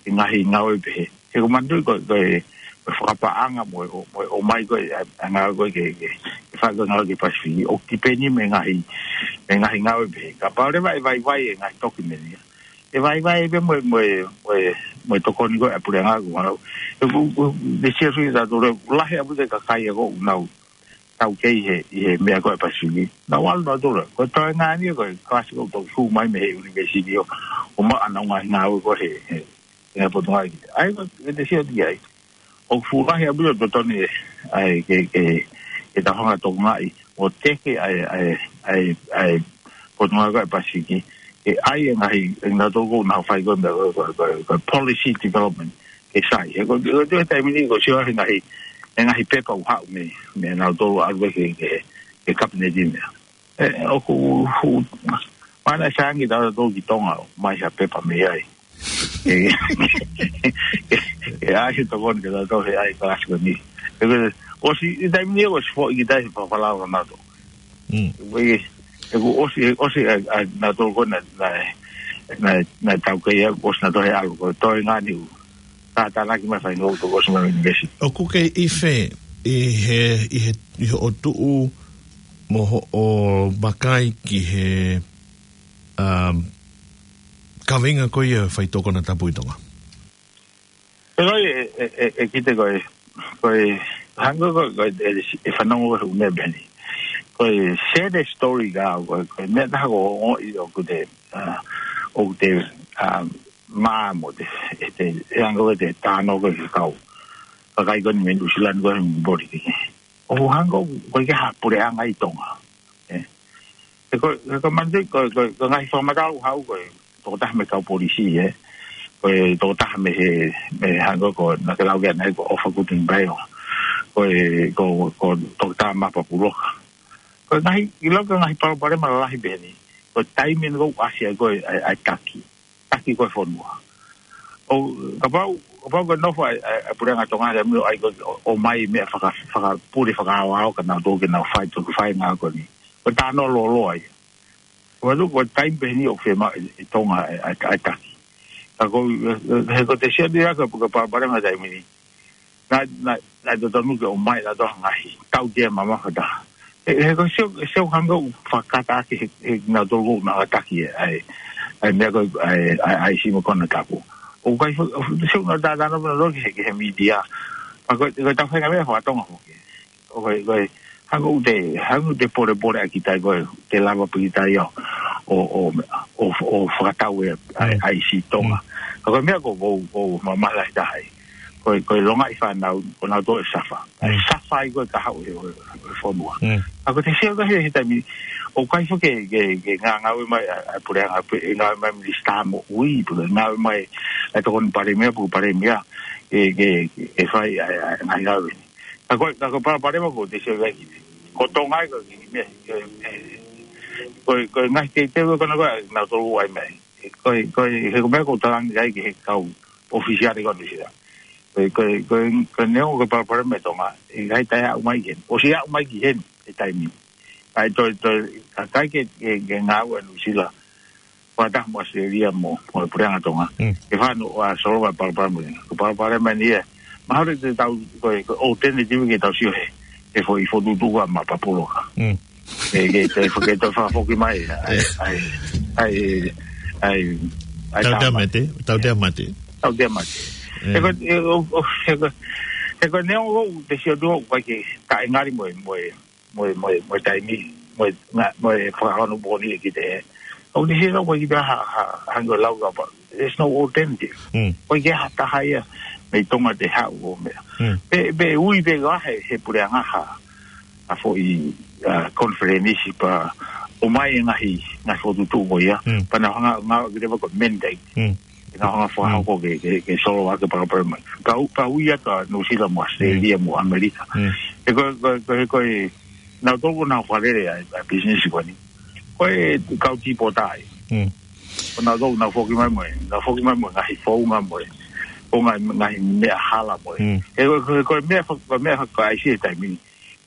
he ngaahi ngāue pehē. He ko manatuʻi ko, ko e, ko e fakapaʻanga mo e, mo e, ʻomai ko e, ʻa, ʻa ngāue ko e ke, ke, ke fai ko e ngāue ki Pasifiki. ʻOku tipeni mo e ngaahi, mo e ngaahi ngāue pehē. Kapau leva ʻe vaivai e ngaahi tokimeni ia. ʻE vaivai pē mo e, mo e, mo e, mo e tokoni ko e ʻa e puleʻanga ko e ʻalu. ʻE ku, ku, te sio sui ta tole, lahi ʻaupito e kakai ʻoku nau taukei he, ʻi he meʻa ko e Pasifiki. Nau ʻalu nau tole. Ko e toenga ni ko e kalasi ko e toki hū mai mei he university ʻo, ʻo maʻu ʻenau ngaahi ngāue ko e he, he, he Potungāue ki. ʻAi ko e te sio ki ai. ʻOku fuʻu lahi ʻaupito e totonu ʻe, ʻai ke, ke, ke ta honga tokangaʻi. ʻO teke ʻai, ʻai, ʻai, ʻai, Potungāue ko e Pasifiki. Ke ʻai e ngaahi, e ngaahi toko na fai ko e meʻa ko e, ko e, ko e, ko e policy development. Ke sai. He ko, ko, ko e taimi ni ko e sio he ngaahi, he ngaahi pepa ʻoku haʻu mei, mei nautolu ʻalu ke, ke, ke kapineti meʻa. ʻE, ʻoku, hu, mana sangi tau tau ki Tonga, mai ha pepa mei ai. ʻE, ʻe, ʻe, ʻai he tokoni ke tau tau he ʻai kalasi ko eni. ʻE, ko, ʻosi, ʻi taimi ni ʻosi foʻi ki tai he fafalau ka nato. Mm. ʻE, ʻe, ko ʻosi, ʻosi, ʻa, ʻa, nato ko na, na, na, na tau kei ʻosi nato he ʻalu ko, toe ngani u. Ka tānaki mai fai ngou toko ʻosi mai university. ʻOku ke ʻi fē, ʻi he, ʻi he, ʻi he ʻotuʻu mo hoʻo vakai ki he, um, kaveinga ko ia faitoʻo konatapu ʻi Tonga? Pea ko e, e, e, e kite ko e, ko e, hangē ko e, ko e, e, e fanongo ko e ʻume peni. Ko e, share the story ka, ko e, ko e, meʻa taha ko o i ʻoku te, uh, ʻoku te, um, mā mo te, e te, e anga ko e te tāno ko e kau. Kakai ko eni mei Nuʻusila ni ko e mori ki. ʻO hangē ko e ke ha puleʻanga ʻi Tonga. ʻE. He ko, he ko manatuʻi ko, ko, ko e ngaahi fakamatala ʻoku haʻu ko e, tokotaha mei he kau polisi, ʻe. Ko e tokotaha mei he, mei he hangē ko, na ke lau ke ana ko ʻOfa Kutunibailoa. Ko e, ko, ko Toketā Mapa Puloka. Ko e ngaahi, ʻi lau ko e ngaahi palopalema lalahi peheni. Ko e taimi ʻeni ʻoku ʻasi ai ko e, ʻai, ʻai taki. Taki ko e fonua. ʻO, kapau, kapau ko e nofo ʻa e, ʻa e, ʻa e puleʻanga Tonga he mio ai ko e, ʻo, ʻomai meʻa faka, fakapule, fakaʻaoʻao, ka nau tō ke nau fai, tō ke fai ngā ko eni. Ko e tāno lōloa ia. Ko e tuʻu, ko e taimi peheni ʻoku fiemaʻu ʻe, ʻe Tonga ʻa e, ʻa e, ʻa e taki. Ka ko, ʻe, ʻe, he ko te sio ni ʻa ko e, ko e palopalema taimi ni. Na, na, na totonu ke ʻomai na toa ngaahi tautea mamafa taha. He, he ko e sio, sio hangē ʻoku fakakata ake he, he nautolu ʻoku na ʻataki ʻe, ʻai, ʻai meʻa ko e, ʻai, ʻai, ʻai simo konatapu. ʻOku ʻikai fo, sio na tātāna puna loki he, he media. Pea ko, ko e tau fai ngā meʻa fakatonga foki. ʻO ko e, ko e, hangē ʻoku te, hangē ʻoku te polepole ʻa kitai ko e, te lava pē kitai ʻo, ʻo, ʻo, ʻo, ʻo fakatau e, ʻai, Mm. ʻai si Tonga. Mm. Ka ko e meʻa ko, ko, ko, ma, malahi taha ai. Ko e, ko e longaʻi fānau, ko nau tō e safa. ʻAi Mm. safa ai ko e kahaʻu e, e, e fonua. Mm. ʻA ko te sio ka he, he taimi, ʻoku ʻikai fo ke, ke, ke ngā ngāue mai, ʻa, ʻa puleʻanga, pe, ngāue mai minisitā moʻui, pe ngāue mai, ʻa tokoni palēmia, pe palēmia, ke, ke, ke fai, ʻa, ʻa, ngā ngāue. Ka ko, ka ko e palopalema ko te sio ki ai. Ko Tonga ai ko ki me, ko, ko, ko e ngaahi teuteu ko na ko, na tolu ai mai. Ko, ko, he ko e meʻa ko talangi ai ki he kau ʻōfisiale ko Nuʻusila. Ko, ko, ko, ko e neongo ko e palopalema ʻi Tonga. ʻIkai te ne aʻu mai ki heni. ʻOsi aʻu mai ki heni, he taimi. ʻAi toi, toi, ka kai ke, ke, ke ngāue ʻa Nuʻusila. Fakataha mo ʻAositelēlia mo, mo e puleʻanga Tonga. Mm. Ke fano ʻa solova palopalema ni. Ko e palopalema ni ia. Mahalo te tau, ko e, ko e alternative ke tau sio he. He foʻi fokotuʻutuʻu ʻa Mapa Puloka. Mm. Ke, ke, ke, ke toe fakafoki mai. ʻAi, ʻAi. ʻAi, ʻai, ʻai, ʻai, Tautea tama. mate, tautea mate. Tautea mate. Mm. He ko, he ko, he ko, he ko neongo te sio tuʻu, ʻoku ʻikai ke taʻengari mo e, mo e, mo e, mo e, mo e taimi, mo e, ngā, mo e fakahono pōni e ki te. ʻOku te sio ko e ki te ha, ha, hangē lau ka pa. There's no alternative. Mm. ʻOku ʻikai ha taha ia, mei Tonga te haʻu ʻo meʻa. Mm. Pe, pe ui pe ka he, he puleʻanga ha, ha foʻi, uh, conference pa, ʻomai e ngaahi, ngaahi fokotuʻutuʻu ko ia, Mm. pa na hanga, ngā, ki te ko mandate. Mm. Ke nau hanga fakahoko ke, ke, ke solova ʻaki e palopalema. Ka u, ka ui atu ʻa Nuʻusila mo ʻAositelēlia mo ʻAmelika. Mm. He ko, ko, ko, he ko e, nau toko nau fakalele ʻa, ʻa business ko eni. Ko e kau tīpota ia. Mm. Ko nautolu naʻa nau foki mai mo e, naʻa nau foki mai mo e ngaahi founga mo e, founga ngaahi meʻa hala mo e. Mm. He ko e, ko e, ko e meʻa fa-, ko e meʻa fa-, ko e ʻaisi he taimi ni.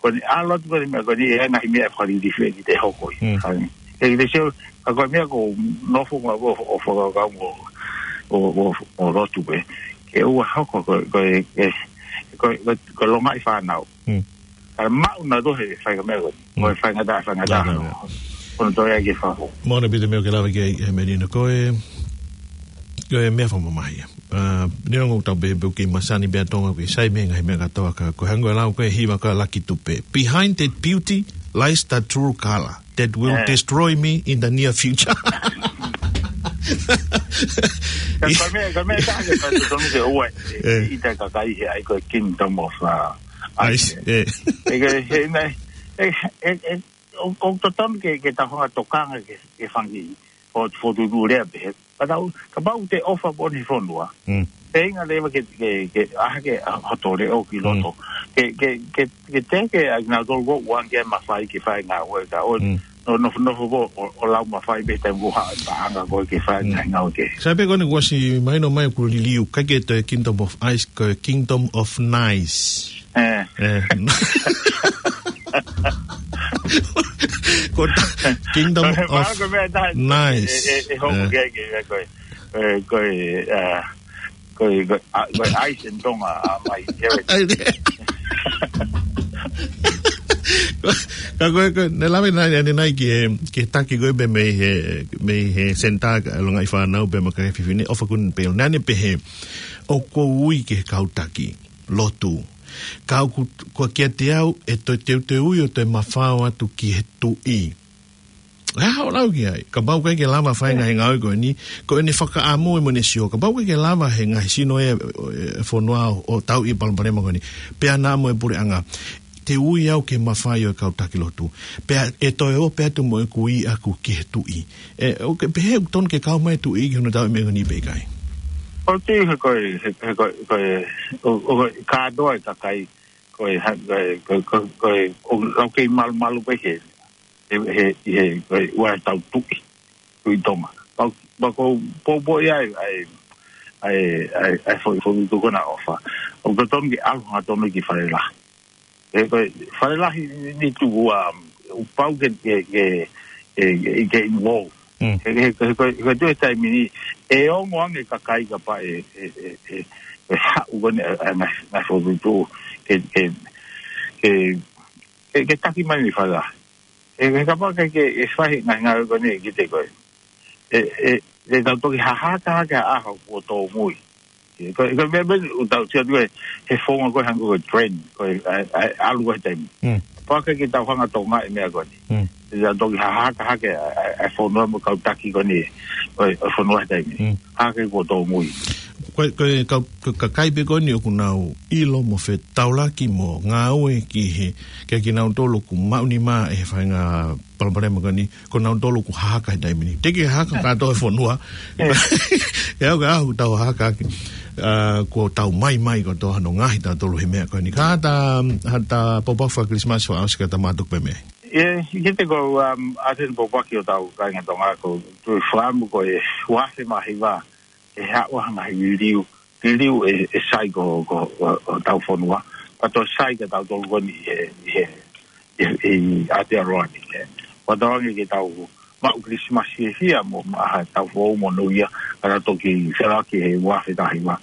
Ko eni ʻalu atu ko eni meʻa ko eni e ngaahi meʻa fakalilifu ʻe kite hoko ia. Mm. Hangē. He kite sio, ka ko e meʻa ko e nofo mo, ʻo, ʻo fakakaukau mo, ʻo, ʻo, ʻo lotu pē. Ke ʻoua hoko ko, ko, ko, ko, ko, ko e longaʻi fānau. Mm. Ka maʻu nautolu he faʻahinga meʻa ko eni. Mm. Ko e faingataʻa, faingataʻa. Faingataʻa. Ko hono toe ʻai ki fafo. Moʻoni ʻaupito e meʻa ʻoku ke lave ki ai, ʻe Melino, ko e, ko e meʻa fakamamahi ia. ʻA, neongo ʻoku tau pehē pē ʻoku kei masani pē ʻa Tonga, ʻoku kei sai mei he ngaahi meʻa kātoa, ka ko e hangē ko e lau ko ē ʻa e hiva ko ē ʻa Lucky Dube. Behind that beauty lies the true color that will, eh, destroy me in the near future. Ka ko e meʻa, ko e meʻa taha ke tau totonu ke ʻoua, eh, ʻita e kakai he ʻai ko e Kingdom of, uh, Ice, ice, eh. E ke, he nai, e, e, e, ʻo, ʻoku totonu ke, ke tau hanga ʻo tokanga ki he, ki he fanga kiʻi fokotuʻutuʻu lea pehē. Ka tau, kapau te ke ʻofa pē ʻi he fonua. Mm. Feinga leva ke, ke, ke ʻai ke, ʻa, hoto leʻo ki loto. Mm. Ke, ke, ke, ke teke ʻa kinautolu ʻoku ʻoange mafai ke fai e ngāue ka ʻoku, mm, nofo, nofo pē ʻo, ʻo lau mafai pē taimi ʻoku haʻu e paʻanga ko ē ke fai, mm, ngaahi ngāue kehe. Sai pē ko eni kuo ʻosi mahino mai ʻoku liliu, ʻikai ke toe Kingdom of Ice, ko e Kingdom of Nice. Eh. Eh. Ko e Kingdom of Nice. Ko e meʻa taha e, e, e hoko, eh, ke, ke, ko e, eh, ko e, eh, ko e, ko e, a, ko e ice in Tonga, a, mai, ke we. Ai, ne. Ka ko e, ko e, naʻe lave naʻe, naʻe, naʻe ki he, ki he taki ko ē pē mei he, mei he senitā ka longaʻi fānau pea mo e kakai fefine, ʻofa kuni pē, naʻa ne pehē, ʻoku ou ui ki he kau taki lotu. Ka ʻoku, ko kiate au, ʻe toe teuteuʻi ʻo toe mafao atu ki he tuʻi. ʻE, haʻu lau ki ai. Kapau ʻoku ʻikai ke lava fai e ngaahi ngāue ko eni, ko ʻene fakaʻamu ē mo ʻene sio. Kapau ʻoku ʻikai ke lava he ngaahi sino e, e, e fonua ʻo, ʻo tauʻi e palopalema ko eni. Pea naʻa mo e puleʻanga. Te u ui au ke mafai ʻo e kau taki lotu. Pea ʻe toe ō pē atu mo ʻeku ui ʻaʻaku ki he tuʻi. ʻE, ʻoku ke pehē ʻoku totonu ke kau mai e tuʻi ki hono tauʻi e meʻa ko eni pe ʻikai? ʻOku ou tui he ko e, he, he ko e, ko e, ʻo, ʻo, kātoa e kakai, ko e, ha, ko e, ko e, ko e, ko e, ʻoku lau kei malumalu pē he, he, he, he, ko e ua e tau tuʻi, tuʻi Tonga. Pau, pau ko, pau pau ia ai, ai, ai, ai, ai, foʻi, foʻi tuʻi ko ena ʻofa. ʻOku totonu ke ʻalu hangatonu ki Fale Lahi. He ko e Fale Lahi ni, ni tuku a, ʻoku pau ke, ke, ke, ke, ke involve. Mm. He, he, he, he, he tuʻu he taimi ni, ʻe ongo ange kakai kapau ʻe, ʻe, ʻe, ʻe, ʻe haʻu ko eni, ʻa, ʻa, ngaahi, ngaahi fokotuʻutuʻu, ke, ke, ke, ke, ke taki mai mei Fale Lahi. He, he kapau ʻikai ke, ke fai ngaahi ngāue ko eni ʻe kite ko ē. ʻE, ʻe, ʻe tau toki hahaka hake ʻa e ʻaho kuo tōmui. Ko, ko e meʻa, meʻa, ʻoku tau sio atu ko ē, he founga ko ē hangē ko e trend, ko e, ʻa, ʻa, ʻalu ko ē he taimi. Mm. Pau ke, ke tau hanga ʻo tokangaʻi e meʻa ko eni. Mm. ʻE tau toki hahaka hake ʻa, ʻa, ʻa e fonua mo e kau taki ko eni, ʻo, ʻo e fonua he taimi. Mm. Hake kuo tōmui. Ko e, ko e kau, ko e kakai pē ko eni ʻoku nau ʻilo mo fetaulaki mo ngāue ki he, kia kinautolu ʻoku maʻunimā ʻe he faʻahinga palopalema ko eni, ko nautolu ʻoku hahaka he taimi ni. Teʻeki ke hahaka kātoa e fonua. ʻE au ka ʻoku tau hahaka ʻaki. ʻA, kuo tau maimai kotoa hono ngaohi tautolu he meʻa ko eni. Ka ta, ha ta pōpoaki faka-Kilisimasi fakaʻosi ka ta mātuku pē mei ai. ʻE, ʻikai te u, um, ʻoatu e pōpoaki ʻo tau kāinga Tonga ko e tuʻu fāmu ko e ua afe mā hiva. ʻE haʻu ha ngaahi liliu, liliu ʻe, ʻe sai ko, ko, ko, ko hotau fonua. Pea toe sai kia tautolu ko eni he, he, he, he Aotearoa ni, ē. Pea tau ange ke tau maʻu Kilisimasi fiefia mo, mo ha taʻu foʻou mo New Year, ka tau toki felaki he ua afe taha hiva.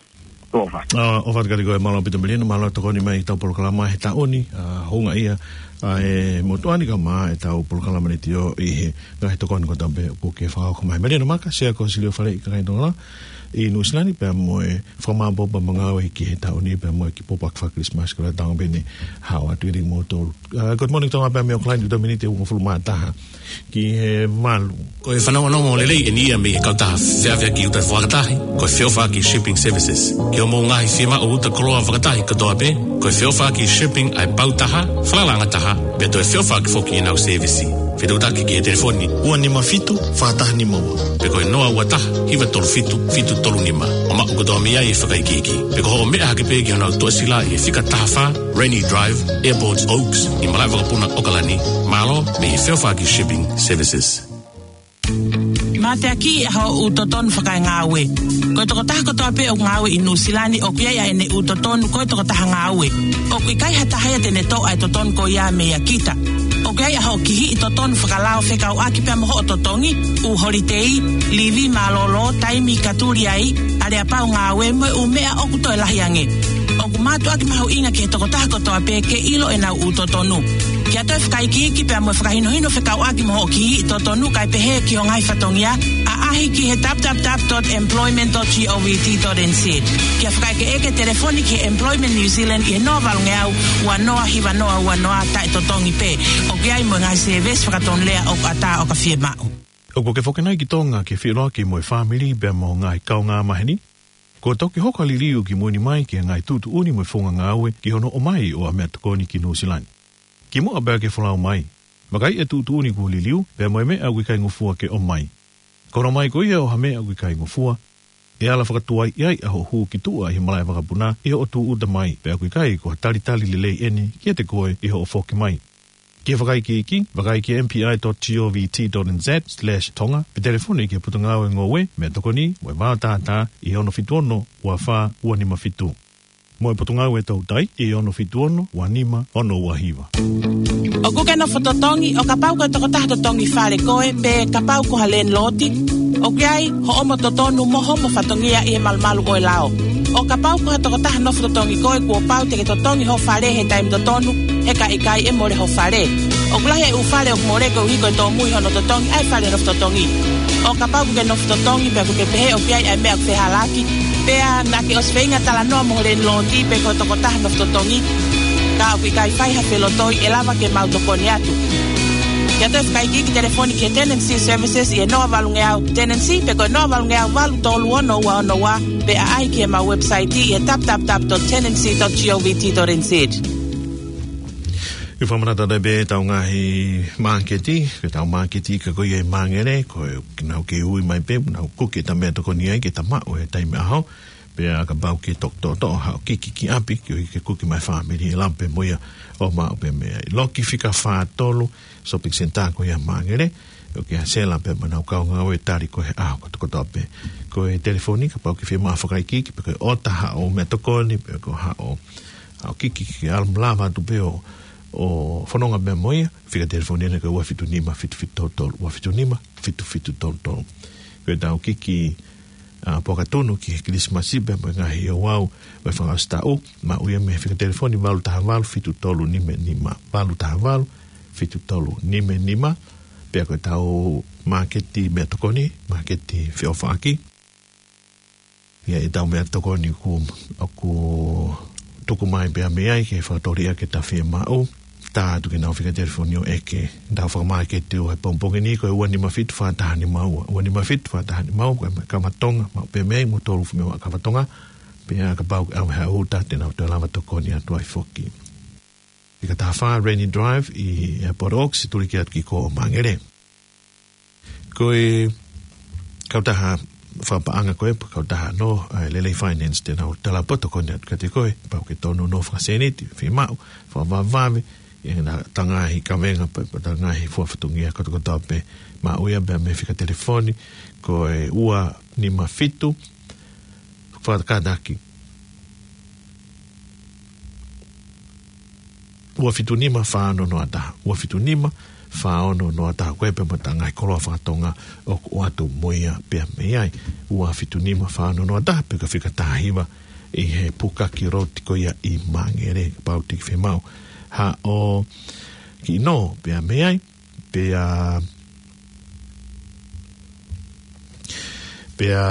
Tō fat. ʻA, ʻofa atu kiate koe, mālō ʻaupito Melino, mālō e tokoni mai ki heʻetau polokalama he taʻu ni, ʻa, houngaʻia ʻa e motuʻa ni kae ʻumaʻā ʻetau polokalama ni tio ʻi he ngaahi tokoni kotoa pē kuo ke fakahoko mai. Melino Maka, Sea ko e Silio Fale ʻi Kakai Tonga ʻi Nuʻu Sila ni, pea mo e fakamāʻopoʻopo mo e ngāue ki he taʻu ni, pea mo e kiʻi pōpoaki faka-Kilisimasi ko e lau tau pē eni, haʻu atu ʻi he motu. ʻA, Good Morning Tonga pea mei ʻAokalani, tuʻu miniti ʻe uofulu mā taha ki he valu. Ko e fanongonongo lelei eni ia mei he kautaha feʻaveʻaki uta fakatahi, ko e Feʻofaʻaki Shipping Services. Ki hoʻomou ngaahi fiemaʻu uta koloa fakatahi kotoa pē, ko e Feʻofaʻaki Shipping ʻa e pau taha, falalaʻanga taha, pea toe feʻofaʻaki foki ʻenau sēvisi. Fetuʻutaki ki he telefoni ua nima fitu, fā taha nima ua. Pe ko e noa ua taha, hiva tolu fitu, fitu tolu nima. ʻO maʻu kotoa mei ai e fakaikiiki. Pe ko hoʻo meʻa hake pē ki honau toʻasila ʻi he fika taha fā, Rennie Drive, Airport Oaks, ʻi Malaʻevakapuna, ʻAokalani. Mālō mei he Feʻofaʻaki Shipping Services. Mateaki ʻa hoʻo ʻū totonu fakaengāue. Ko e tokotaha kotoa pē ʻoku ngāue ʻi Nuʻusila ni ʻoku ʻi ai ʻa ʻene ʻū totonu ko e tokotaha ngāue. ʻOku ʻikai ha taha ia te ne toʻo ʻa e totonu ko ia meia kita. ʻOku ʻi ai ʻa hoʻo kihiʻi totonu fakalao fekauʻaki pea mo hoʻo totongi, ʻū holitei, livi mālōlō, taimi ka tuli ai, aleapau ngāue mo e ʻū meʻa ʻoku toe lahi ange. ʻOku mātuʻaki mahuʻinga ki he tokotaha kotoa pē ke ʻilo ʻenau ʻū totonu. Ke ʻoatu e fakaikiiki pea mo e fakahinohino fekauʻaki mo hoʻo kihiʻi totonu kae pehē ki ho ngaahi fatongia, ʻaʻahi ki he w w w dot employment dot govt dot n z. Ke fakaʻekeʻeke telefoni ki he Employment New Zealand ʻi he noa valungeau ua noa hiva noa ua noa taʻe totongi pē. ʻOku ʻi ai mo e ngaahi sēvesi fakatonulea ʻoku ʻatā ʻo ka fiemaʻu. ʻOku ke foki nai ki Tonga ke feʻiloaki mo e fāmili pea mo e ngaahi kaungāmaheni? Kuo toki hoko ʻa e liliu ki mui ni mai ki he ngaahi tuʻutuʻuni mo e founga ngāue ki hono ʻomai ʻo ha meʻatokoni ki Nuʻusila ni. Kimuʻa pea ke folau mai, vakai e tuʻutuʻuni kuo liliu pea mo e meʻa ʻoku ʻikai ngofua ke ʻomai. Ko hono ʻomai ko ia ʻo ha meʻa ʻoku ʻikai ngofua, ʻe ala fakatuai ai ʻa hoʻo hū ki tuʻa ʻi he malaʻe vakapuna ʻi hoʻo tūʻuta mai, pea ʻoku ʻikai ko ha talitali lelei eni kiate koe ʻi hoʻo foki mai. Ke fakaikiiki, vakai ki he m p i dot govt dot n z slash tonga, pe telefoni ki he Potungāue Ngoue Meʻatokoni mo e Vaotātā ʻi he ono fitu ono, ua fā, ua nima fitu. Mo e Potungāue Toutai ʻi he ono fitu ono, ua nima, ono ua hiva. ʻOku ke nofo totongi, ʻo kapau ko e tokotaha totongi fale koe, pe kapau ko ha landlord, ʻoku ʻi ai hoʻomo totonu mo homo fatongia ʻi he malumalu ʻo e lao. ʻO kapau ko ha tokotaha nofo totongi koe, kuo pau te ke totongi ho fale he taimi totonu, he ka ʻikai ʻe mole ho fale. ʻOku lahi e ʻū fale ʻoku mole koeʻuhi ko e tōmui hono totongi ʻa e fale nofo totongi. ʻO kapau ʻoku ke nofo totongi pea ʻoku ke pehē ʻoku ʻi ai ʻa e meʻa ʻoku fehālaaki, pea naʻa ke ʻosi feinga talanoa mo ho landlord pe ko e tokotaha nofo totongi, ka ʻoku ʻikai fai ha felotoi, ʻe lava ke mau tokoni atu. Ke ʻoatu e fakaikiiki, telefoni ki he Tenancy Services ʻi he noa valungeau tenancy pe ko e noa valungeau valu tolu ono ua ono ua, pe ʻaʻahi ki heʻemau website ʻi he w w w dot tenancy dot govt dot n z. ʻI he fakamanatu atu pē ʻetau ngaahi māketi, ko ʻetau māketi ika ko ia ʻi Māngere, ko e ʻoku nau kei ui mai pē, nau kuki ʻeta meʻatokoni ai ke ta maʻu he taimi ʻaho, pea kapau ke toki toʻotoʻo haʻo kiki ki ʻapi, koeʻuhi ke kuki mai e fāmili, ʻe lava pē mo ia ʻo maʻu pē meʻa. ʻI loki fika fā tolu, shopping centre ko ia ʻi Māngere, ʻoku ke sela pē mo ʻenau kau ngāue tali koe he ʻaho kotokotoa pē. Ko e telefoni, kapau ʻoku ke fiemaʻu fakaikiiki, pe ko e ʻota haʻo meʻatokoni, pe ko haʻo, haʻo kiki ke ala mo lava atu pē ʻo, ʻo fononga pē mo ia, fika telefoni ena ko e ua fitu nima fitu fitu tolu tolu, ua fitu nima fitu fitu tolu tolu. Ko ʻetau kiki, ʻa, puaka tunu ki he Kilisimasi pea mo e ngaahi ouau ʻo e fakaʻosi taʻu, maʻu ia mei he fika telefoni valu taha valu fitu tolu nima nima, valu taha valu fitu tolu nima nima, pea ko ʻetau māketi meʻatokoni, māketi feʻofaʻaki. ʻI ai ʻetau meʻatokoni ʻoku, ʻoku tuku mai pea mei ai ke fakatōliʻa ke ta fiemaʻu, tā atu ke nau fika telefoni ʻo ʻeke. Tau fakamāketi ʻo e pongipongi ni ko e ua nima fitu fā taha nima ua. Ua nima fitu fā taha nima ua, ko e kava Tonga, maʻu pē mei ai mo tolu fumewa kava Tonga, pea kapau ʻoku ʻi ai ha uta te nau toe lava tokoni atu ai foki. Fika taha fā Rainy Drive ʻi Airport Oaks, situli ki atu ki kō ʻo Māngere. Ko e kautaha fakapaʻanga ko ē, kautaha nō, ʻa e Lelei Finance te nau tala poto ko eni atu kiate koe, pau ke tōnounou fakasēniti, fiemaʻu, fakavavevave, ʻi heʻeta ngaahi kavenga, pe, pe ʻeta ngaahi fua fatongia kotokotoa pē, maʻu ia pē mei he fika telefoni, ko e ua nima fitu, fakakātaki. Ua fitu nima fā ono noa taha. Ua fitu nima fā ono noa taha. Ko e pē mo ʻeta ngaahi koloa fakatonga ʻoku ʻoatu mo ia pea mei ai. Ua fitu nima fā ono noa taha, pe ko e fika taha hiva ʻi he Pukaki Road ko ia ʻi Māngere, kapau te ke fiemaʻu haʻo kiʻi nō pea mei ai. Pea, pea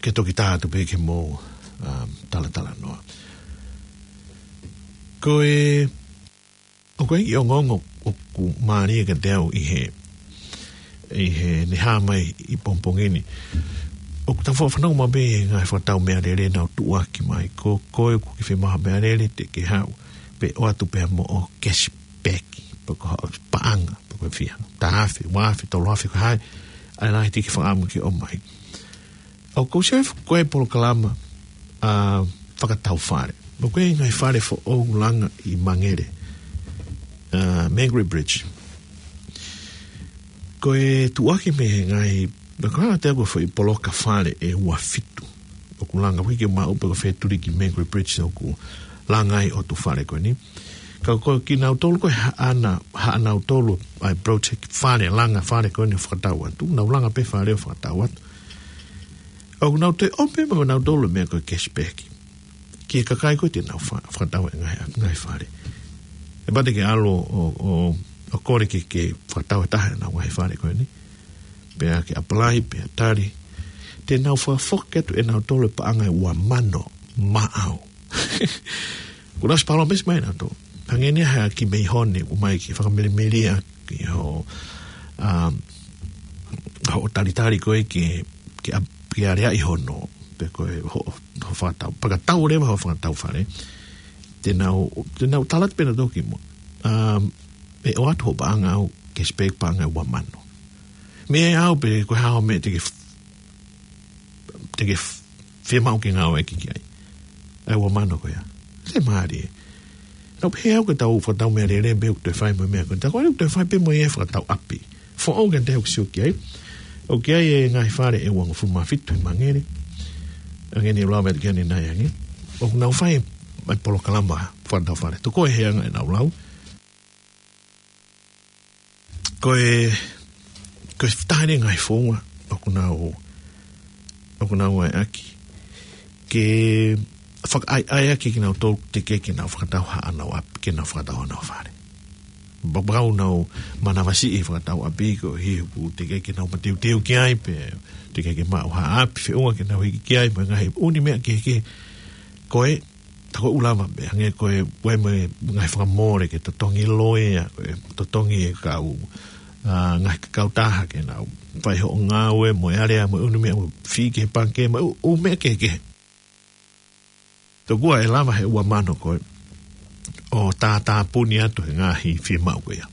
ke toki tā atu pē ke mou, um, talatalanoa. Ko e, ʻoku ʻi ai e ongoongo ʻoku mālie kiate au ʻi he, ʻi heʻene hā mai ʻi pongipongi ni. ʻOku tau fanongo mai pē he ngaahi fakatau meʻalele nau tuʻuaki mai. Ko, ko ē ʻoku ke fiemaʻu ha meʻalele te ke haʻu pē ʻoatu pē mo hoʻo cashback, pe ko hoʻo paʻanga, pe ko e fiha, taha afe, ua afe, tolu afe, ko e hā e lahi te ke fakaʻamu ke ʻomai. ʻOku ou sio he ko e polokalama, ʻa, fakatau fale. ʻOku ʻi ai e ngaahi fale foʻou langa ʻi Māngere, ʻa, Mangere Bridge. Ko e tuʻuaki mei he ngaahi, na kanga te ko e foʻi poloka fale ʻe ua fitu. ʻOku langa wiki ma upe ko Fetuliki Mangere Bridge ʻoku langa ai ʻo tu fale ko eni. Ka ko kinautolu ko e haʻana, haʻanautolu ʻa e project fale, langa fale ko eni ʻo fakatau atu. Nau langa pē fale ʻo fakatau atu. ʻOku nau toe ʻomai pē mo nautolu meʻa ko e cashback ki he kakai ko ē te nau fa-, fakatau e ngaahi, ngaahi fale. ʻE pau te ke ʻalu ʻo, ʻo, ʻo kole ke, ke fakatau e taha ʻenau ngaahi fale ko eni. Pea ke apply, pea tali. Te nau fakafoki atu ʻe nautolu e paʻanga ʻe ua mano maʻau. Kuo nau ʻosi palōmesi mai nautolu. Hangē ni ha kiʻi meʻa ʻoku ʻomai ke fakamelemeleʻi ʻaki hoʻo, um, hoʻo talitali ko ē ke, ke ap-, ke aleaʻi hono, pe ko e hoʻo, hoʻo fakatau, fakatau leva hoʻo fakatau fale. Te nau, te nau tala atu pē nautolu ki muʻa. Um, ʻe ʻoatu hoʻo paʻanga ʻau cashback paʻanga ʻe ua mano. Meʻa ʻau pe ko e hā hoʻo meʻa te ke f-, te ke f-, fiemaʻu ke ngāueʻaki ki ai. ʻA e ua mano ko ia. Fiemālie. Nau pehē ʻau ke tau fakatau meʻalele pē ʻoku toe fai mo e meʻa ko ē. Ta ko ʻene toe fai pē mo e fakatau ʻapi. Foʻou ke te ʻoku sio ki ai. ʻOku ʻi ai e ngaahi fale ʻe uangofulu mā fitu ʻi Mangere. Hangē ni ʻoku lava atu ki ai ʻanenai ange. ʻOku nau fai ʻa e polokalama fakatau fale. Toko e heanga ʻenau lau. Ko e, ko e taha eni e ngaahi founga ʻoku nau, ʻoku nau ngāueʻaki ke fakaʻaiʻaiʻaki kinautolu teʻeki ke nau fakatau haʻanau ʻapi, ke nau fakatau haʻanau fale. Pea ʻoku nau manavasiʻi e fakatau ʻapi koeʻuhi he ʻoku teʻeki ke nau mateuteu ki ai pe teʻeki ke maʻu ha ʻapi feʻunga ke nau hiki ki ai mo e ngaahi ʻū meʻa kehekehe. Ko e, ta ko ʻoku lava pē, hangē ko e, ʻoku ʻi ai mo e ngaahi fakamole ke totongi loea, ko e totongi e kau, ʻa, ngaahi kautaha ke nau fai hoʻo ngāue mo e alea mo e ʻū meʻa mo e fee ki he pangikē mo e ʻū, ʻū meʻa kehekehe. Tokua ʻe lava he ua mano ko ē ʻo tātāpuni atu he ngaahi fiemaʻu ko ia.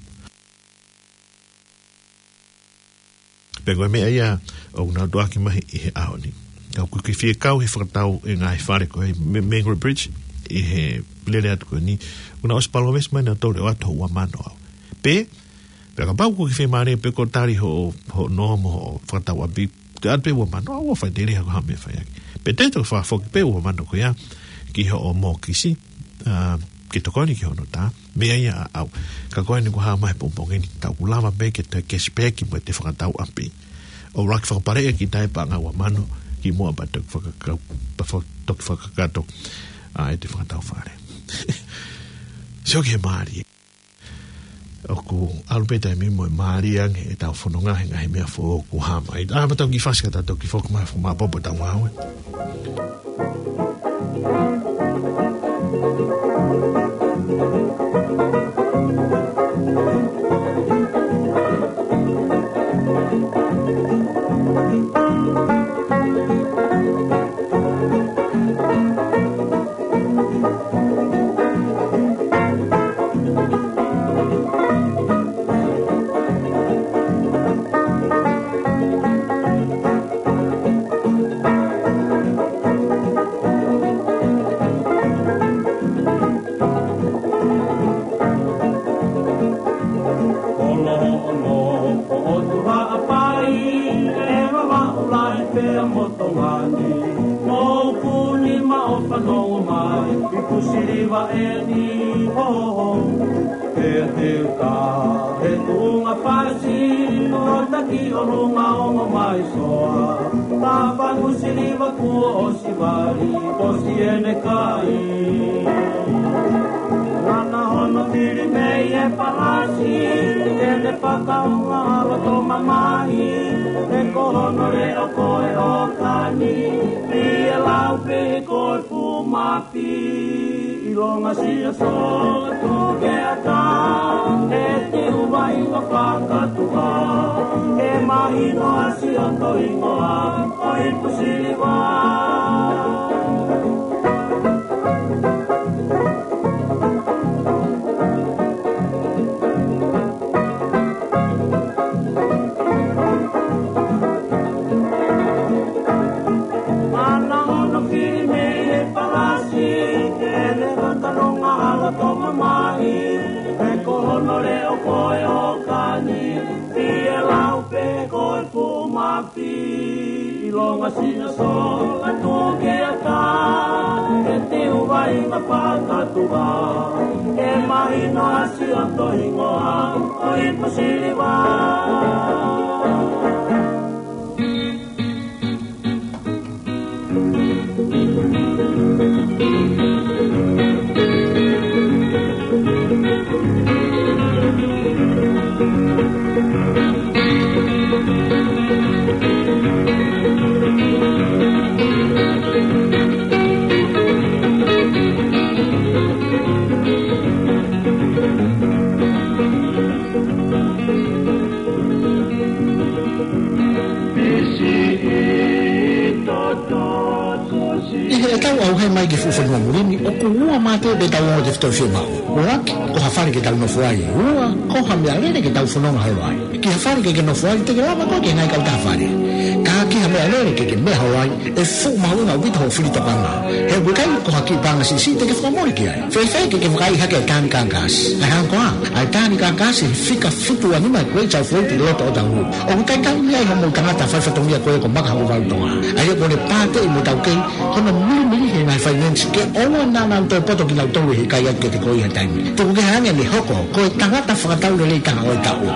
Pea ko e meʻa ia ʻoku nau tuʻuaki mai ʻi he ʻaho ni. Ka ʻoku ke fie kau he fakatau e ngaahi fale ko ē mei, Mangere Bridge ʻi he lele atu ko eni. ʻOku nau ʻosi palōmesi mai nautolu ʻe ʻoatu hoʻo ua mano ʻau. Pe, pea kapau ʻoku ke fiemālie pe ko e tali hoʻo, hoʻo nōmo hoʻo fakatau ʻapi, ke ʻoatu pē ua mano ʻau ʻo fai tele ha ko ha meʻa fai ʻaki. Pe te toki fakafoki pē ua mano ko ia ki hoʻo mōkisi, ʻa, ke tokoni ki hono tā, meʻa ia ʻaʻau. Ka ko eni ʻoku hā mai he pongipongi ni, ta ʻoku lava pē ke toe cashback mo e te fakatau ʻapi. ʻOua ke fakapaleʻi kita e paʻanga ua mano ki muʻa pea toki fakaka-, pea fa-, toki fakakakato, ʻa, e te fakatau fale. Sio ki he mālie. ʻOku ʻalu pē taimi mo e mālie ange ʻetau fononga he ngaahi meʻa foʻou ʻoku hā mai. ʻA, pea tau kiʻi fasi ka tau toki foki mai ʻo fakamāʻopoʻopo ʻetau ngāue. Kolo hono ko ʻOtu Haʻapai, ʻe Vavaʻu Lahi pea mo Tonga ni. Mou kuni maʻu ʻo fanongo mai, ʻi Pusiliva eni, ho, ho, ho. Pea te u tā he tuʻunga fasi, ʻo taki ʻolunga ongo mai soa. Tāpangu Siliva kuo ʻosi vali, ʻosi ʻene kai. Lana hono fili mei he palasi, ʻene fakaʻunga ʻa loto mamahi, he ko hono leʻo ko e ʻōkani, pea lau pē ko e fumapi, ʻilonga sia sotu ke ata, he te u vai ka fakatuʻa, he mahino ʻa si ʻo toingoa, ʻo ʻi Pusiliva. Mana hono fili mei he palasi, ʻene fakaʻunga ʻa loto mamahi, he ko hono leʻo ko e ʻōkani, pea lau Masina so atu ke ata, e tiu vai nga pakatua, e mahino asi o to hingoa, o i pasiliva. ʻI heʻetau ʻauhē mai ki he fuʻu fonua muli ni, ʻoku ua mate pē ʻetau ongo tefitoʻi fiemaʻu. ʻUluaki, ko ha fale ke tau nofo ai. Ua, ko ha meʻalele ke tau fononga holo ai. Ki ha fale ke ke nofo ai, te ke lava koe ke ngai kau taha fale. Ka ki ha meʻalele ke ke meʻa holo ai, ʻe fuʻu mahuʻinga ʻaupito hoʻo fili tokanga. He ʻoku ʻikai ko ha kiʻi paʻanga siʻisiʻi te ke fakamole ki ai. Fēfē ke ke vakaiʻi hake e tāni kākasi? ʻA e hā koā, ʻa e tāni kākasi he fika fitu ua nima e Great South Road ʻi loto ʻo tahu. ʻOku ʻikai kau mei ai hoʻomou tangata faifatongia ko ē ko Maka Hokovalu Tonga. ʻA ia ko ʻene pāteʻi mo e taukei, hono milimili he ngaahi finance ke ʻoua naʻa nau toe poto kinautolu he ʻikai atu ke te ko ia taimi. Tuku kehe ange ʻene hoko ko e tangata fakataulelei taha ʻo e taʻu.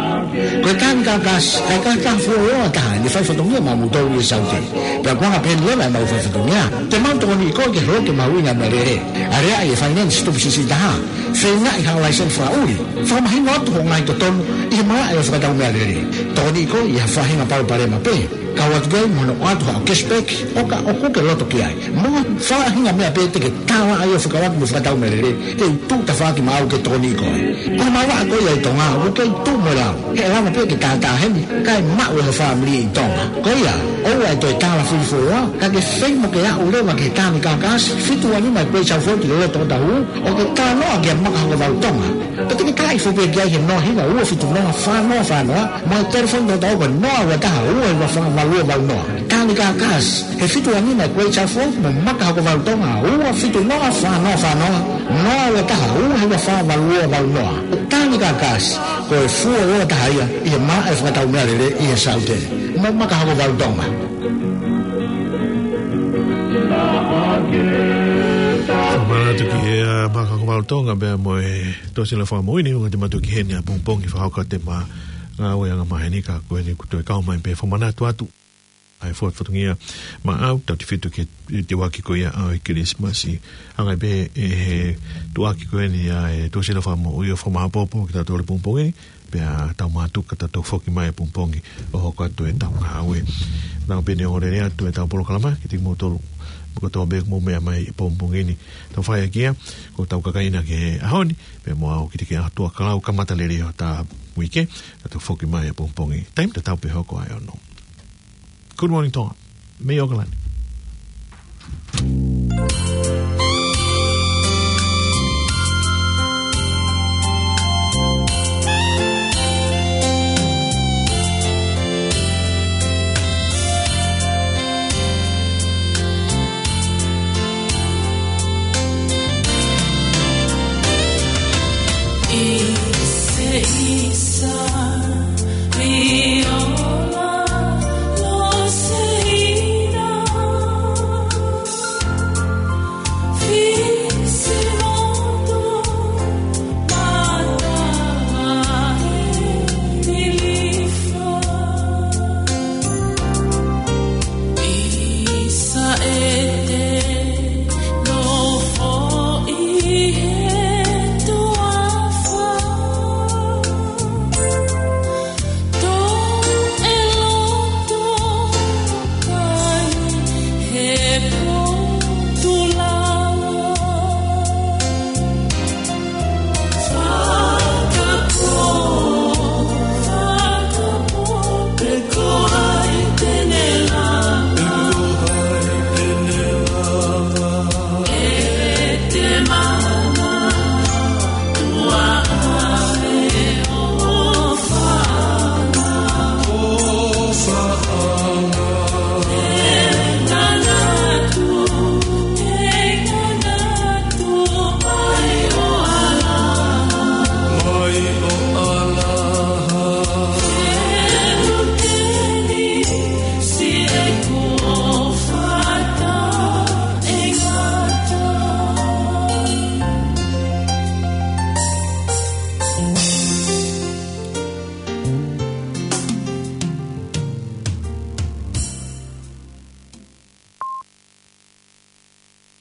Ko e tāni kākasi, ʻa e kākasi fuoloa taha ʻene faifatongia maʻamoutolu ʻi he Saute. Pea ko e anga pē ʻeni leva ʻemau faifatongia, te mau tokoniʻi koe ke holoki e mahuʻinga e meʻalele. Aleaʻi e finance tupu siʻisiʻi taha. Feingaʻi haʻo laiseni fakaʻuli. Fakamahino atu hoʻo ngaahi totonu ʻi he malaʻe ʻo e fakatau meʻalele. Tokoniʻi koe ʻi ha faʻahinga palopalema pē. Kau atu ki ai mo hono ʻoatu haʻo cashback, ʻo ka ʻoku ke loto ki ai. Mo ha faʻahinga meʻa pē te ke tala ai ʻo fekauʻaki mo e fakatau meʻalele, te u tuʻu tafaʻaki maʻau ke tokoniʻi koe. Ko e malanga ko ia ʻi Tonga, ʻoku kei tuʻu mo e lau. He ʻe lava pē ke tātā heni, kae maʻu ʻe ho fāmili ʻi Tonga. Ko ia, ʻoua ʻe toe tala fili fuoloa, ka ke fai mo ke aʻu leva ki he tāni kākasi, fitu ua nima e Great South Road ʻi loto ʻo tahu, ʻo ke talanoa kia Maka Hokovalu Tonga. Pea te ke talaʻi foki pē ki ai he noa hiva ua fitu noa fā noa fā noa, mo e telefoni tautau ko e noa ua taha ua hiva fā valu ua valu noa. Tāni kākasi, he fitu ua nima e Great South Road mo Maka Hokovalu Tonga, ua fitu noa fā noa fā noa, noa ua taha ua hiva fā valu ua valu noa. Tāni kākasi, ko e fuoloa taha ia ʻi he malaʻe fakatau meʻalele ʻi he Saute. Mo Maka Hokovalu Tonga. Manatu ki he, ʻa, Maka Hokovalu Tonga pea mo e tōsila fakamoʻui ni, ʻoku te matu ki heni ʻapongipongi fakahoko atu ʻema ngāue angamaheni ka ko eni kuo toe kau mai pē fakamanatu atu. ʻA e fua fatongia maʻau, tautautefito ki he tuʻuaki ko ia ʻo e Kilisimasi. Hangē pē ʻe he tuʻuaki ko eni ʻa e tōsila fakamoʻui ʻo fakamāʻopoʻopo kitautolu ʻapongipongi ni, pea tau mātuku ka tau toe foki mai ʻapongipongi ʻo hoko atu ʻetau ngāue. Tau pehē ni ʻo lele atu ʻetau polokalama, kiate kimoutolu kotoa pē ʻoku mou meʻa mai ʻapongipongi ni. Tau fai ʻaki ia, ko ʻetau kakai na ki he ʻaho ni, pea mo au Kitike ʻAtuakalau, kamata lelei hotau uike, ka tau foki mai ʻapongipongi. Taimi tatau pē hoko ʻa e ono. Good morning, Tonga. Mei ʻAokalani.